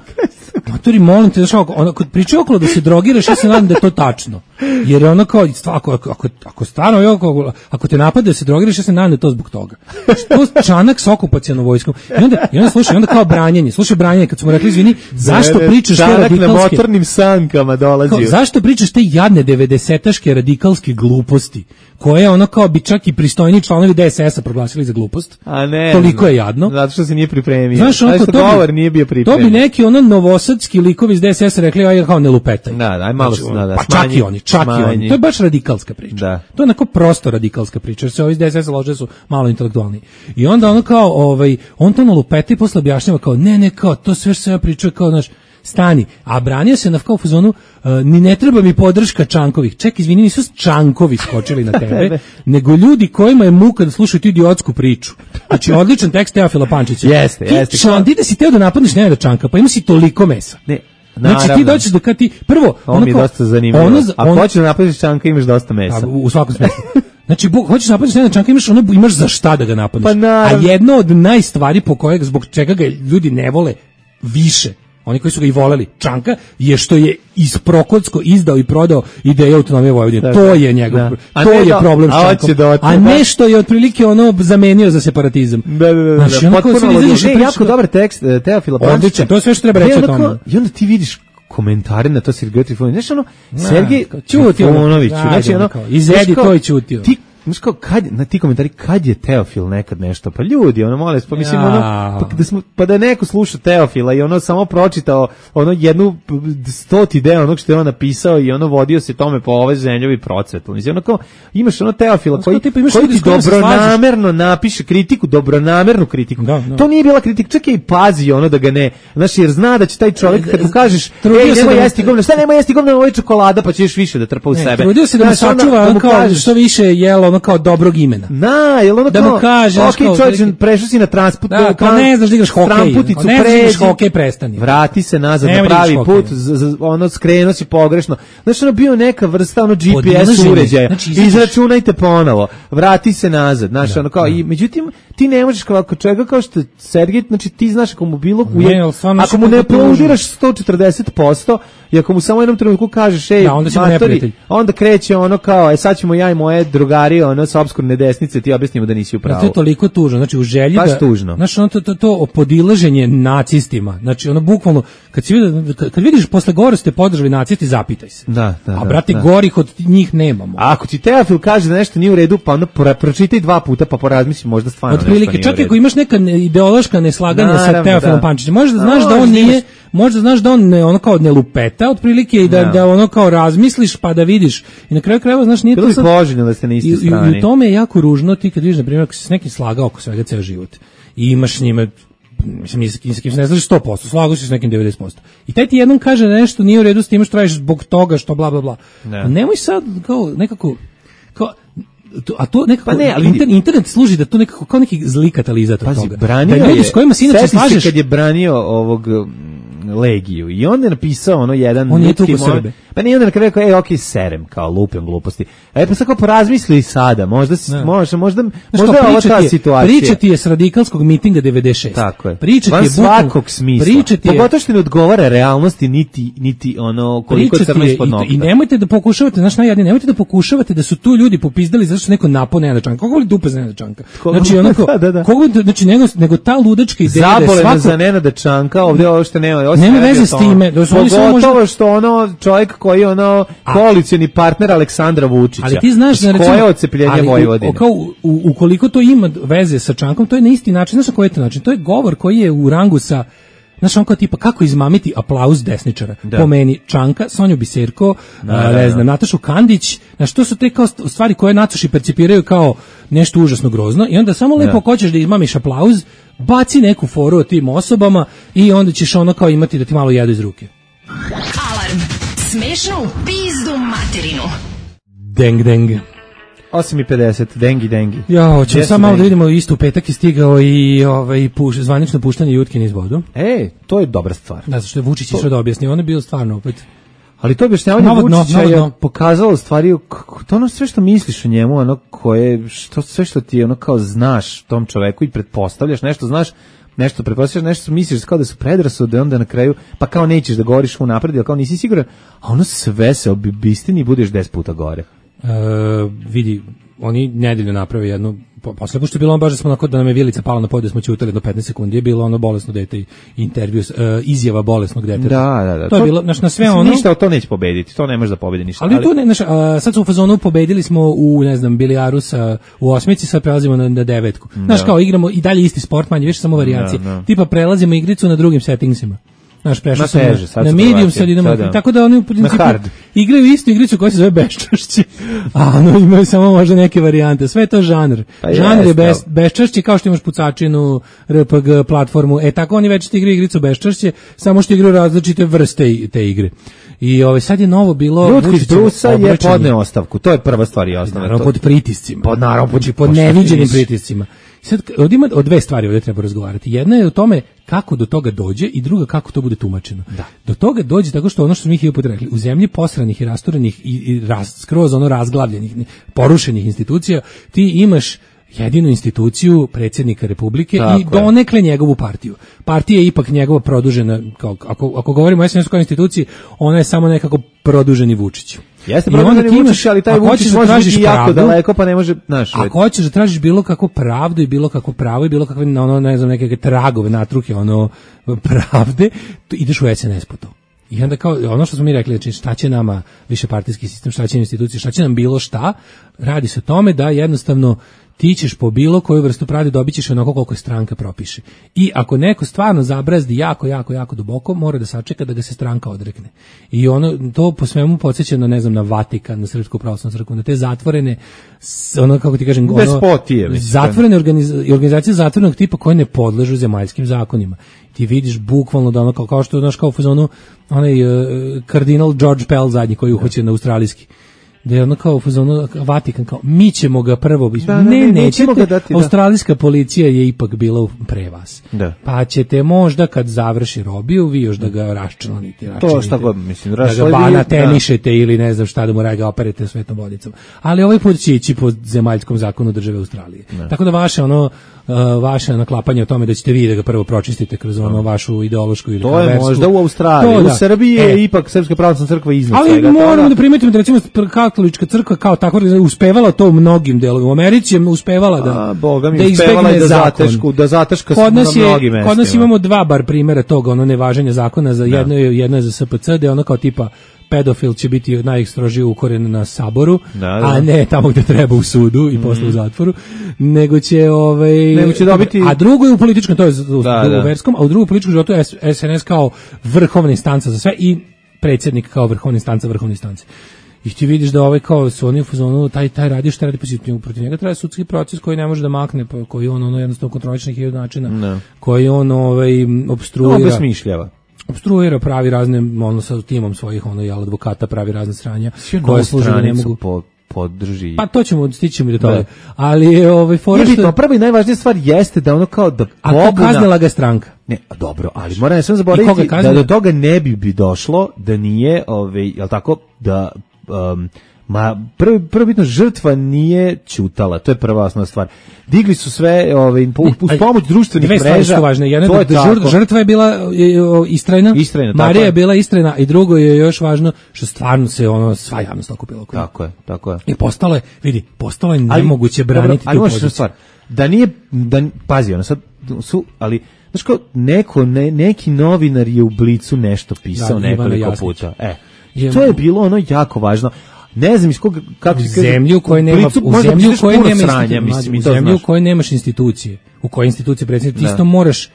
matori, molim te, znaš ono, kod pričaju okolo da se drogiraš, ja se nadam da je to tačno. Jer je ono kao, ako, ako, ako stvarno, ako, ako te napade da se drogiraš, ja se nadam da je to zbog toga. Što Čanak sa okupacijalnom vojskom. I onda, i onda slušaj, onda kao branjenje, slušaj branjenje, kad smo rekli, izvini, zašto pričaš te radikalske... Čanak na motornim sankama dolazio. Kao, zašto pričaš te jadne devedesetaške radikalske gluposti, koje ono kao bi čak i pristojni članovi D S S-a proglasili za glupost. A ne. Toliko je jadno. Zato što se nije pripremio. Znaš, ono, što govor bi, nije bio pripremio. To bi neki ono novosadski likovi iz D S S-a rekli, aj kao ne lupetaj. Da, daj malo znači, da, da, pa čak i oni, čak i oni. To je baš radikalska priča. Da. To je onako prosto radikalska priča, jer se ovi iz D S S-a lože su malo intelektualni. I onda ono kao, ovaj, on to na lupeta i posle objašnjava kao, ne, ne, kao, to sve što se ja pričao, kao, znaš, stani, a branio se na kao fazonu uh, ni ne treba mi podrška Čankovih. Ček, izvini, nisu Čankovi skočili na tebe, nego ljudi kojima je muka da slušaju tu idiotsku priču. Znači, odličan tekst Teofila Pančića. Jeste, ti, jeste. Čan, ti da si teo da napadneš Nenada Čanka, pa ima si toliko mesa. Ne. Znači ti dođeš da kad ti prvo ono mi je dosta zanimljivo. Ono, a on, hoćeš da napadneš Čanka, imaš dosta mesa. A, u svakom smislu. Znači, bo, hoćeš napadneš Nenada Čanka, imaš ono, imaš za šta da ga napadneš. Pa a jedno od najstvari po kojeg zbog čega ga ljudi ne vole više, oni koji su ga i voleli, Čanka, je što je iz Prokotsko izdao i prodao ideju autonomije Vojvodine. To je njegov, to je do, problem s Čankom. A, a nešto je otprilike ono zamenio za separatizam. Da, da, da. da. Znači, potpuno ne, jako dobar tekst Teofila Pančića. Odlično, to je sve što treba reći o tome. I onda ti vidiš komentare na to Sergej Trifunović. Znaš ono, Sergej Trifunović, znači ono, izvedi to i ćutio. Ti znaš kao, kad, na ti komentari, kad je Teofil nekad nešto, pa ljudi, ono, molim, pa mislim, Ja. ono, pa da, smo, pa da neko sluša Teofila i ono samo pročitao ono jednu stoti deo onog što je on napisao i ono vodio se tome po ove zemljovi procvetu. Mislim, ono kao, imaš ono Teofila koji, tipa, imaš koji ljudi ti s kojima se dobronamerno napiše kritiku, dobronamernu kritiku. Da, da. To nije bila kritika, čekaj i pazi ono da ga ne, znaš, jer zna da će taj čovjek kad mu kažeš, Trudio ej, se nemoj da- jesti govno, šta nemoj jesti govno, ovo je čokolada, pa ćeš više da trpa u Ne, sebe. trudio se da mu Znaš, onda sačuva da ono mu kao kažeš, što više jelo ono kao dobrog imena. Na, jel ono Da kao, mu kaže, znaš, ok, kao, čovječe, otprilike- prešao si na transput, Da, kao ne znaš da igraš hokej, tramputicu, kao ne znaš da igraš pređi, hokej, prestani. vrati se nazad Nemoj na da igraš pravi hokej. put, z, z, ono skrenuo si pogrešno. Znaš, ono bio neka vrsta ono G P S Podilaženje. uređaja, Znači, izađeš- izračunajte ponovo, vrati se nazad, znaš, ono kao, i međutim, ti ne možeš kao ako čovjeka kao što je Sergej, znači ti znaš ako mu bilo, u Ne, jed- ali stvarno ako znaš mu ne kako je tužno. aplaudiraš sto četrdeset posto i ako mu samo u jednom trenutku kažeš, ej, Da, onda si mu matori, neprijatelj. onda kreće ono kao, e sad ćemo ja i moje drugari, ono, sa obskurne desnice, ti objasnimo da nisi u Da, pravu. to je toliko tužno, znači u želji Baš da, tužno. znači ono to, to, to podilaženje nacistima, znači ono bukvalno, kad, si vidio, kad, kad vidiš posle gore ste podržali nacisti, zapitaj se. Da, da, A da, brate, da. gorih od njih nemamo. A ako ti Teofil kaže da nešto nije u redu, pa onda pro- pročitaj dva puta pa porazmisli možda stvarno nešto Otprilike, nije čak u redu. ako imaš neka ne- ideološka neslaganja sa Naravno, Teofilom da. Pančićem, možeš da A, znaš da on možda nije, imaš- možda znaš da on ne, ono kao ne lupeta otprilike i da, Da. da ono kao razmisliš pa da vidiš. I na kraju krajeva, znaš, nije Bilo to bi sad... poželjno da ste na I, istoj i, strani. I u tome je jako ružno ti kad vidiš, na primjer, ako si s nekim slagao oko svega ceo život i imaš s njime, mislim, ni sa kim, sa kim se ne slažeš sto posto, slagao si s nekim devedeset posto. I taj ti jednom kaže da nešto nije u redu s tim što radiš zbog toga što bla bla bla. Da. A nemoj sad kao nekako kao to- a to nekako Pa ne, ali inter- internet služi da to nekako kao neki zli katalizator Pazi, toga. branio Da ljudi je, s kojima se inače seti se slažeš, kad je branio ovog mm, Legiju i on je napisao ono jedan On je ljudski tuko moment- Srbe. pa nije onda na kraju rekao, ej, okej, serem, kao lupem gluposti. A je pa sad kao porazmisli sada, možda, si, Da. možda, možda, Znaš možda kao, je ovo priča ta ti je- situacija. Priča ti je s radikalskog mitinga devedeset šest. Tako je. Priča ti Van je bukvalno- svakog smisla. Priča ti je, Pogotovo što ne odgovara realnosti niti, niti ono koliko priča ti crno je, ispod i, nokta. i nemojte da pokušavate, znaš najjadnije, nemojte da pokušavate da su tu ljudi popizdali zato što neko napao Nenada Čanka. Koga voli dupe za Nenada Čanka? Koga- Znači, onako, Da, da, da. koga voli- znači, nego, nego ta ludačka ideja da je Zabolena svako... za Nenada Čanka, ovdje ovo što nema. ovo se Nema ne radi veze o s tome. time, da su oni samo Pogotovo možda- što ono čovjek koji je ono koalicioni partner Aleksandra Vučića. Ali ti znaš da S recimo, koje ocepljenje ali u- Vojvodine? o- kao u- u- ukoliko to ima veze sa Čankom, to je na isti način, znaš na koji je to način? To je govor koji je u rangu sa, znaš, on kao tipa kako izmamiti aplauz desničara. Da. Po meni Čanka, Sonju Biserko, Da, a, da, ne da. znam, Natašu Kandić, znaš, to su te kao st- stvari koje nacoši percipiraju kao nešto užasno grozno i onda samo lepo Da. ako hoćeš da izmamiš aplauz, baci neku foru o tim osobama i onda ćeš ono kao imati da ti malo jedu iz ruke. Alarm. Smešno u pizdu materinu. Deng, deng. osam i pedeset, dengi, dengi. Ja, hoćemo Gdje sad su malo da dengi? vidimo, isto u petak je stigao i ovaj, puš, zvanično puštanje Jutkine iz vodu. E, to je dobra stvar. Da, zato što je Vučić išao da objasni, on je bio stvarno opet... Ali to objašnjavanje Novo dno, Vučića novo je dno. pokazalo u stvari kako- to ono sve što misliš o njemu, ono koje, što, sve što ti ono kao znaš tom čoveku i pretpostavljaš, nešto znaš, nešto pretpostavljaš, nešto misliš kao da su predrasude, onda na kraju, pa kao nećeš da govoriš unapred, jer kao nisi siguran, a ono sve se obistini i budeš deset puta gore. E, vidi, oni nedeljno naprave jednu, po, posle pošto je bilo ono baš da smo onako, da nam je vilica pala na pod, da smo ćutali do petnaest sekundi, je bilo ono bolesno dete i intervju, e, izjava bolesnog deteta. Da, da, da. To je bilo, znaš, na sve mislim, ono... Ništa od to neće pobediti, to ne može da pobedi ništa. Ali, tu ne, znaš, a, sad su u fazonu pobedili smo u, ne znam, bilijaru sa, u osmici, sad prelazimo na, na devetku. Znaš, Da. kao igramo i dalje isti sport, manje više samo varijacije. Da, da. Tipa prelazimo igricu na drugim settingsima. Znaš, prešli Na smo teže, na, sad na su medium, provacije, sad idemo, sad da. tako da oni u principu hard. igraju istu igricu koja se zove beščašće, a ono imaju samo možda neke varijante, sve je to žanr. Pa žanr je jeste, bes, ali- beščašće kao što imaš pucačinu, R P G platformu, e tako oni već igraju igricu beščašće, samo što igraju različite vrste i- te igre. I ovaj sad je novo bilo Ljudko iz Vučićevo Brusa je obraćanje. podneo ostavku, to je prva stvar i osnovna. Naravno, to- pod pritiscima. Pod, naravno, pod- Znači, pod pa šta ti neviđenim misliš? pritiscima. I sad, ovdje ima o dve stvari ovdje treba razgovarati. Jedna je o tome kako do toga dođe i druga kako to bude tumačeno. Da. Do toga dođe tako što ono što smo mi hiljadu puta rekli, u zemlji posranih i rasturenih i, i raz, skroz ono razglavljenih, porušenih institucija, ti imaš jedinu instituciju predsjednika Republike Tako i je. donekle njegovu partiju. Partija je ipak njegova produžena, kao, ako, ako govorimo o S N S kao instituciji, ona je samo nekako produženi Vučić. Jeste I onda produženi ti imaš- Vučić, ali taj ako Vučić hoćeš da može tražiš biti jako pravdu, daleko, pa ne može, znaš, ako hoćeš da tražiš bilo kakvu pravdu i bilo kakvo pravo i bilo kakve ono, ne znam, neke tragove, natruke, ono, pravde, to ideš u S N S po to. I onda kao, ono što smo mi rekli, znači šta će nama višepartijski sistem, šta će institucije, šta će nam bilo šta, radi se o tome da jednostavno ti ćeš po bilo koju vrstu pravde dobit ćeš onako koliko je stranka propiše. I ako neko stvarno zabrazdi jako, jako, jako duboko, mora da sačeka da ga se stranka odrekne. I ono, to po svemu podsjeća na, ne znam, na Vatikan, na Srpsku pravoslavnu crkvu, na te zatvorene, ono, kako ti kažem, ono, zatvorene organiz, organizacije zatvorenog tipa koje ne podležu zemaljskim zakonima. Ti vidiš bukvalno da ono, kao, kao što, znaš, kao u fazonu, onaj uh, kardinal George Pell zadnji koji je uhoćen na australijski. Da je ono kao fazonu Vatikan kao mi ćemo ga prvo da, ne, ne nećete ga dati, da. Australijska policija je ipak bila pre vas. Da. Pa ćete možda kad završi robiju vi još da ga raščlanite, to šta god mislim, da ga banatenišete da. Ili ne znam šta da mu ga operete svetom vodicom. Ali ovaj put će ići po zemaljskom zakonu države Australije. Da. Tako da vaše ono Uh, vaše naklapanje o tome da ćete vi da ga prvo pročistite kroz ono vašu ideološku ili to je versku. Možda u Australiji, to, u da. Srbiji je e, ipak Srpska pravoslavna crkva iznad ali svega. Ali moramo da primetimo da recimo katolička crkva kao tako uspevala to u mnogim delovima. U Americi je uspevala da A, Boga mi da uspevala da zatešku, da zataška kod nas na je, mnogim mestima. Kod nas imamo dva bar primjera toga, ono nevaženja zakona za jedno je jedno je za S P C, da je ono kao tipa pedofil će biti najstrožije ukoren na saboru, da, da. A ne tamo gde treba u sudu i mm. posle u zatvoru, nego će ovaj nego će dobiti a drugo je u političkom, to je u, da, u, u verskom, a u drugom političkom životu je S N S kao vrhovna instanca za sve i predsjednik kao vrhovna instanca vrhovne instance. I ti vidiš da ovaj kao su oni u fazonu taj taj radi šta radi pozitivno protiv njega traje sudski proces koji ne može da makne, koji on ono jednostavno kontroliše na hiljadu načina, no. koji on ovaj opstruira, no, besmišljava. Obstruira, pravi razne, ono sa timom svojih ono jel advokata pravi razne sranja koje služe da ne mogu po, podrži. Pa to ćemo stićemo i do toga. Ali je ovaj fora što prva i najvažnija stvar jeste da ono kao da pobuna. A kaznila ga stranka. Ne, dobro, ali moram ne samo zaboraviti da do toga ne bi bi došlo da nije ovaj jel tako da um, ma prvi prvobitno žrtva nije ćutala, to je prva osnovna stvar. Digli su sve ove uz pomoć društvenih mreža. Važne. Jedna je da žrtva je bila istrajna, istrajna Marija je bila istrajna i drugo je još važno što stvarno se ono sva javnost okupila oko. Tako je, tako je. I postalo je, vidi, postalo je nemoguće braniti tu poziciju. Stvar, da nije da pazi, ono sad su, ali znaš kao neko ne, neki novinar je u Blicu nešto pisao da, nekoliko puta. E, je, to je bilo ono jako važno. Ne znam iz koga kako se kaže zemlju koje nema u zemlju koje nema sranja, mislim, u zemlju koje nemaš institucije, u kojoj institucije predsjednik isto moraš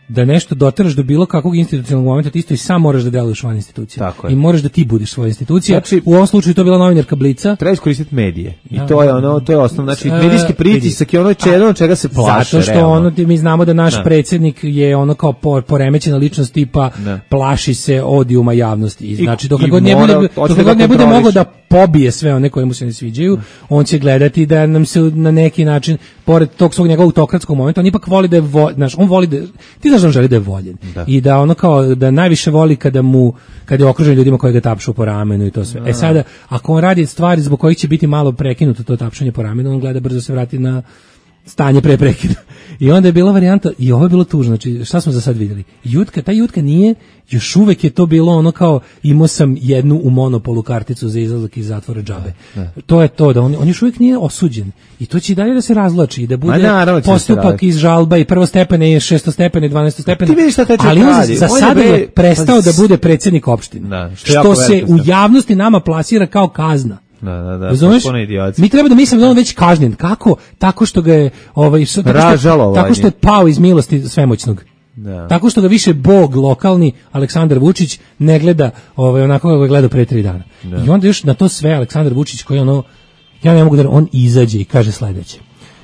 da nešto doteraš do bilo kakvog institucionalnog momenta, ti isto i sam moraš da deluješ van institucije. I moraš da ti budeš svoja institucija. Znači, u ovom slučaju to je bila novinarka Blica. Treba iskoristiti medije. I da, to je ono, to je osnovno, znači medijski pritisak je ono čega, čega se plaše. Zato što realno. ono mi znamo da naš da. predsjednik je ono kao poremećena ličnost tipa da. plaši se odijuma javnosti. I znači dok god ne bude dok god ne bude mogao da pobije sve one koji mu se ne sviđaju, on će gledati da nam se na neki način pored tog svog njegovog autokratskog momenta, on ipak voli da je vo, znaš, on voli da ti znaš da on želi da je voljen. Da. I da ono kao da najviše voli kada mu kada je okružen ljudima koji ga tapšu po ramenu i to sve. Da. E sada ako on radi stvari zbog kojih će biti malo prekinuto to tapšanje po ramenu, on gleda brzo se vrati na stanje pre prekida. I onda je bila varijanta, i ovo je bilo tužno, znači šta smo za sad vidjeli? Jutka, ta Jutka nije, još uvek je to bilo ono kao, imao sam jednu u monopolu karticu za izlazak iz zatvora džabe. Ne, ne. To je to, da on, on još uvijek nije osuđen. I to će i dalje da se razvlači i da bude naravno, postupak iz žalba i prvostepene i šestostepene i dvanestostepene. Ti vidiš šta teče ali on za, za sada je prestao da bude predsjednik opštine. Da, što što se u javnosti nama plasira kao kazna. Da, da, da. Razumeš? Mi treba da mislimo da on već kažnjen. Kako? Tako što ga je ovaj što, tako, što, tako što je pao iz milosti svemoćnog. Da. Tako što ga više bog lokalni Aleksandar Vučić ne gleda ovaj onako kako ga gleda pre tri dana. Da. I onda još na to sve Aleksandar Vučić koji ono ja ne mogu da on izađe i kaže sledeće.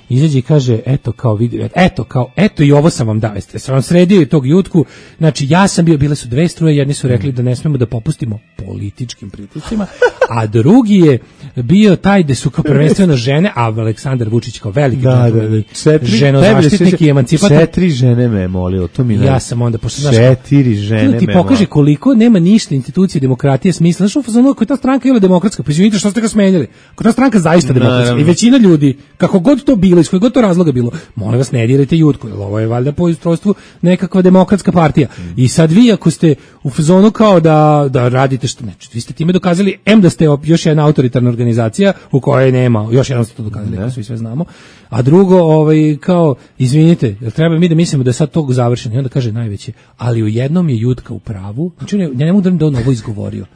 Izađe i kaže, eto, kao vidi, eto, kao, eto i ovo sam vam dao, jeste, sam vam sredio i tog Jutku, znači ja sam bio, bile su dve struje, jedni su rekli da ne smemo da popustimo političkim pritiscima, a drugi je bio taj da su kao prvenstveno žene, a Aleksandar Vučić kao veliki da, da, da. ženozaštitnik i emancipator. Četiri žene me je molilo, to mi ne. Ja sam onda, pošto znaš, četiri žene ti pokaže koliko nema ništa institucije demokratije smisla, znaš, za ono, koja ta stranka je demokratska, pa izvinite što ste ga smenjali, koja ta stranka zaista demokratska i većina ljudi, kako god to bilo, bilo, iz kojeg god to razloga bilo, molim vas ne dirajte Jutku, jer ovo je valjda po ustrojstvu nekakva demokratska partija. I sad vi ako ste u fazonu kao da, da radite što, ne, vi ste time dokazali, em da ste još jedna autoritarna organizacija u kojoj nema, još jednom ste to dokazali, ne. Svi sve znamo, a drugo, ovaj, kao, izvinite, jer treba mi da mislimo da je sad to završeno, i onda kaže najveće, ali u jednom je Jutka u pravu, znači ne, ne mogu da on ovo izgovorio,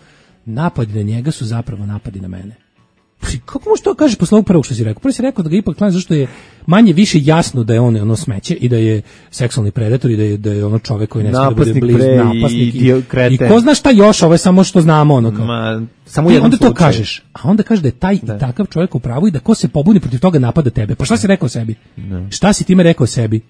napadi na njega su zapravo napadi na mene. Kako možeš to kažeš posle ovog prvog što si rekao? Prvo si rekao da ga ipak klanja zašto je manje više jasno da je on ono smeće i da je seksualni predator i da je, da je ono čovek koji ne smije da bude blizu, napasnik i, i, i ko zna šta još, ovo je samo što znamo ono kao. Ma, samo i onda to kažeš, a onda kaže da je taj da. I takav čovjek u pravu i da ko se pobuni protiv toga napada tebe. Pa šta si rekao sebi? Ne. Šta si time rekao sebi?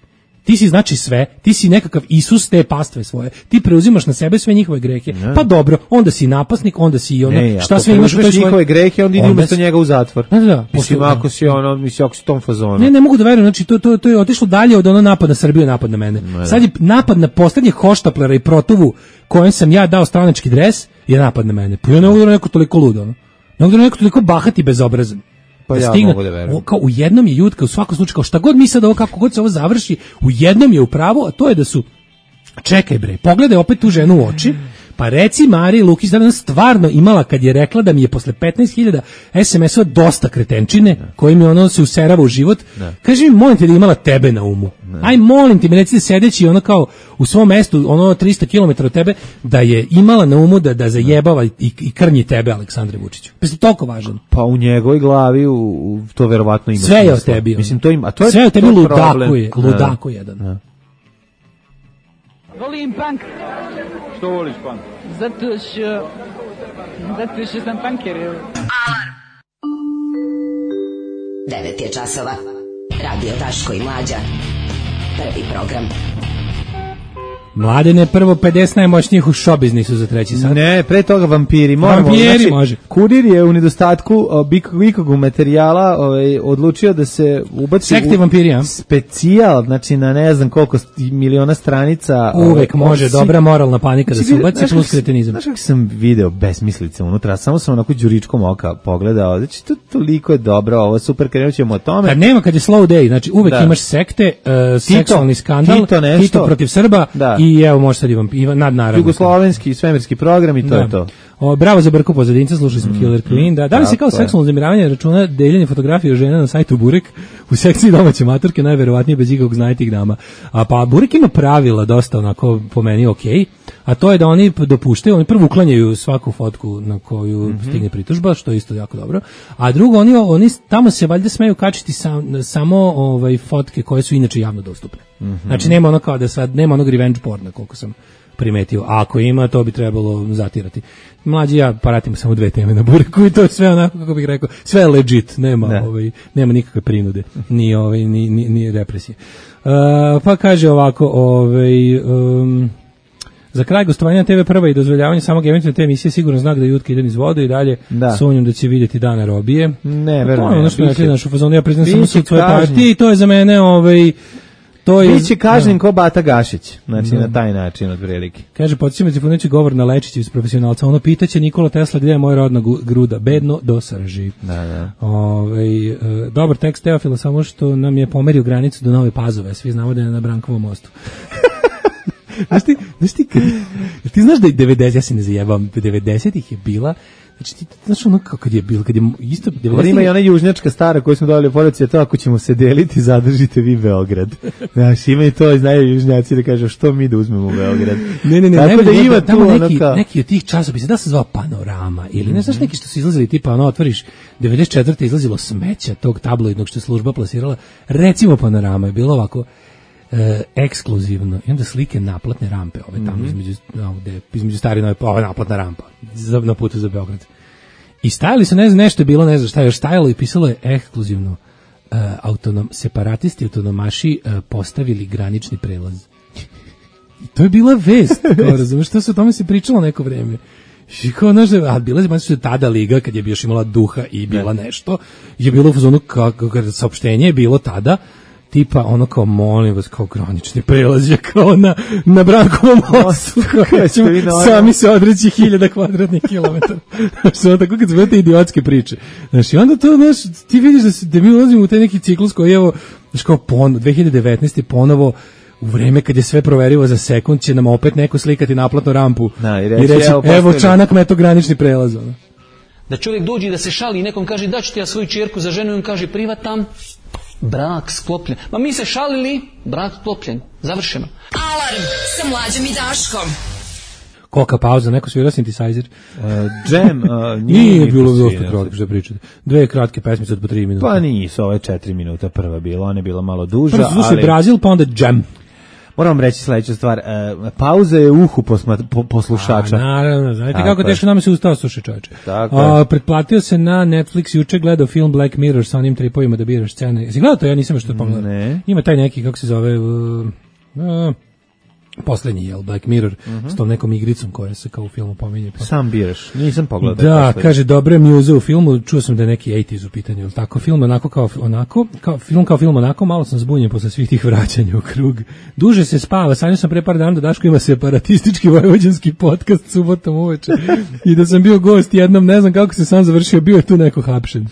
Ti si znači sve, ti si nekakav Isus te pastve svoje, ti preuzimaš na sebe sve njihove grehe, ne. Pa dobro, onda si napasnik, onda si ono, ne, šta sve imaš u toj svoje... njihove grehe, onda idi umjesto njega u zatvor. Da, da, mislim, ako si ono, mislim, ako si tom fazonu. Ne, ne mogu da verujem, znači, to, to, to je otišlo dalje od ono napad na Srbiju, napad na mene. Ne. Sad je napad na poslednje hoštaplera i protovu kojem sam ja dao stranački dres, je napad na mene. Pa ja ne mogu da neko toliko ludo, ono. Ne mogu da neko toliko bahati bezobrazan. Pa da ja stigne, mogu da verujem. Kao u jednom je Jutka u svakom slučaju, kao šta god mi sad ovo, kako god se ovo završi, u jednom je u pravu, a to je da su, čekaj bre, pogledaj opet tu ženu u oči, pa reci Mariji Lukić da je stvarno imala kad je rekla da mi je posle petnaest hiljada es em es-ova dosta kretenčine, ne. Kojim je ono se userava u život, ne. Kaži mi, molim te da imala tebe na umu. Ne. Aj, molim ti, mi recite sedeći ono kao u svom mestu, ono tristo kilometara od tebe, da je imala na umu da, da zajebava i, i krnji tebe, Aleksandre Vučiću. Pa je toliko važan. Pa u njegovoj glavi u, u to verovatno ima. Sve je o tebi. Ono. Mislim, to ima, a to je, sve je o tebi ludaku je, ludaku jedan. Ne. Volim punk. Što voliš punk? Zato što... Zato što sam punker. Alarm! devet je časova. Radio Daško i Mlađa. Prvi program. Mladene, prvo pedeset najmoćnijih u show biznisu za treći sat. Ne, pre toga vampiri. Moramo, vampiri znači, može. Kurir je u nedostatku bikog materijala ovaj, odlučio da se ubaci sekti u vampiri, specijal, znači na ne znam koliko miliona stranica. Uvek ovaj, može, si, dobra moralna panika da se ubaci plus kretenizam. Znaš kako sam video besmislice unutra, samo sam onako đuričkom oka pogledao, znači to toliko je dobro, ovo super, krenut ćemo o tome. Kad nema, kad je slow day, znači uvek da. Imaš sekte, uh, seksualni skandal, Tito, Tito protiv Srba, da. I evo može sad i vam nad naravno. Jugoslovenski svemirski program i to da. Je to. O, bravo za Brku pozadinca, slušali smo mm, Killer Queen. Da, da li se kao seksualno uznemiravanje računa deljenje fotografije žena na sajtu Burek u sekciji domaće maturke, najverovatnije bez ikakvog znajtih grama. A pa Burek ima pravila dosta onako po meni okej, okay, a to je da oni dopuštaju, oni prvo uklanjaju svaku fotku na koju mm-hmm. stigne pritužba, što je isto jako dobro. A drugo, oni, oni tamo se valjda smeju kačiti sam, samo ovaj, fotke koje su inače javno dostupne. Mm-hmm. Znači nema ono kao da sad, nema onog revenge porna koliko sam primetio. A ako ima, to bi trebalo zatirati. Mlađi ja paratimo samo dve teme na Bureku i to je sve onako, kako bih rekao, sve je legit, nema, ne. ovaj, nema nikakve prinude, ni, ovaj, ni, ni, ni represije. Uh, pa kaže ovako, ovaj... Um, za kraj gostovanja te ve prva i dozvoljavanje samog eventualne te emisije sigurno znak da Jutka ide niz vodu i dalje da. Sumnjam da će vidjeti dana robije. Ne, verujem. To je ono što je našu fazonu, ja priznam samo sud svoje partije i to je za mene ovaj... To je biće kažnjen ko Bata Gašić, znači da. Na taj način od prilike. Kaže, podsjećamo se poneći govor na Lečića iz profesionalca, ono pitaće Nikola Tesla gdje je moja rodna gruda, bedno do srži. Da, da. Ove, e, dobar tekst Teofila, samo što nam je pomerio granicu do Nove Pazove, svi znamo da je na Brankovom mostu. Znaš ti, znaš ti, ti znaš da je devedeset, ja se ne zajebam, devedesetih je bila, znači ti znaš ono kako kad je bilo, kad je isto devedesetih ima i ona južnjačka stara koju smo dali u policiju, to ako ćemo se deliti, zadržite vi Beograd. Znaš, ima i to i znaju južnjaci da kažu što mi da uzmemo Beograd. Ne, ne, ne, tako da ima tu ono neki, kao... neki od tih časopisa, da se zvao Panorama ili ne znaš neki što su izlazili tipa ono otvoriš devedeset četvrte izlazilo smeća tog tabloidnog što je služba plasirala, recimo Panorama je bilo ovako E, ekskluzivno i onda slike naplatne rampe ove tamo mm-hmm. između, ovde, između stare nove, ova naplatna rampa za, na putu za Beograd i stajali su, ne znam, nešto je bilo, ne znam šta je još stajalo i pisalo je ekskluzivno e, autonom, separatisti autonomaši e, postavili granični prelaz i to je bila vest kao razumeš, što se o tome se pričalo neko vreme i kao, znaš, a bila je znači, tada liga kad je još imala duha i bila nešto je bilo u fazonu kako saopštenje je bilo tada tipa ono kao molim vas kao granični prelaz je kao na, na Brankovom mostu kao ćemo sami se odreći hiljada kvadratnih kilometara. Znači ono tako kad su te idiotske priče. Znači onda to znaš, ti vidiš da, se, da mi ulazimo u taj neki ciklus koji evo znači kao pon, dve hiljade devetnaeste ponovo u vreme kad je sve proverivo za sekund će nam opet neko slikati naplatnu rampu da, i reći, i reći evo, evo Čanak meto granični prelaz. Ono. Da čovjek dođe da se šali i nekom kaže da ću ti ja svoju čerku za ženu i on kaže privatam, brak sklopljen. Ma mi se šalili, brak sklopljen. Završeno. Alarm sa Mlađom i Daškom. Koka pauza, neko svirao synthesizer. Uh, jam, uh, nije, nije bilo dosta kratko što pričate. Dve kratke pesmice od po tri minuta. Pa nisu, ovo je četiri minuta prva bila, ona je bila malo duža. Prvo slušaj ali... Brazil, pa onda jam. Moram vam reći sledeću stvar, uh, pauza je uhu posma, po, poslušača. A, naravno, znate kako teško nam se ustao slušaj čoveče. Tako pretplatio se na Netflix, juče gledao film Black Mirror sa onim tripovima da biraš scene. Jesi gledao to? Ja nisam što pogledao. Ne. Ima taj neki, kako se zove... Uh, uh, poslednji, jel, Black Mirror, uh-huh. s tom nekom igricom koja se kao u filmu pominje. Pa. Sam biraš, nisam pogledao. Da, kaže, dobre muze u filmu, čuo sam da je neki osamdeset u pitanju, jel tako, film onako kao, onako, kao, film kao film onako, malo sam zbunjen posle svih tih vraćanja u krug. Duže se spava, sanjao sam pre par dana da Daško ima separatistički vojvođanski podcast subotom uveče i da sam bio gost jednom, ne znam kako se sam završio, bio je tu neko hapšen.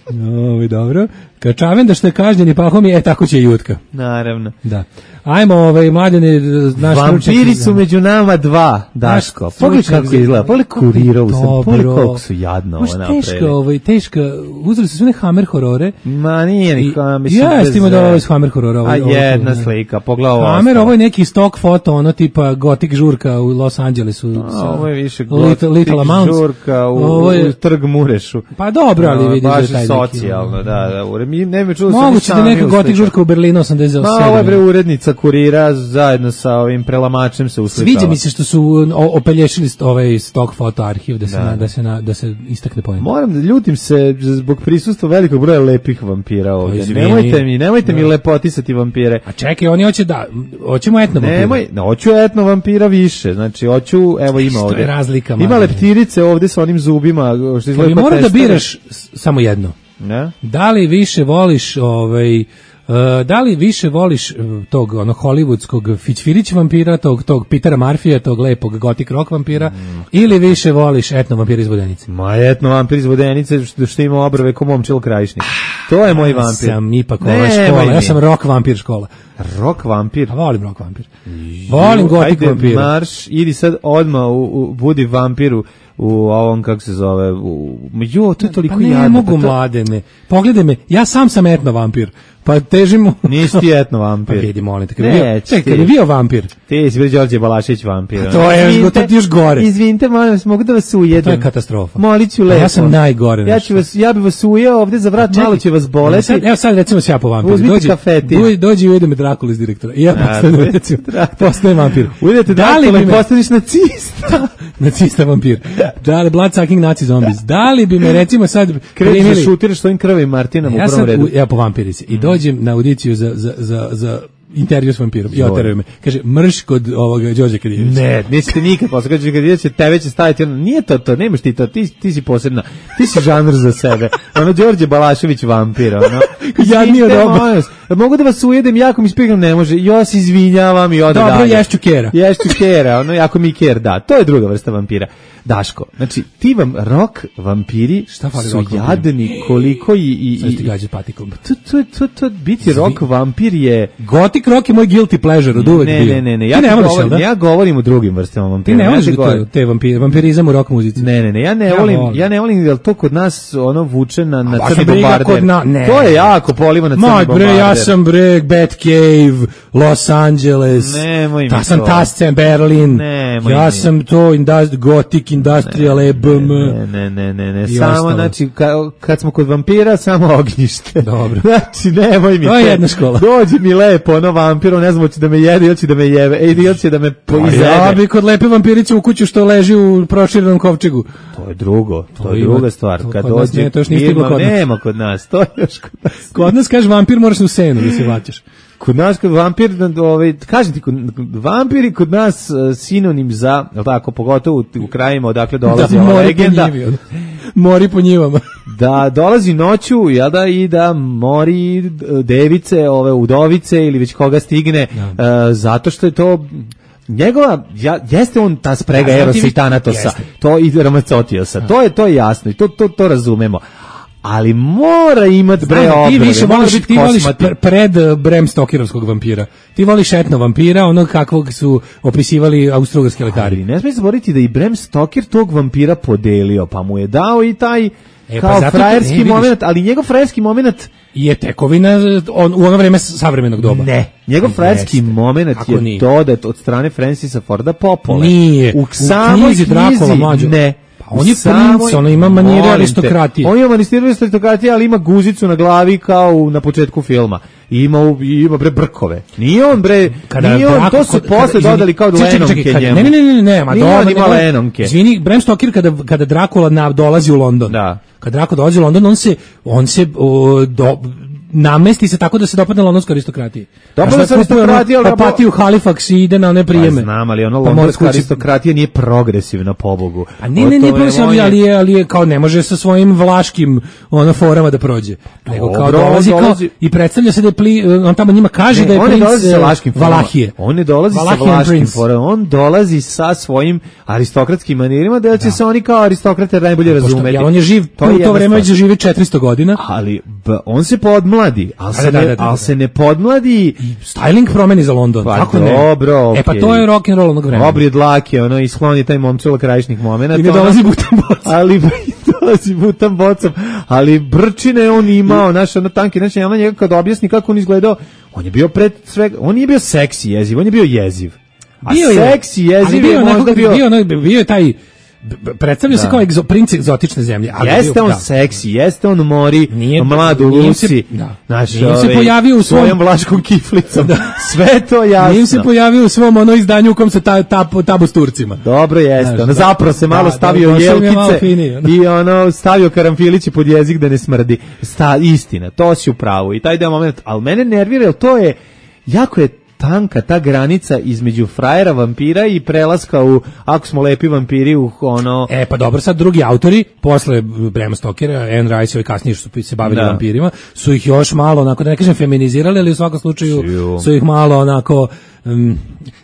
Ovo, dobro. Kad Čavenda što je kažnjen i Pahom je, e, tako će i Jutka. Naravno. Da. Ajmo, ovaj, mladene, naš vampiri su među nama dva, Daško. Pogledaj kako izgleda, pogledaj kurirovu sam, pogledaj koliko su jadno ovo napravili. Teška, ovaj, teška, uzeli su sve ne Hammer horore. Ma nije ni Hammer. Ja, stimo da ovo je Hammer horora. A jedna slika, pogledaj ovo. Hammer, ovo je neki stock foto, ono tipa gotik žurka u Los Angelesu. Ovo je više gotik žurka u Trg Murešu. Pa dobro, ali vidiš da je taj neki. Baš socijalno, da, da. Ne me čuo sam moguće da neka gotik žurka u Berlinu osamdeset sedam. Ma, ovo je bre urednica Kurira zajedno sa ovim prelamačem se uslikala. Sviđa mi se što su opelješili ovaj stock foto arhiv da se da, na, da se na, da se istakne poenta. Moram da ljutim se zbog prisustva velikog broja lepih vampira ovdje. Nemojte mi, nemojte da. mi lepotisati vampire. A čekaj, oni hoće da hoćemo etno vampira. Nemoj, no, hoću etno vampira više. Znači hoću, evo ima ovdje. Što je razlika? Ima leptirice ovdje sa onim zubima što izgleda. Moram da biraš samo jedno. Ne? Da li više voliš ovaj uh, da li više voliš uh, tog ono hollywoodskog Fićfirić vampira, tog tog Petera Murphyja, tog lepog gothic rock vampira mm. ili više voliš etno vampira iz Vodenice? Ma etno vampir iz Vodenice što, što ima obrve ko Momčilo Krajišnik. To je moj vampir. Ja sam ipak ova škola, ja sam rock vampir škola. Rock vampir? A volim rock vampir. Volim gothic vampir. Marš, idi sad odmah u, u budi vampiru u ovom, kako se zove, u, jo, to je toliko pa ne jadno. Mogu pa to... mladene, pogledaj me, ja sam sam etno vampir, pa težimo... Nisi ti etno vampir. Pa vidi, molim te, kad je bio, bio, bio vampir. Ti si bio Đorđe Balašević vampir. To je, to ti još gore. Izvinite, molim vas, mogu da vas ujedem. To je katastrofa. Moliću lepo. Ja sam najgore. Ja, ću vas, ja bi vas ujeo ovde za vrat, malo će vas boleti. Sad, evo sad recimo se ja po vampiru. Uzmite kafetin. Dođi i ujedem me Drakula iz direktora. I ja postanem, recimo, postanem vampir. Ujedete Drakula i postaneš nacista. Nacista vampir. Da li blood sucking nazi zombies. Da li bi me recimo sad krenuli da šutiraš svojim krvim Martinom ja u prvom redu. Ja po vampirici i dođem na audiciju za za za za intervju s vampirom. I oteraju me. Kaže mrš kod ovoga Đorđe Kadijevića. Ne, niste nikad posle Đorđe Kadijevića tebe će staviti. Nije to to, nemaš ti to. Ti ti si posebna. Ti si žanr za sebe. Ono Đorđe Balašević vampir, ono. Ja nije dobro. Mogu da vas ujedem, jako mi spigam, ne može. Ja se izvinjavam i ode dalje. Dobro, ješću kera. Ješću kera, ono, jako mi ker, da. To je druga vrsta vampira. Daško, znači, ti vam rock vampiri šta su jadni koliko i... i, i ti gađe patikom. To, to, to, to, biti rock vampir je... Gothic rock je moj guilty pleasure, od uvek ne, bio. Ne, ne, ne, ja, ne govorim, da? ja govorim o drugim vrstama vampira. Ti ne voliš ja te vampire, vampirizam u rock muzici. Ne, ne, ne, ja ne ja volim, volim, ja ne volim, jer to kod nas ono vuče na, na crni bombarder. Na, to je jako poliva na crni Moj, bombarder. Bre, ja sam bre, Batcave, Los Angeles, Nemoj mi ta sam Tascen, Berlin, Nemoj ja mi. sam to industri, Gothic Industrial E B M. Ne, ne, ne, ne, ne. samo, ostalo. Znači, ka, kad smo kod vampira, samo ognjište. Dobro. Znači, nemoj mi. To je jedna škola. Dođi mi lepo, ono vampiro, ne znam, hoće da me jede, ili će da me jebe, e, ili će da me poizede. Ja bi kod lepe vampirice u kuću što leži u proširenom kovčegu. To je drugo, to, to je druga stvar. To kad dođe, ne, to još nije stiglo kod nas. Nema kod nas, to je još kod nas. Kod nas, kaže, vampir moraš u senu da se vaćaš. Kod nas kod vampir, ovaj, kažem ti, kod, vampiri kod nas uh, sinonim za, tako, pogotovo u, u krajima odakle dolazi da, ova legenda, mori po njivama. Da dolazi noću, jel da, i da mori device, ove udovice ili već koga stigne, uh, zato što je to njegova, ja, jeste on ta sprega ja, Erosa i Tanatosa, to i Ramazotiosa, to je, to je jasno i to, to, to razumemo. Ali mora imat bre obrve. Ti više voliš, ti voliš pred Bram Stokerovskog vampira. Ti voliš etno vampira, onog kakvog su opisivali austrougarski lekari. Ali ne smije zaboraviti da i Bram Stoker tog vampira podelio, pa mu je dao i taj e, kao pa frajerski ne, moment, ali njegov frajerski moment je tekovina on, u ono vreme savremenog doba. Ne, njegov frajerski moment je nije? dodat od strane Francisa Forda Coppola. Nije, u, u knjizi Drakula mlađo. Ne. On je princ, ono ima manire aristokratije. On ima manire aristokratije, ali ima guzicu na glavi kao na početku filma. I ima, ima bre brkove. Nije on bre, kada nije on, to su posle dodali kao Lenonke njemu. Ne, ne, ne, ne, ma dobro, ima Lenonke. Izvini, Bram Stoker kada, kada Drakula na, dolazi u London. Da. Kada Drakula dolazi u London, on se, on se o, do, namesti se tako da se dopadne londonskoj aristokratiji. Dopadne se aristokratija, ali Patiju Halifax i ide na one prijeme. Pa znam, ali ono londonska aristokratija nije progresivna, pobogu. A ne, ne, nije progresivna, ali je, ali je kao ne može sa svojim vlaškim ono forama da prođe. Nego kao dolazi kao i predstavlja se da je pli, on tamo njima kaže da je princ Valahije. On ne dolazi sa vlaškim forama, on dolazi sa svojim aristokratskim manirima, da će se oni kao aristokrate najbolje razumeti. On je živ, u to vreme već živi četiristo godina. Ali on se podmladi, ali se, da, ne, da, da, al se ne podmladi. Styling promeni za London, pa kako ne? Dobro, okay. E pa to je rock and roll onog vremena. Obrije dlake, ono, i skloni taj momčilo krajišnih momenata. I ne dolazi butan bocom. Ali dolazi butan bocom. Ali brčine on imao, naš, ono tanki, znači, ja njega kad objasni kako on izgledao, on je bio pred svega, on nije bio seksi jeziv, on je bio jeziv. A bio seksi jeziv je možda bio... Bio, bio, bio je taj... Predstavlja se kao egzo, princ egzotične zemlje. Ali jeste bio, on da. seksi, jeste on mori nije, mladu Luci, da. naš, nije se pojavio u svom, svojom vlaškom kiflicom, da. Sve to jasno. Nije se pojavio u svom ono izdanju u kom se ta, ta, tabu s Turcima. Dobro jeste, ono zapravo se malo da, stavio da, jelkice fini, ono. I ono stavio karamfilići pod jezik da ne smrdi. Sta, istina, to si u pravu i taj deo moment, ali mene nervira, jer to je, jako je tanka ta granica između frajera vampira i prelaska u ako smo lepi vampiri u ono... E pa dobro, sad drugi autori posle Brama Stokera, Anne Rice i kasnije što su se bavili da. vampirima, su ih još malo onako, da ne kažem feminizirali, ali u svakom slučaju Siu. su ih malo onako... Um,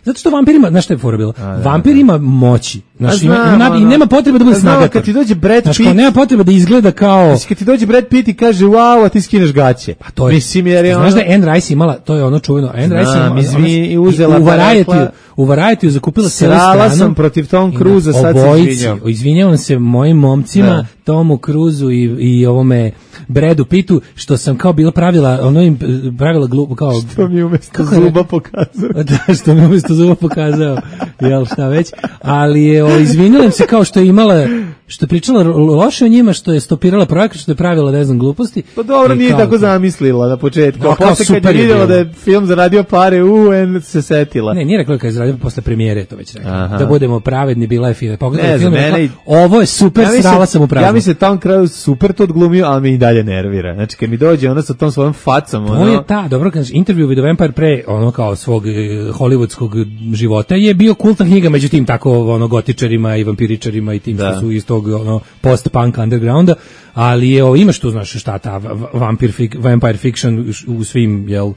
zato što vampirima, znaš šta je fora bilo? Vampir ima moći. Znaš, ima, ima, ima, nema potrebe da bude snagator. Kad ti dođe Brad Pitt... Znaš, nema potrebe da izgleda kao... Znaš, kad ti dođe Brad Pitt i kaže, wow, a ti skineš gaće. Pa to je... Mislim, jer je znaš ono... da je Anne Rice imala, to je ono čuveno, Anne Rice imala... Izmi, uzela u Variety, u Variety zakupila cijelu stranu. Srala sam protiv Tom Cruza, sad se izvinjam. Izvinjavam se mojim momcima, da. Tomu Cruzu i, i ovome Bradu Pittu, što sam kao bila pravila, ono im pravila glupo, kao... Što mi umjesto zuba pokazao. Da, što mi umjesto zuba pokazao, jel šta već, ali je, o, izvinjavam se kao što je imala, što je pričala loše o njima, što je stopirala projekat, što je pravila, ne znam, gluposti. Pa dobro, nije kao, tako zamislila na početku, a posle kad je vidjela da je film zaradio pare, u, en se setila. Ne, nije rekla kad je zaradio, posle premijere to već rekla. Da budemo pravedni, bila je film. Pogledaj film, mene, rekla, ovo je super, ja srala sam u praznu. Ja mislim Tom Cruise super to odglumio, ali mi i dalje nervira. Znači, kad mi dođe ona sa tom svojom facom, ono... To je ta, dobro, kad intervju with the Vampire pre, ono kao svog eh, hollywoodskog života, je bio kultna knjiga, međutim, tako, ono, gotičarima i vampiričarima i tim da. što su iz tog, ono, post-punk undergrounda, ali je, o, imaš tu, znaš, šta ta vampir, fik, vampire fiction u svim, jel,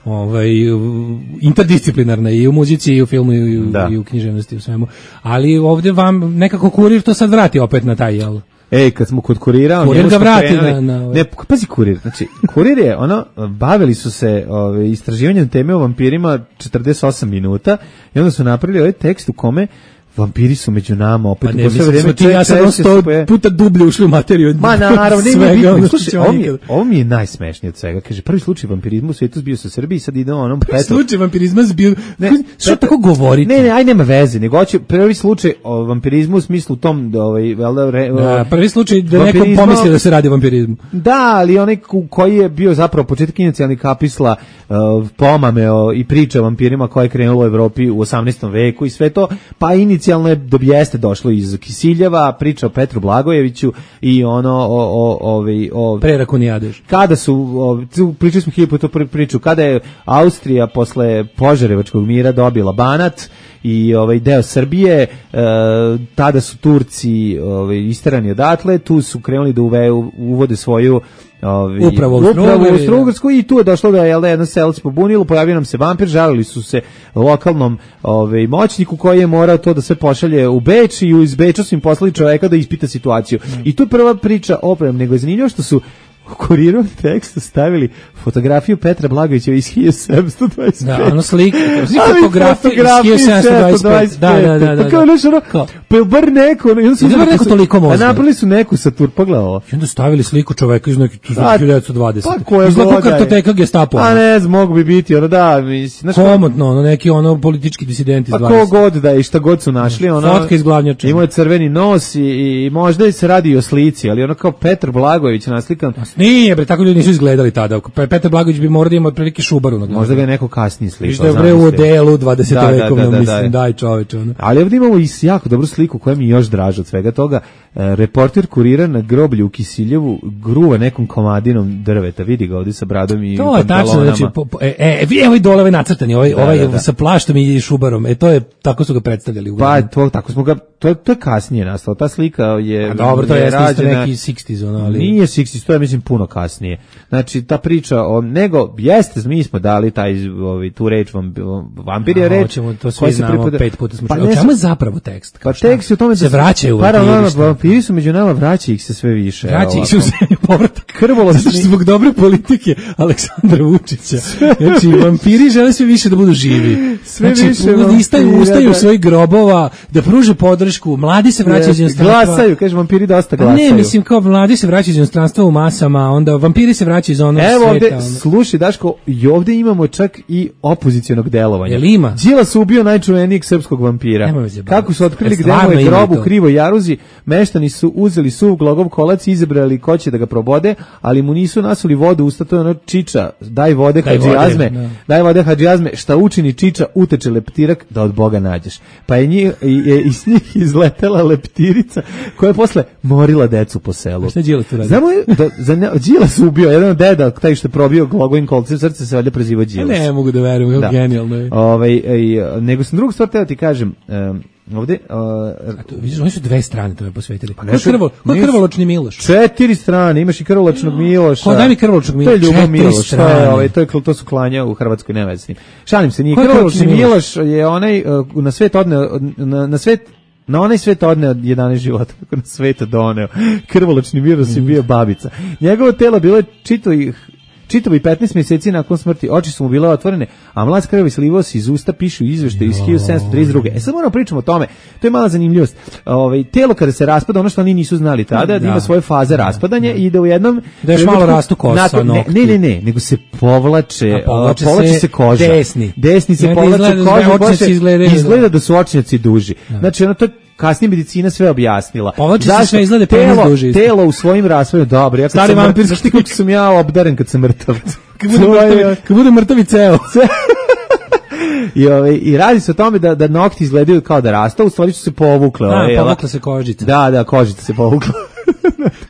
ovaj, interdisciplinarna i u muzici i u filmu i u, i u književnosti i u svemu, ali ovdje vam nekako Kurir to sad vrati opet na taj, jel? Ej, kad smo kod Kurira, Kurir ga vrati na, na ne, pazi Kurir, znači Kurir je ono, bavili su se ove, istraživanjem teme o vampirima četrdeset osam minuta i onda su napravili ovaj tekst u kome vampiri su među nama opet. Pa ne, mislim, vrijeme, ti ja sam sto puta dublje ušli u materiju. Ma naravno, ne mi bitno. Slušaj, ovo mi, je, ovo mi je najsmešnije od svega. Kaže, prvi slučaj vampirizma u svijetu bio sa Srbiji, sad ide onom prvi Petro. Slučaj vampirizma bio... Ne, što tako govorite? Ne, ne, aj nema veze, nego hoće prvi slučaj o vampirizmu u smislu tom, da, ovaj, velda, re, da, prvi slučaj da neko pomisli da se radi o vampirizmu. Da, ali onaj koji je bio zapravo početak inicijalnih kapisla uh, pomame o, i priča o vampirima koja je krenula u Evropi u osamnaestom veku i sve to, pa inicijalno oficijalno je do jeste došlo iz Kisiljeva, priča o Petru Blagojeviću i ono o o ovaj o Prerakonijadeš. Kada su o, pričali smo hiljadu puta priču kada je Austrija posle Požarevačkog mira dobila Banat i ovaj deo Srbije, e, tada su Turci ovaj isterani odatle, tu su krenuli da uve, uvode svoju Ovi, upravo u Austrougarsku i tu je došlo da je jedno selo se pobunilo, pojavio nam se vampir, žalili su se lokalnom ovaj, moćniku koji je morao to da sve pošalje u Beč i iz Beča su im poslali čoveka da ispita situaciju. Mm. I tu je prva priča oprem, nego je zanimljivo što su u Kurirovom tekstu stavili fotografiju Petra Blagojevića iz hiljadu sedamsto dvadeset pet. Da, ono slika, fotografiju iz hiljadu sedamsto dvadeset pet. Da, da, da, da. Pa kao nešto ono, kao, pa je bar neko, ono, I da bar neko toliko možda. A napravili su neku satur, pogledaj ovo. I onda stavili sliku čoveka iz nekih hiljadu devetsto dvadeset. Pa koja izgleda kao kartoteka Gestapo. A ne znam, mogu bi biti, ono da, mislim. Komotno, ono, neki ono politički disidenti iz dvadeset. Pa ko god da je, šta god su našli, ono. Fotka iz Glavnjača. Imao je crveni nos i, i možda se radi i o slici, ali ono kao Petar Blagojević naslikan. Nije, bre, tako ljudi nisu izgledali tada. Petar Blagojević bi morao da ima otprilike Šubaru na glavi. Možda ga je neko kasnije slikao. Što je bre u odelu dvadesetvekovnom, da, da, da, mislim, daj čoveče. Ono. Ali ovdje imamo i jako dobru sliku koja mi je još draža od svega toga. E, reporter Kurira na groblju u Kisiljevu gruva nekom komadinom drveta. Vidi ga ovdje sa bradom i to je tačno, znači, po, po, e, e, vi ovaj dole ovaj nacrtani, ovaj, da, ovaj da, da. sa plaštom i Šubarom. E, to je, tako su ga predstavljali. U pa, to, tako smo ga, to je, to je kasnije nastalo. Ta slika je... A dobro, to je, je rađena, neki šezdesetih, ono, ali... Nije šezdeset, to je, mislim, puno kasnije. Znači, ta priča o, nego, jeste, mi smo dali taj, ovaj, tu reč, vampir je reč. Hoćemo, to svi znamo, pripada, pet puta smo pa čuli. O čemu je zapravo tekst? Pa tekst je o tome da se vraćaju vampiri. Vampiri su među nama, vraća ih se sve više. Vraća ih se u zemlju povratak. Krvoločni. Zbog dobre politike Aleksandra Vučića. Znači, vampiri žele sve više da budu živi. Sve znači, više vampira, istaju, ustaju u svojih grobova, da pruže podršku, mladi se vraćaju iz inostranstva. Glasaju, kaže, vampiri dosta glasaju. Ne, mislim, kao mladi se vraćaju iz inostranstva u masama, onda vampiri se vraćaju iz onog Evo sveta. Evo ovde, slušaj, Daško, i ovde imamo čak i opozicionog delovanja. Jel ima? Đilas ubio najčuvenijeg srpskog vampira. Kako su otkrili gde mu je grob u Krivoj Jaruzi, meštani su uzeli suv glogov kolac i izabrali ko će da ga probode, ali mu nisu nasuli vodu usta, to je ono Čiča, daj vode Hadžijazme, no. daj vode Hadžijazme, šta učini Čiča, uteče leptirak da od Boga nađeš. Pa je njih, je iz njih izletela leptirica koja je posle morila decu po selu. A šta Đilas tu radi? Znamo je, da, za ne, Đilas ubio, jedan od deda, taj što je probio glogovim kolcem srce, se valjda preziva Đilas. Ne mogu da verujem, kako da. Genijalno je. Ovaj, ej, nego sam drugu stvar teo ti kažem, um, ovde uh, a to vidiš, oni su dve strane tome posvetili. Pa ko krvo, ko krvoločni Miloš? Četiri strane, imaš i krvoločnog Miloša. Ko daj mi krvoločnog Miloša? To je Ljubo Miloš, to je ovaj, to je to su klanja u Hrvatskoj nevesni. Šalim se, nije krvoločni Miloš je onaj uh, na svet odne na, na svet na onaj svet odneo jedanaest života, kako na svet doneo. Krvoločni Miloš je bio babica. Njegovo telo bilo je čitavih Čitavi petnaest mjeseci nakon smrti, oči su mu bile otvorene, a mlad krvavi slivao se iz usta, pišu izvešte iz hiljadu sedamsto trideset druge. E sad moramo pričamo o tome, to je mala zanimljivost. Ovaj, telo kada se raspada, ono što oni nisu znali tada, da, da ima svoje faze raspadanja i da u jednom... Da još malo rastu kosa, nakon, ne, ne, ne, ne, nego se povlače, povlače, povlače se, se koža. Desni. Desni se povlače koža, izgleda, izgleda da su očnjaci duži. Da. Znači, ono to kasnije medicina sve objasnila. Povlači se sve izgleda telo, duži. Telo u svojim rasvojima, dobro. Ja stari vampirski ti kako sam ja obdaren kad sam mrtav. Kad bude mrtavi, kad bude mrtavi ceo. I, ove, I radi se o tome da, da nokti izgledaju kao da rastu, u stvari su se povukle. Da, ove, povukla se kožica. Da, da, kožica se povukla.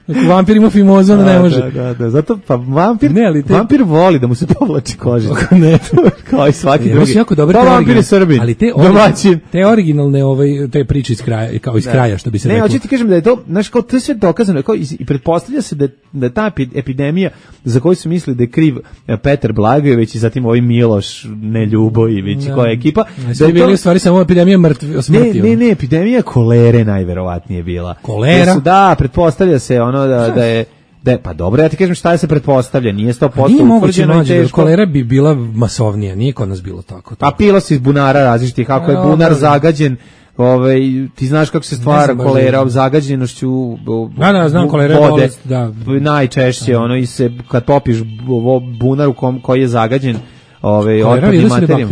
Ako vampir ima fimozu, ne može. Da, da, da, zato pa vampir, ne, ali te... vampir voli da mu se povlači kožica. Ne, kao i svaki ja, drugi. Jako dobre pa vampir je Srbin. Ali te, origi, te originalne ovaj, te priče iz kraja, kao iz da. kraja, što bi se ne, reklo. Ne, hoću ti kažem da je to, znaš, kao to je sve dokazano, kao, i, i pretpostavlja se da, da ta epidemija za koju su mislili da je kriv Petar Blagojević i zatim ovaj Miloš Neljubojević i koja je ekipa. Da, da je bili u stvari samo epidemija mrtvi, smrti. Ne, ne, ne, epidemija kolere najverovatnije bila. Kolera? Su, da, pretpostavlja se ono da, da je Da je, pa dobro, ja ti kažem šta je se pretpostavlja, nije sto posto utvrđeno i teško. Kolera bi bila masovnija, nije kod nas bilo tako. A pilo se iz bunara različitih, kako je bunar zagađen, ovaj, ti znaš kako se stvara kolera, zagađenošću da, da, znam, kolera vode, bolest, da. Najčešće, da. Ono, i se, kad popiš bunar u kom, koji je zagađen, ovaj, otpadnim materijom.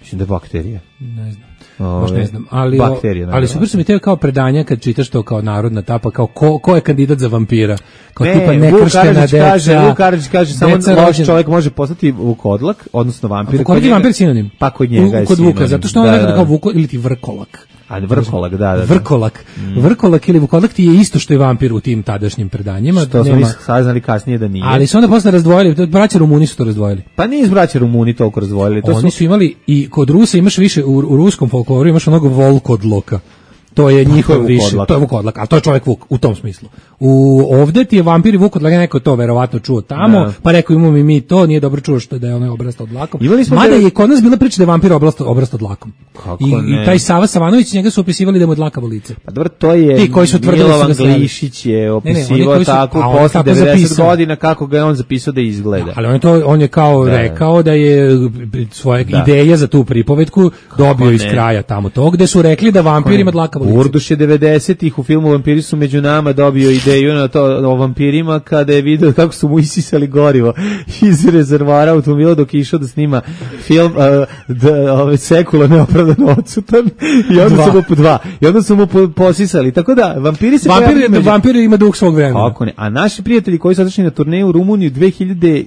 Mislim da je bakterija. Ne znam. Baš ne znam, ali, bakterije, ali super su mi te kao predanja kad čitaš to kao narodna tapa, kao ko, ko je kandidat za vampira. Kao ne, tipa nekrštena deca. Kaže, Vuk Karadžić kaže, samo loš čovjek može postati vukodlak, odnosno vampir. Vukodlak je vampir sinonim. Pa kod njega je kod sinonim. Vuka, zato što on da, nekada kao Vuko ili ti vrkolak. A vrkolak, da, da. da. Vrkolak. Mm. Vrkolak ili vukodlak ti je isto što je vampir u tim tadašnjim predanjima. Što smo mi saznali kasnije da nije. Ali su onda posle razdvojili, braća Rumuni su to razdvojili. Pa nije iz braća Rumuni toliko razdvojili. To Oni su... su imali, i kod Rusa imaš više, u, u ruskom folkloru imaš onog volkodloka. To je njihov više, to je vukodlak, ali to je čovjek vuk u tom smislu. U ovde ti je vampir i vukodlak, neko to verovatno čuo tamo, no. Pa rekao imamo i mi to, nije dobro čuo što da je onaj obrasta od dlakom. Mada je kod nas bila priča da je vampir obrasta obrasta od dlakom. I, I taj Sava Savanović, njega su opisivali da mu je dlakavo lice. Pa dobro, to je ti koji su tvrdili Milovan Glišić je opisivao tako posle devedeset godina kako ga je on zapisao da izgleda. Da, ali on je to on je kao da. rekao da je svoje da. ideje za tu pripovetku dobio iz kraja tamo tog gde su rekli da vampir ima dlakavo lice. Urduš je devedesetih u filmu Vampiri su među nama dobio ideju na to o vampirima kada je video kako su mu isisali gorivo iz rezervoara automobila dok je išao da snima film uh, da, ove sekula neopravdano odsutan i onda su mu po dva i onda su mu po, posisali, tako da vampiri se vampir, među... vampir ima duh svog vremena. Kako ne, a naši prijatelji koji su otišli na turneju u Rumuniju dve hiljade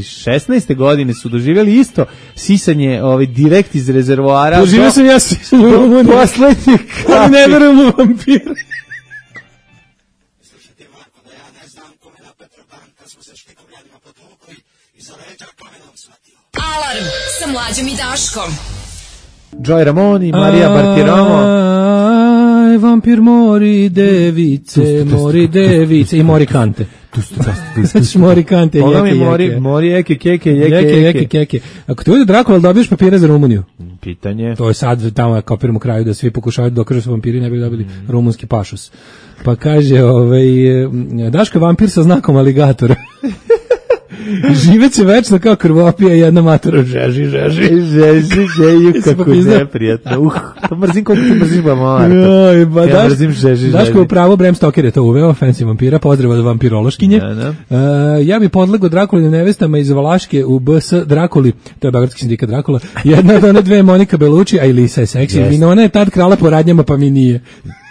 šesnaeste godine su doživjeli isto sisanje ove, direkt iz rezervoara. Doživio do... sam ja sisanje u Rumuniju. Poslednji ali ne verujem u vampire. Alarm sa Mlađom i Daškom. Joy Ramoni, Marija Bartiromo. Aj, vampir mori device, mori device i mori kante. Znači mori kante, jeke, jeke. Mori eke, keke, jeke, jeke, jeke, keke. Ako te ujde Drakula, dobiješ papire za Rumuniju? Pitanje. To je sad tamo kapiramo kraju da svi pokušavaju da dokažu su vampiri, ne bi dobili mm. rumunski pašus. Pa kaže, ovaj, Daško je vampir sa znakom aligatora. Živeće večno kao krvopija i jedna matora žeži, žeži. Žeži, žeji, kako neprijatno. Uh, to mrzim kod ti mrziš bamar. Joj, ba, ja mrzim žeži, žeži. Daško je pravo, Bram Stoker je to uveo, fancy vampira, pozdrav od vampirološkinje. Da, da. Uh, ja bi podlegao Drakulinim nevestama iz Valaške u B S Drakuli, to je Beogradski sindikat Drakula, jedna od one dve Monika Belucci, a i Lisa je seksi. Yes. Vinona je tad krala po radnjama, pa mi nije.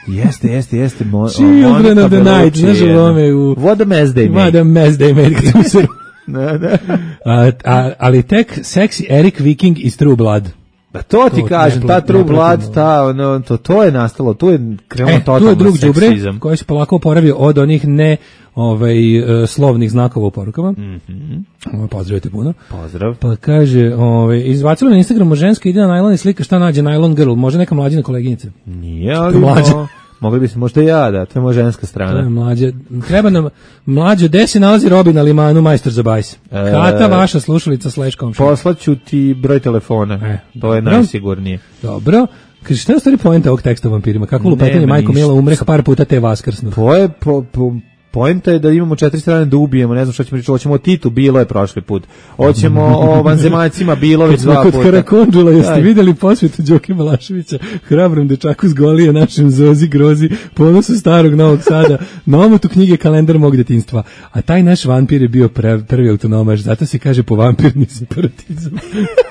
Jeste, jeste, jeste. Mo, Children of the Night, znaš u ovome u... What a mess they made. What a mess they made, kada mu se... Da, da. A, a, ali tek seksi Eric Viking iz True Blood. Da to ti to kažem, ta True Blood, ta, ono, to, to je nastalo, tu je krenuo e, totalno tu je drug seksizam. Đubre koji se polako oporavio od onih ne ovaj, uh, slovnih znakova u porukama. Mm-hmm. Pozdravite puno. Pozdrav. Pa kaže, ovaj, izbacilo na Instagramu ženska ide na najlon i slika šta nađe Nylon Girl, može neka mlađina koleginica. Nije, ali mlađa. Mogli bi se možda ja da, to je moja ženska strana. To je mlađe. Treba nam mlađe, gde se nalazi Robin na limanu, majstor za bajs. E, Kata, vaša slušalica slash komšija. Poslaću ti broj telefona, e, to je dobro. Najsigurnije. Dobro. Kaže, šta je u stvari poenta ovog teksta o vampirima? Kako lupetanje Majko Mila umre par puta te vaskrsnu? To je po... po poenta je da imamo četiri strane da ubijemo, ne znam šta ćemo reći, hoćemo o Titu, bilo je prošli put. Hoćemo o vanzemaljcima, bilo već dva puta. Kod Karakondžula, jeste vidjeli posvetu Đoke Balaševića, hrabrom dečaku s Golije, našem Zozi Grozi, ponosu starog Novog Sada, na omotu knjige Kalendar mog detinjstva. A taj naš vampir je bio pre, prvi autonomaš, zato se kaže po vampirni separatizam.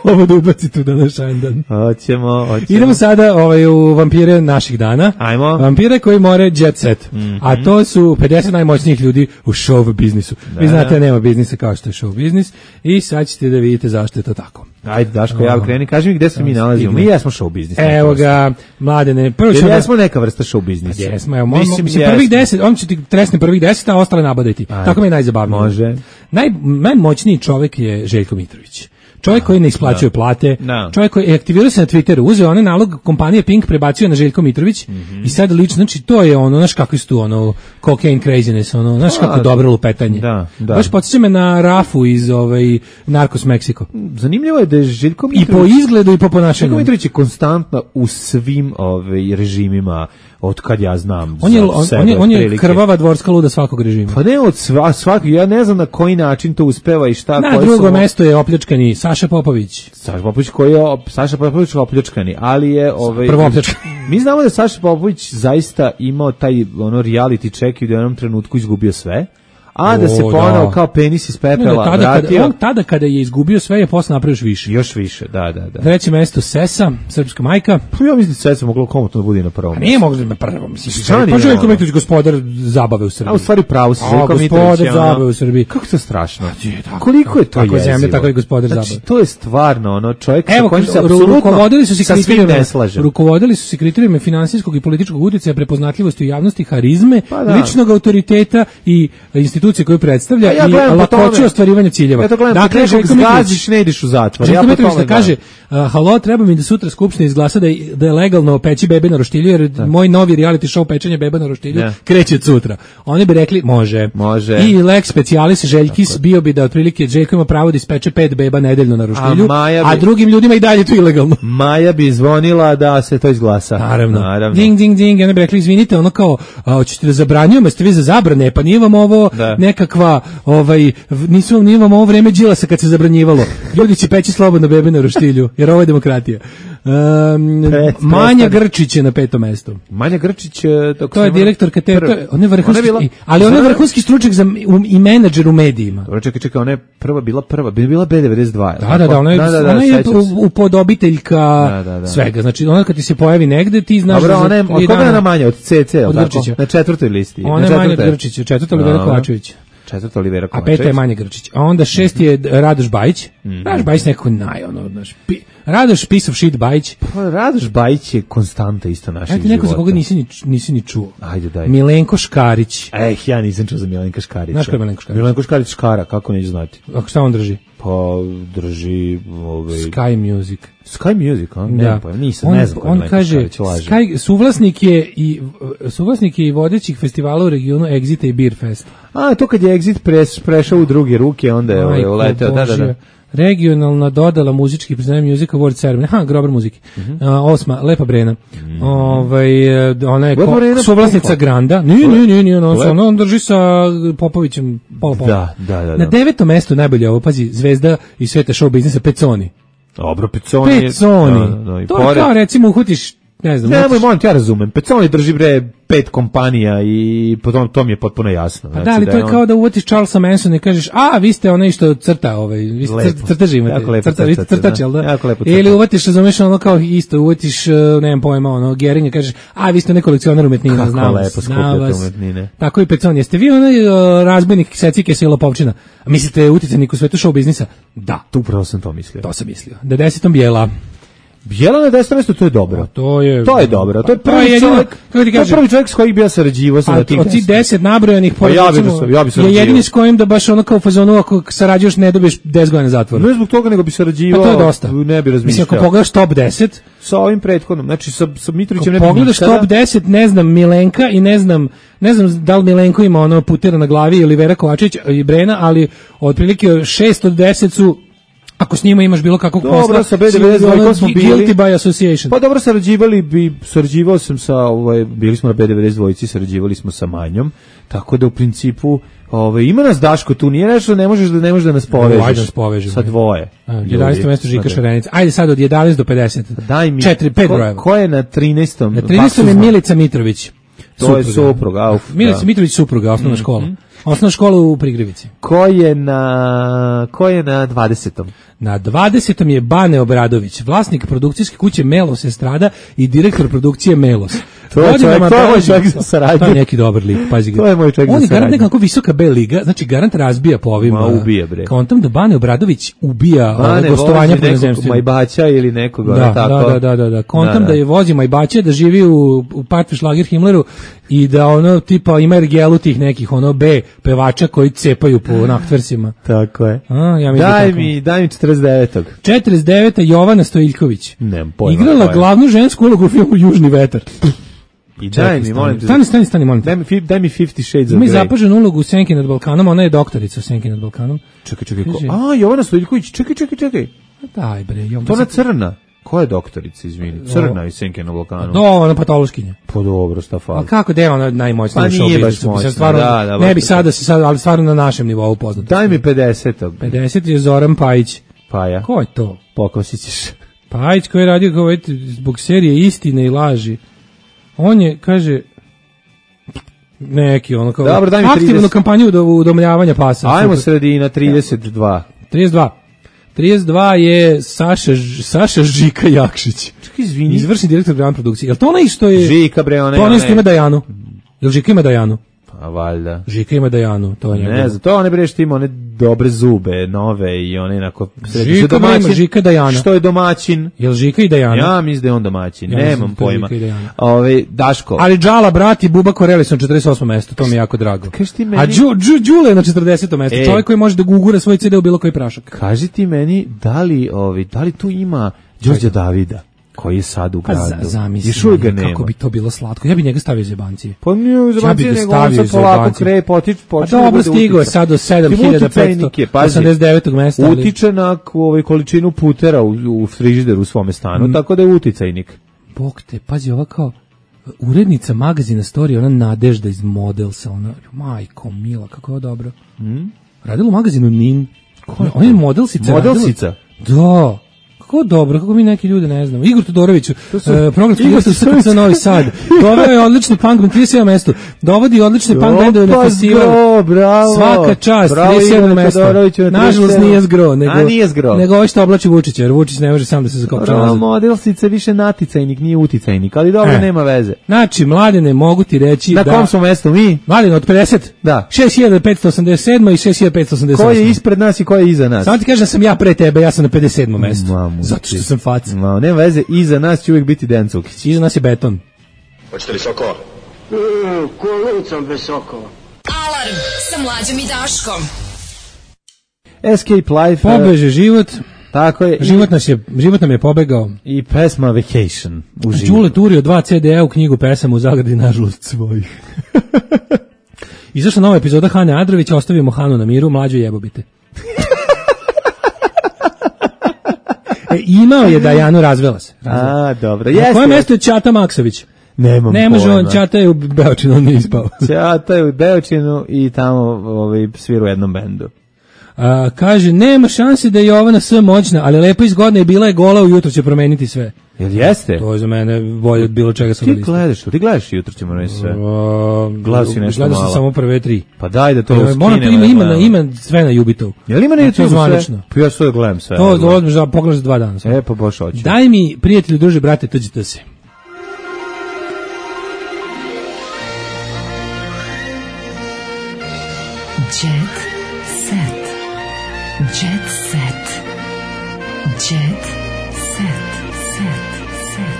Ovo da ubacite u današnji dan. Hoćemo, hoćemo. Idemo sada ovaj, u vampire naših dana. Ajmo. Vampire koji more jet set. Mm-hmm. A to su pedeset najmoćnijih ljudi u show biznisu. Da. Vi znate da nema biznisa kao što je show biznis i sad ćete da vidite zašto je to tako. Ajde, Daško, ja kreni, kaži mi gde se mi nalazimo. Mi jesmo show biznis. Evo ga, Mladene. Prvo ćemo... Jesmo neka vrsta show biznisa. Jesmo, evo, mislim, mislim prvih deset, on će ti tresne prvih deset, a ostale nabadajti. Tako mi je najzabavnije. Može. Naj, najmoćniji čovjek je Željko Mitrović. Čovjek koji ne isplaćuje plate, no. čovjek koji je aktivirao se na Twitteru, uzeo onaj nalog kompanije Pink, prebacio na Željko Mitrović mm-hmm. i sad lično, znači to je ono, znaš kako su tu, ono, cocaine craziness, ono, znaš kako dobro lupetanje. Da, da. Baš podsjeća me na Rafu iz ovaj, Narcos Meksiko. Zanimljivo je da je Željko Mitrović... I po izgledu i po ponašanju. Željko Mitrović je konstantno u svim ovaj, režimima, od kad ja znam. On je, on, sebe, on je, on je krvava dvorska luda svakog režima. Pa ne od sva, svakog, ja ne znam na koji način to uspeva i šta. Na drugo su... mesto je opljačkani Saša Popović. Saša Popović koji je, Saša Popović je opljačkani, ali je... Ovaj, prvo opljačkani. Mi znamo da je Saša Popović zaista imao taj ono reality check i da je u jednom trenutku izgubio sve. a da se O, ponovo da. kao penis iz Ne, pepela tada, kada, vratio. on tada kada je izgubio sve je posle napravio još više. Još više, da, da, da. Treće mesto Sesa, srpska majka. Pa ja mislim da se moglo komotno da bude na prvom. A nije moglo da na prvo, mislim. Šta nije Pa Željko moglo? Mitrović, gospodar zabave u Srbiji. A u stvari pravo si, A, Željko Mitrović gospodar je ono- zabave u Srbiji. Kako to strašno? tako, Koliko je to tako je jezivo? zemlja, tako je gospodar Znači, zabave. to je stvarno ono čovjek sa Evo, kojim se ru- apsolutno rukovodili su se sa svim kriterijima, ne slažem. rukovodili su se kriterijima finansijskog i političkog uticaja, prepoznatljivosti u javnosti, harizme, Pa da. ličnog autoriteta i institucije koju predstavlja A ja i gledam po lakoću tome- ostvarivanja ciljeva. Ja to gledam, dakle, dakle, Željko nekog Mitrović- zgaziš, ne ideš u zatvor. Željko Ja po Mitrović tome da kaže, a, halo, treba mi da sutra Skupština izglasa da je, da je legalno peći bebe na roštilju, jer moj novi reality show pečenje beba na roštilju Da. kreće od sutra. Oni bi rekli, može. Može. I lex specialis Željkis bio bi da otprilike Željko ima pravo da ispeče pet beba nedeljno na roštilju, A Maja a, bi- drugim ljudima i dalje to ilegalno. Maja bi zvonila da se to izglasa. Naravno. Naravno. Ding, ding, ding. I onda bi rekli, izvinite, ono kao, a, hoćete da zabranjujemo, jeste vi za zabrane, pa nije vam ovo Da. nekakva, ovaj, v- nisu vam, nije vam ovo vreme Đilasa kad se zabranjivalo. Ljudi će peći slobodno bebe na roštilju, jer ovo je demokratija. Um, Pet, Manja prestani. Grčić je na petom mestu. Manja Grčić, e, dok To je sam- direktorka te, Prv- to je, on je vrhunski, Ona je bila- i- ali on je Zna- vrhunski stručnjak za, um, i menadžer u medijima. Dobro, čekaj, čekaj, ona je prva bila prva, bi bila B devedeset dva. Da, da, da, ona je, ona je sećam se. upodobiteljka Da, da, da. svega. Znači, ona kad ti se pojavi negde, ti znaš Dobro, da za ona je, tri od koga je dana- ona manja? Od C C, Od tako? Grčića. Na četvrtoj listi. Ona Na je manja od četvrtoj. Grčića, četvrta Olivera Dobro. Kovačević. Četvrta Olivera A Kovačević. peta je Manja Grčić. A onda šesti je Radoš Bajić. Radoš Bajić nekako naj, ono, znaš, pi, Radoš piece of shit Bajić. Pa, Radoš Bajić je konstanta isto našeg Ajde, života. neko za koga nisi ni, nisi ni čuo. Ajde, daj. Milenko Škarić. Eh, ja nisam čuo za Milenka Škarića. Znaš ko je Milenko Škarić? Milenko Škarić Škara, kako neću znati. Ako šta on drži? Pa, drži... Ovaj... Sky Music. Sky Music, a? Ne, Da. pa, nisam, on, ne znam ko je on Milenko kaže, Škarić, laže. Sky, suvlasnik je i suvlasnik je i vodećih festivala u regionu Exita i Beer Fest. A, to kad je Exit pres, prešao u druge ruke, onda je ovaj, Majko uleteo. Da, da, da. Božja. Regionalna dodala muzički priznanje Music Award Ceremony. Ha, grobar muzike. Mhm. A, osma, Lepa Brena. Ovaj, e, ona je Lepa ko- Brena suvlasnica pumpa. Granda. Nije, nije, nije, nije, on, se- Lep- ono, on drži sa Popovićem pola pola. Da, da, da, Na da. devetom mestu najbolje ovo, pazi, zvezda i sveta show biznisa Peconi. Dobro, Peconi je... Peconi. Da, da, da, i To je pored- kao recimo uhutiš, ne znam, Nemoj, uhutiš- molim, ti, ja razumem. Peconi drži bre pet kompanija i potom to mi je potpuno jasno. Pa da, ali to je on- kao da uvatiš Charlesa Mansona i kažeš, a, vi ste onaj što crta, ovaj, vi ste Lepo. crt- crteži imate, Jako lepo crta, vi ste crtate, crtač, da. jel da? Jako lepo Ili crtate. uvatiš, razumeš, ono kao isto, uvatiš, uh, nemam pojma, ono, Geringa i kažeš, a, vi ste onaj kolekcionar umetnina, Kako znam lepo vas, znam skupljate vas. umetnine. Tako i Pecon, jeste vi onaj uh, razbojnik secike i lopovčina? A mislite uticajnik u svetu show biznisa? Da, Tu upravo sam to mislio. to sam mislio. Da desetom Bijela. Bijela na desetom mjestu, to je dobro. To je... To je dobro. To je Pa, prvi jedino, čovjek, kako ti to je kažem, prvi čovjek s kojim bi ja sarađivao sam A na tih od tih deset nabrojanih Pa ja bi recimo, da sam- ja bi je sarađivao. jedini s kojim da baš ono kao u fazonu ako sarađuješ ne dobiješ deset godina zatvora. Ne zbog toga, nego bi Pa sarađivao. to je dosta. Ne bi Mislim, razmišljao. ako pogledaš top deset, Sa ovim prethodnom, znači sa, sa Mitrovićem ne ako bi pogledaš nikada. top deset, ne znam, Milenka i ne znam, ne znam da li Milenko ima ono putera na glavi ili Vera Kovačević i Brena, ali otprilike šest od deset su, ako s njima imaš bilo kakvog Dobro, posla, sa B devedeset dva ono, smo bili. guilty by association. Pa dobro, sarađivali bi, sarađivao sam sa, ovaj, bili smo na B devedeset dva, sarađivali smo sa Manjom, tako da u principu, ovaj, ima nas Daško tu, nije nešto, ne možeš da ne možeš da nas povežeš. Ajde nas povežemo. Sa dvoje. jedanaesto mesto Žika Ljudi. Šarenica. Ajde sad od jedanaest do pedeset. Daj mi, četiri, pet ko, brojeva. ko je na trinaestom? Na trinaestom je Baksuzma? Milica Mitrović. To je supruga, uf, Milica da. Mitrović supruga, osnovna Mhm. škola. Osnovna škola u Prigrevici. Ko je na, ko je na dvadesetom? Na dvadesetom je Bane Obradović, vlasnik produkcijske kuće Melos Estrada i direktor produkcije Melos. To je Godinama čovjek- to je moj beleži- čovjek za saradnju. To je neki dobar lik, pazi ga. To je moj čovjek za On je garant saradnju. nekako visoka B liga, znači garant razbija po ovim. Ma, a, ubije, bre. Kontam da Bane Obradović ubija ove Bane gostovanja vozi po nekog inozemstvu. Majbaća ili nekog, Da, ono tako. da, da, da, da. Kontam Da, da, da. je vozi Majbaće, da živi u, u Partvi Šlager Himmleru i da ono tipa ima ergelu tih nekih ono B pevača koji cepaju po naktversima. Tako je. A, ja mislim Daj tako. mi, daj mi četrdeset devetog. četrdeset deveta Jovana Stojiljković. Nemam pojma. Igrala ko je. glavnu žensku ulogu u filmu Južni vetar. I daj mi, molim te. Stani, stani, stani, molim te. Daj mi, fi- daj mi Fifty Shades of Ima i Grey. zapaženu ulogu u Senki nad Balkanom, ona je doktorica u Senki nad Balkanom. Čekaj, čekaj, ko? Kaže- A, Jovana Stojiljković, čekaj, čekaj, čekaj. Daj bre, Jovana. To ona crna. Ko je doktorica, izvini? Crna iz Senke na Balkanu. Do, ona patološkinja. Pa dobro, šta A fali. kako da je ona najmoćnija Pa u nije show baš biznisu? moćna, Mislim, stvarno, da, da, ne baš bi je sad da se sad, ali stvarno na našem nivou poznato. Daj mi pedesetog. pedeset je Zoran Pajić. Pa ja. Ko je to? Pokosit ćeš. Pajić koji je radio kao eto, zbog serije Istine i laži. On je, kaže, Neki ono kao Dobro, daj mi aktivnu trideset. kampanju udo- udomljavanja pasa. Ajmo Super. sredina, trideset dva. trideset dva. trideset dva je Saša, Ž- Saša Žika Jakšić. Čekaj, izvini. Izvršni direktor programa produkcije. Jel to onaj što je... Žika, bre, onaj, To onaj što onaj. ima Dajanu. Jel Žika ima Dajanu? Pa valjda. Žika ima Dajanu, to je njegov. Ne znam, to one bre što ima one dobre zube, nove i one onako... Žika bre ima Žika Dajana. Što je domaćin? Jel Žika i Dajana? Ja mislim da je on domaćin, Ja mislim nemam da je to pojma. Žika i Dajana. Ove, Daško. Ali Džala, brat i Buba Koreli su na četrdeset osmom mestu, to mi je jako drago. Kaži ti meni- A Đu, Đu, Đule je na četrdesetom mestu, E. čovjek koji može da gugura svoj ce de u bilo koji prašak. Kaži ti meni, da li, ovi, da li tu ima Đorđa Davida, koji je sad u Pa gradu? za, zamisli, Još uvijek ga nema. kako bi to bilo slatko. Ja bi njega stavio iz jebancije. Pa nije uz Ja bi ga nego on stavio sad iz polako jebancije. kre, potič, Pa počne da dobro, bude stigao je utica. sad do sedam Ima hiljada uticajnik je, petsto pazi. osamdeset devetog mesta. ali- Utiče na k- ovaj, količinu putera u, u frižideru u svome stanu, Mm. tako da je uticajnik. Bog te, pazi, ova kao urednica magazina Story, ona Nadežda iz Modelsa, ona, majko mila, kako je ovo dobro. Mm? Radila u magazinu Nin. Ona- Ona je Modelsica. Modelsica? radila- Da. Kako dobro, kako mi neki ljudi ne znamo. Igor Todorović, uh, programski Igor direktor S K C Novi Sad. Doveo je odlični punk band, trideset sedam mesto. Dovodi odlične punk bendove na Opa, festival. zgro, bravo. Svaka čast, Bravo, trideset sedam Igor mesto. Todoroviću na Nažalost trideset sedam. nije zgro, nego, A, nije zgro. nego ovo što oblači Vučića, jer Vučić ne može sam da se zakopča Bravo, nazad. modelsica je više naticajnik, nije uticajnik, ali dobro, E. nema veze. Znači, mladene, mogu ti reći Na da... kom smo mestu mi? Mladene, od pedeset? Da. šest hiljada petsto osamdeset sedam i šest hiljada petsto osamdeset osam. Ko je ispred nas i ko je iza nas? Samo ti kažem da sam ja pre tebe, ja sam na pedeset sedmom mestu. Mamu Zato ti. što sam faca. Ma, nema veze, iza nas će uvijek biti Dejan Cukić. Iza nas je beton. Hoćete li sokova? Alarm sa Mlađom i Daškom. Escape Life. e, Pobeže život, Tako je. život, nas je, život nam je pobegao. I pesma Vacation. U živu. Đule turio dva ce de a u knjigu pesama u zagradi, nažalost svojih. Izašla nova epizoda Hane Adrovića, ostavimo Hanu na miru, mlađo jebobite. E, imao je Dajanu, razvela se. Razvela. A, dobro. Na Jeste. kojem mestu je Ćata Maksović? Nemam Ne može on, pojma. Ćata je u Beočinu, on nije ispao. Ćata je u Beočinu i tamo ovaj, svira u jednom bendu. A, kaže, nema šanse da je Jovana S moćna, ali lepo izgodna je bila je gola, ujutro će promeniti sve. Jel jeste? To je za mene bolje od bilo čega sa Ti liste. gledaš, ti gledaš jutro ćemo reći sve. Gledao si nešto Gledao sam malo. samo prve tri. Pa daj da to To skinem. Moram to ima, ima, na- gledam. ima sve na Jubitovu. Jel ima na To je YouTube zvanično. sve? Pa ja što da gledam sve. To evo. odmah za pogledaš za dva dana. E, pa baš hoću. Daj mi, prijatelju, druže, brate, tuđite se. Jet set. Jet set. Jet set. Set. Set.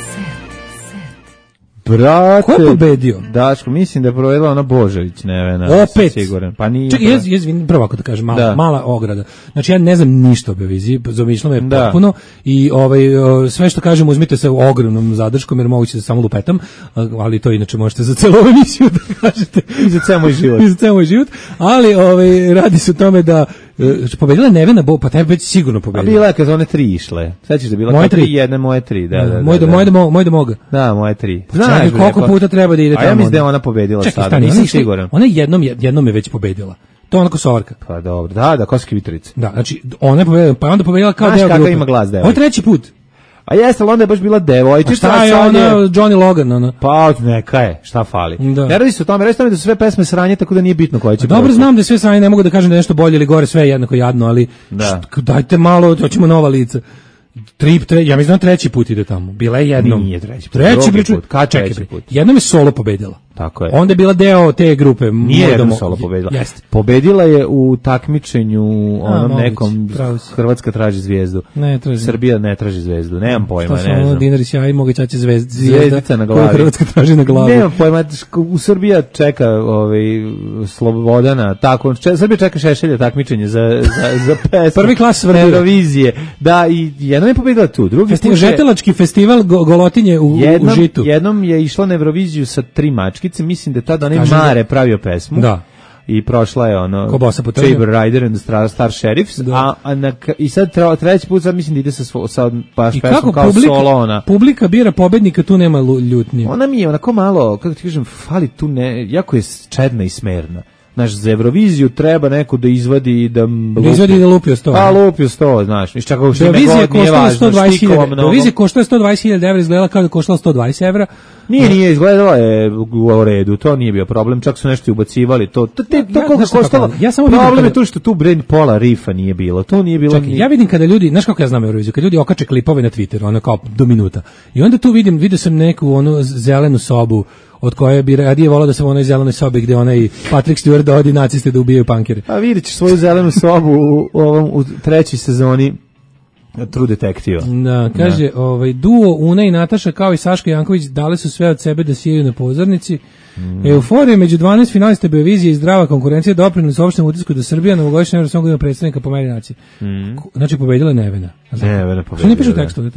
Set. Brate. Ko je pobedio? Daško, mislim da je povedala ona Božović, Nevena. Opet. Siguran. Pa nije. Čekaj, jez, jez, prvo ako da kažem, mala, Da. mala ograda. Znači ja ne znam ništa o Beoviziji, zamišljam me Da. potpuno i ovaj, o, sve što kažem uzmite sa ogromnom zadrškom jer moguće da samo lupetam, a- ali to inače možete za celu ovu emisiju da kažete. I za ceo moj život. I za ceo moj život, ali ovaj, radi se o tome da e, pobedila je Nevena Bo, pa taj već sigurno A pobedila. bila je kad su one tri išle. Sećaš da je bila Moje kao tri? jedne, moje tri. Da, da, da. moj da, da. moj da, mo- moj da moga. Da, moje tri. Čekaj, bre, koliko pa- puta treba da ide A ja tamo mislim da je onda? ona pobedila Čekaj, sada, stani, nisam ona išla- siguran. Ona je jednom, jednom je već pobedila. To je onako sovarka. Pa dobro, da, da, Koski Vitorica. Da, znači ona je pobedila, pa je onda pobedila kao Znaš deo kakav grupe. ima glas devojke? Ovo je treći put. A jeste, ali onda je baš bila devojčica. A šta je a sad ona, Johnny Logan, ona? Pa neka je, šta fali. Da. Ne radi se o tome, radi se o tome da su sve pesme sranje, tako da nije bitno koja će. A dobro proći. znam da je sve sranje, ne mogu da kažem da je nešto bolje ili gore, sve je jednako jadno, ali Da. št- dajte malo, hoćemo nova lica. Tri, tre, ja mislim da treći put ide tamo. Bila je jednom. Nije treći put, Treći drugi priču. put. Kad Čekaj, treći bre, put? jednom je solo pobedila. Tako je. Onda je bila deo te grupe. Nije Moj jednom domo- solo pobedila. Jeste. Pobedila je u takmičenju onom moguće, nekom pravo si. Hrvatska traži zvijezdu. Ne, traži. Srbija ne traži zvezdu. Nemam pojma, To su ne ono znam. dinari sjaj, mogu ćaće zvezd, zvijezda. Zvezdica na koju glavi. Hrvatska traži na glavi. Nemam pojma, u Srbija čeka ovaj, Slobodana, tako, če, Srbija čeka Šešelja takmičenje za, za, za pesmu. Prvi klas Srbije. Eurovizije. Da, i jednom je pobedila tu, drugi Festival, put je- žetelački festival go, Golotinje u, jednom, u Žitu. jednom je išla na Euroviziju sa tri mačkice, mislim da je tada onaj Kažem da- Mare pravio pesmu. Da. I prošla je ono Ko bosa po trnju. Saber Rider and the Star, Star Sheriffs, Da. a, a na, k- i sad tre, treći put sad mislim da ide sa, svo, sa baš I pesmom kako kao publika, solo ona. publika bira pobednika, tu nema lu- ljutnje. Ona mi je onako malo, kako ti kažem, fali tu ne, jako je čedna i smerna. Znaš, za Euroviziju treba neko da izvadi i da... Da izvadi i da lupi o sto. A, lupi o sto, znaš. Iš čak što Eurovizija koštala sto dvadeset hiljada. Eurovizija koštala sto dvadeset hiljada evra, izgledala kao da koštala sto dvadeset evra. Nije, nije, izgledalo je u redu, to nije bio problem, čak su nešto ubacivali, to, to, te, to ja, koliko koštalo, ja samo problem kada... je to što tu brand pola rifa nije bilo, to nije bilo... Čekaj, nije... ja vidim kada ljudi, znaš kako ja znam Euroviziju, kad ljudi okače klipove na Twitteru, ono kao do minuta, i onda tu vidim, vidio sam neku onu zelenu sobu, od koje bi radije volao da sam u onoj zelenoj sobi gde onaj Patrick Stewart dovodi naciste da ubijaju punkere. A vidjet ćeš svoju zelenu sobu u, u, ovom, u trećoj sezoni True Detective. Da, kaže, da. Ovaj, duo Una i Nataša kao i Saška Janković dali su sve od sebe da sijaju na pozornici. Mm. Euforija među dvanaest finalista Beovizije i zdrava konkurencija doprinos opštem utisku da Srbija na ovogodišnjem Eurosongu ima predstavnika po meri nacije. Mm. Znači, pobedila je Nevena. Nevena pobedila. Što ne piše u tekstu? Da.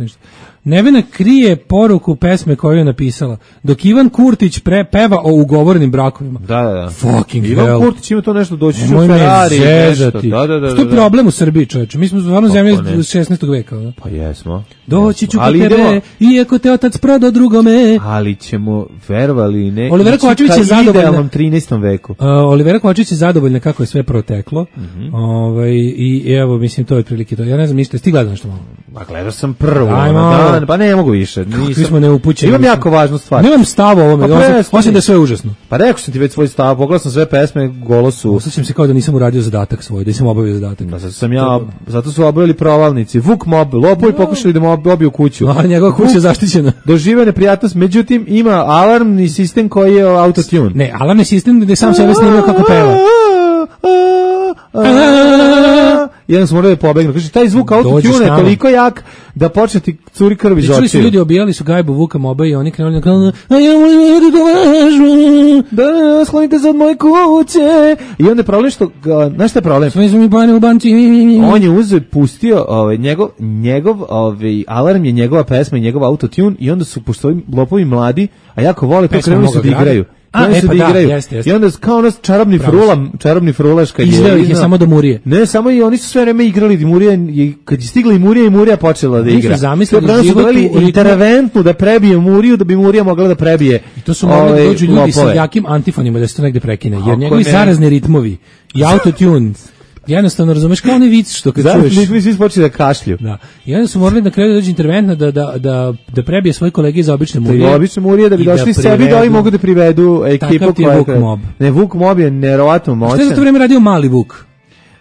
Nevena krije poruku pesme koju je napisala, dok Ivan Kurtić pre, peva o ugovorenim brakovima. Da, da, da. Fucking Ivan hell. Kurtić ima to nešto doći u Moj Ferrari. Nešto. Da, da, da, što je da. problem u Srbiji, čoveče? Mi smo stvarno zemlja iz šesnaestog veka. Da? Pa jesmo. Doći ću po ali tebe, idemo, iako te otac prodao drugome. Ali ćemo, verovali ne, Olivera Kovačević je zadovoljna. U trinaestom veku. Uh, Olivera Kovačević je zadovoljna kako je sve proteklo. Mm-hmm. Ovaj, i evo, mislim, to je otprilike to. Ja ne znam ništa, ti gledao nešto malo? Pa gledao sam prvo. Ajmo. Dan, pa ne mogu više. Kakvi smo neupućeni. Imam jako važnu stvar. Nemam stav o ovome, pa osim da je sve užasno. Pa rekao sam ti već svoj stav, pogledao sam sve pesme, golo su... Osjećam se kao da nisam uradio zadatak svoj, da nisam obavio zadatak. Da, zato sam ja, zato su obavili provalnici. Vuk mob, lopovi no. pokušali da mu obiju kuću. A njegova kuća je zaštićena. Doživio neprijatnost, međutim ima alarmni sistem koji je autotune. Ne, alarmni sistem gde sam sebe snimio kako peva. Jedan smo morali da pobegnu. Kaže, taj zvuk autotune je toliko jak da počne ti curi krv iz očiju. Čuli su ljudi, obijali su gajbu Vuka Moba i oni krenuli na kanal, a ja molim da dovažu, da sklonite se od moje kuće. I onda je problem što, znaš šta je problem? Sve su mi bane u banci. On je uzeo, pustio, ovaj, njegov, njegov ovaj, alarm je njegova pesma i njegov autotune i onda su, pošto ovi lopovi mladi, a jako vole, to krenuli su da igraju. A, e, su pa da igraju. Da, jeste, jeste. I onda kao ono čarobni frula, čarobni frulaška je. Izveo ih je samo do Murije. Ne, samo i oni su sve vreme igrali i Murija, kad je stigla i Murija i Murija počela da igra. Oni su zamislili život u interventnu da prebije Muriju, da bi Murija mogla da prebije. I to su mogli da dođu ljudi sa jakim antifonima da se to negde prekine, jer njegovi zarazni ritmovi i autotune jednostavno razumeš kao onaj vic što kad Zato čuješ. Zato svi počeli da kašlju. Da. I onda su morali na kraju da dođe interventna da, da, da, da prebije svoje kolege iz obične Murije. Da obične Murije da bi došli da sebi da oni mogu da privedu ekipu koja je Vuk Mob. Ne, Vuk Mob je neverovatno moćan. Šta je za to vreme radio Mali Vuk?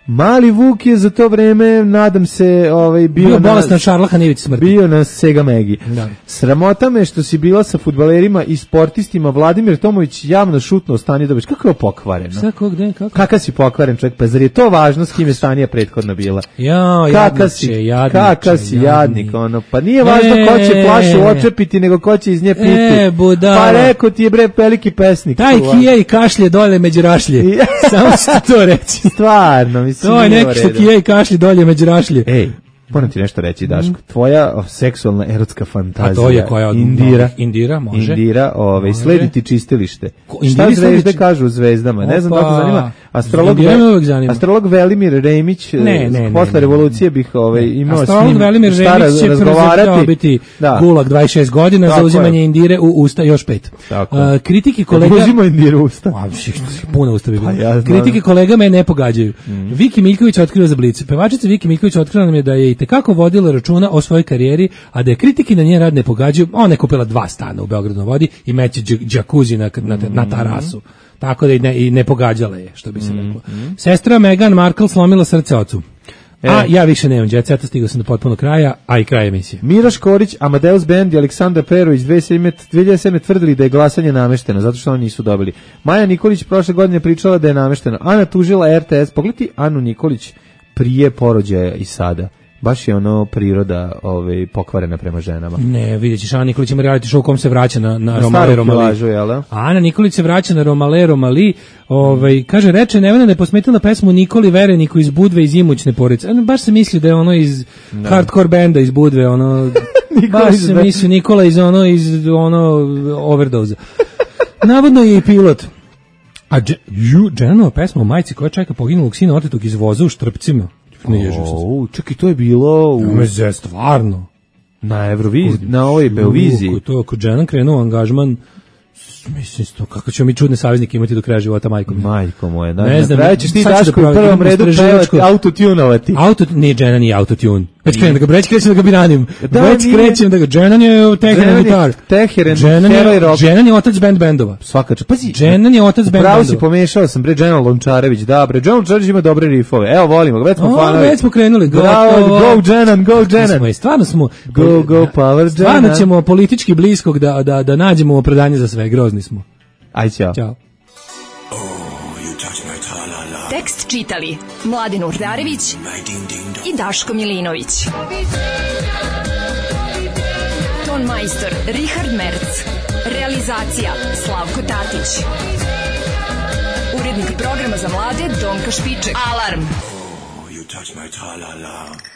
Mali Vuk je za to vreme, nadam se, ovaj, bio, bio na... bolestan šarlaha na ivici smrti. Bio na Sega Megi. Da. Sramota me što si bila sa fudbalerima i sportistima. Vladimir Tomović javno šutnuo Stani Dobić. Kako je ovo pokvareno? Šta, kog, gde, kako? Kaka si pokvaren čovjek? Pa zar je to važno s kim je Stanija prethodno bila? Ja, kaka si, jadniče, kaka si jadnik, ono. Pa nije važno e, ko će flašu očepiti, nego ko će iz nje piti. E, pa rekao ti je bre veliki pesnik. Taj kije i kašlje dole među rašlje. Samo ću to reći. Stvarno, mislim. To je neki što kije i kašlje dolje među rašlje. Ej, moram ti nešto reći, Daško. Tvoja seksualna erotska fantazija. A to je koja od Indira. Indira, može. Indira, ovaj, sledi ti čistilište. Ko, šta zvezde kažu u zvezdama? Opa. Ne znam da te zanima. Astrolog, zanima. Astrolog Velimir Remić, ne, ne, posle ne, revolucije bih ovaj, imao astrolog s njim Velimir šta Remić će razgovarati. Biti da. Gulag dvadeset šest godina za uzimanje Indire u usta još pet. Uh, kritike kolega... Uzima Indiru u usta. Puna usta bi bilo. Pa ja kritike kolega me ne pogađaju. Mm. Viki Miljković otkriva za Blic. Pevačica Viki Miljković otkrila nam je da je i tekako vodila računa o svojoj karijeri, a da je kritike na njen rad ne pogađaju. Ona je kupila dva stana u Beogradu na vodi i meće džakuzi na, na, na tarasu. Tako da i ne, i ne pogađala je, što bi se reklo. Mm. Sestra Meghan Markle slomila srce ocu. E. A ja više nemam jet seta, stigao sam do potpuno kraja, a i kraj emisije. Mira Škorić, Amadeus Band i Aleksandar Perović dve hiljade sedme tvrdili da je glasanje namešteno, zato što oni nisu dobili. Maja Nikolić prošle godine pričala da je namešteno. Ana tužila R T S. Pogledaj Anu Nikolić prije porođaja i sada. Baš je ono priroda ovaj, pokvarena prema ženama. Ne, vidjet ćeš, Ana Nikolić ima reality show u kom se vraća na, na, na Romale Romali. Ana Nikolić se vraća na Romale Romali. Ovaj, kaže, reče Nevena da je posmetila pesmu Nikoli Vereniku iz Budve iz Imućne Porice. Ano, baš se misli da je ono iz no. hardcore benda iz Budve. Ono, baš se misli Nikola iz ono, iz ono Overdose. Navodno je i pilot. A Dženova pesma o majci koja čeka poginulog sina otetog iz voza u Štrpcima. Ne ježim se. Čekaj, to je bilo u... Meze, stvarno. Na Euroviziji, na ovoj Beoviziji. To je kod Džena krenuo angažman Mislim isto, kako ćemo mi čudne saveznike imati do kraja života, majko mi. Majko moje, da. Ne znam, na kraju ćeš ti sad ću Daško da u prvom imam redu istraživačko- pevati, autotunovati. Auto, nije Dženan nije autotune. Već krenem da ga, već krećem da ga biranim. Da, Već nije. krećem da ga, Dženan je Teheran Dženan je gitar. Teheran, Dženan heroj je, rock. Dženan je otac band bendova. Svaka čast. Pazi, Dženan je otac band Pravo si bendova. pomešao sam, bre, Dženan Lončarević, da, bre, Dženan Lončarević ima dobre rifove. Evo, volimo ga, već smo O, fanovi. već smo krenuli. Bravo, gotovo. go Dženan, go Mi Dženan. smo i stvarno smo Go, go, power Stvarno Dženan. ćemo politički bliskog da, da, da nađemo opravdanje za sve, grozni smo. Aj, ćao. Ćao. Tekst čitali Mladin Urdarević i Daško Milinović. Ton majstor Richard Merc. Realizacija Slavko Tatić. Urednik programa za mlade Donka Špiček. Alarm! You touch my tra-la-la.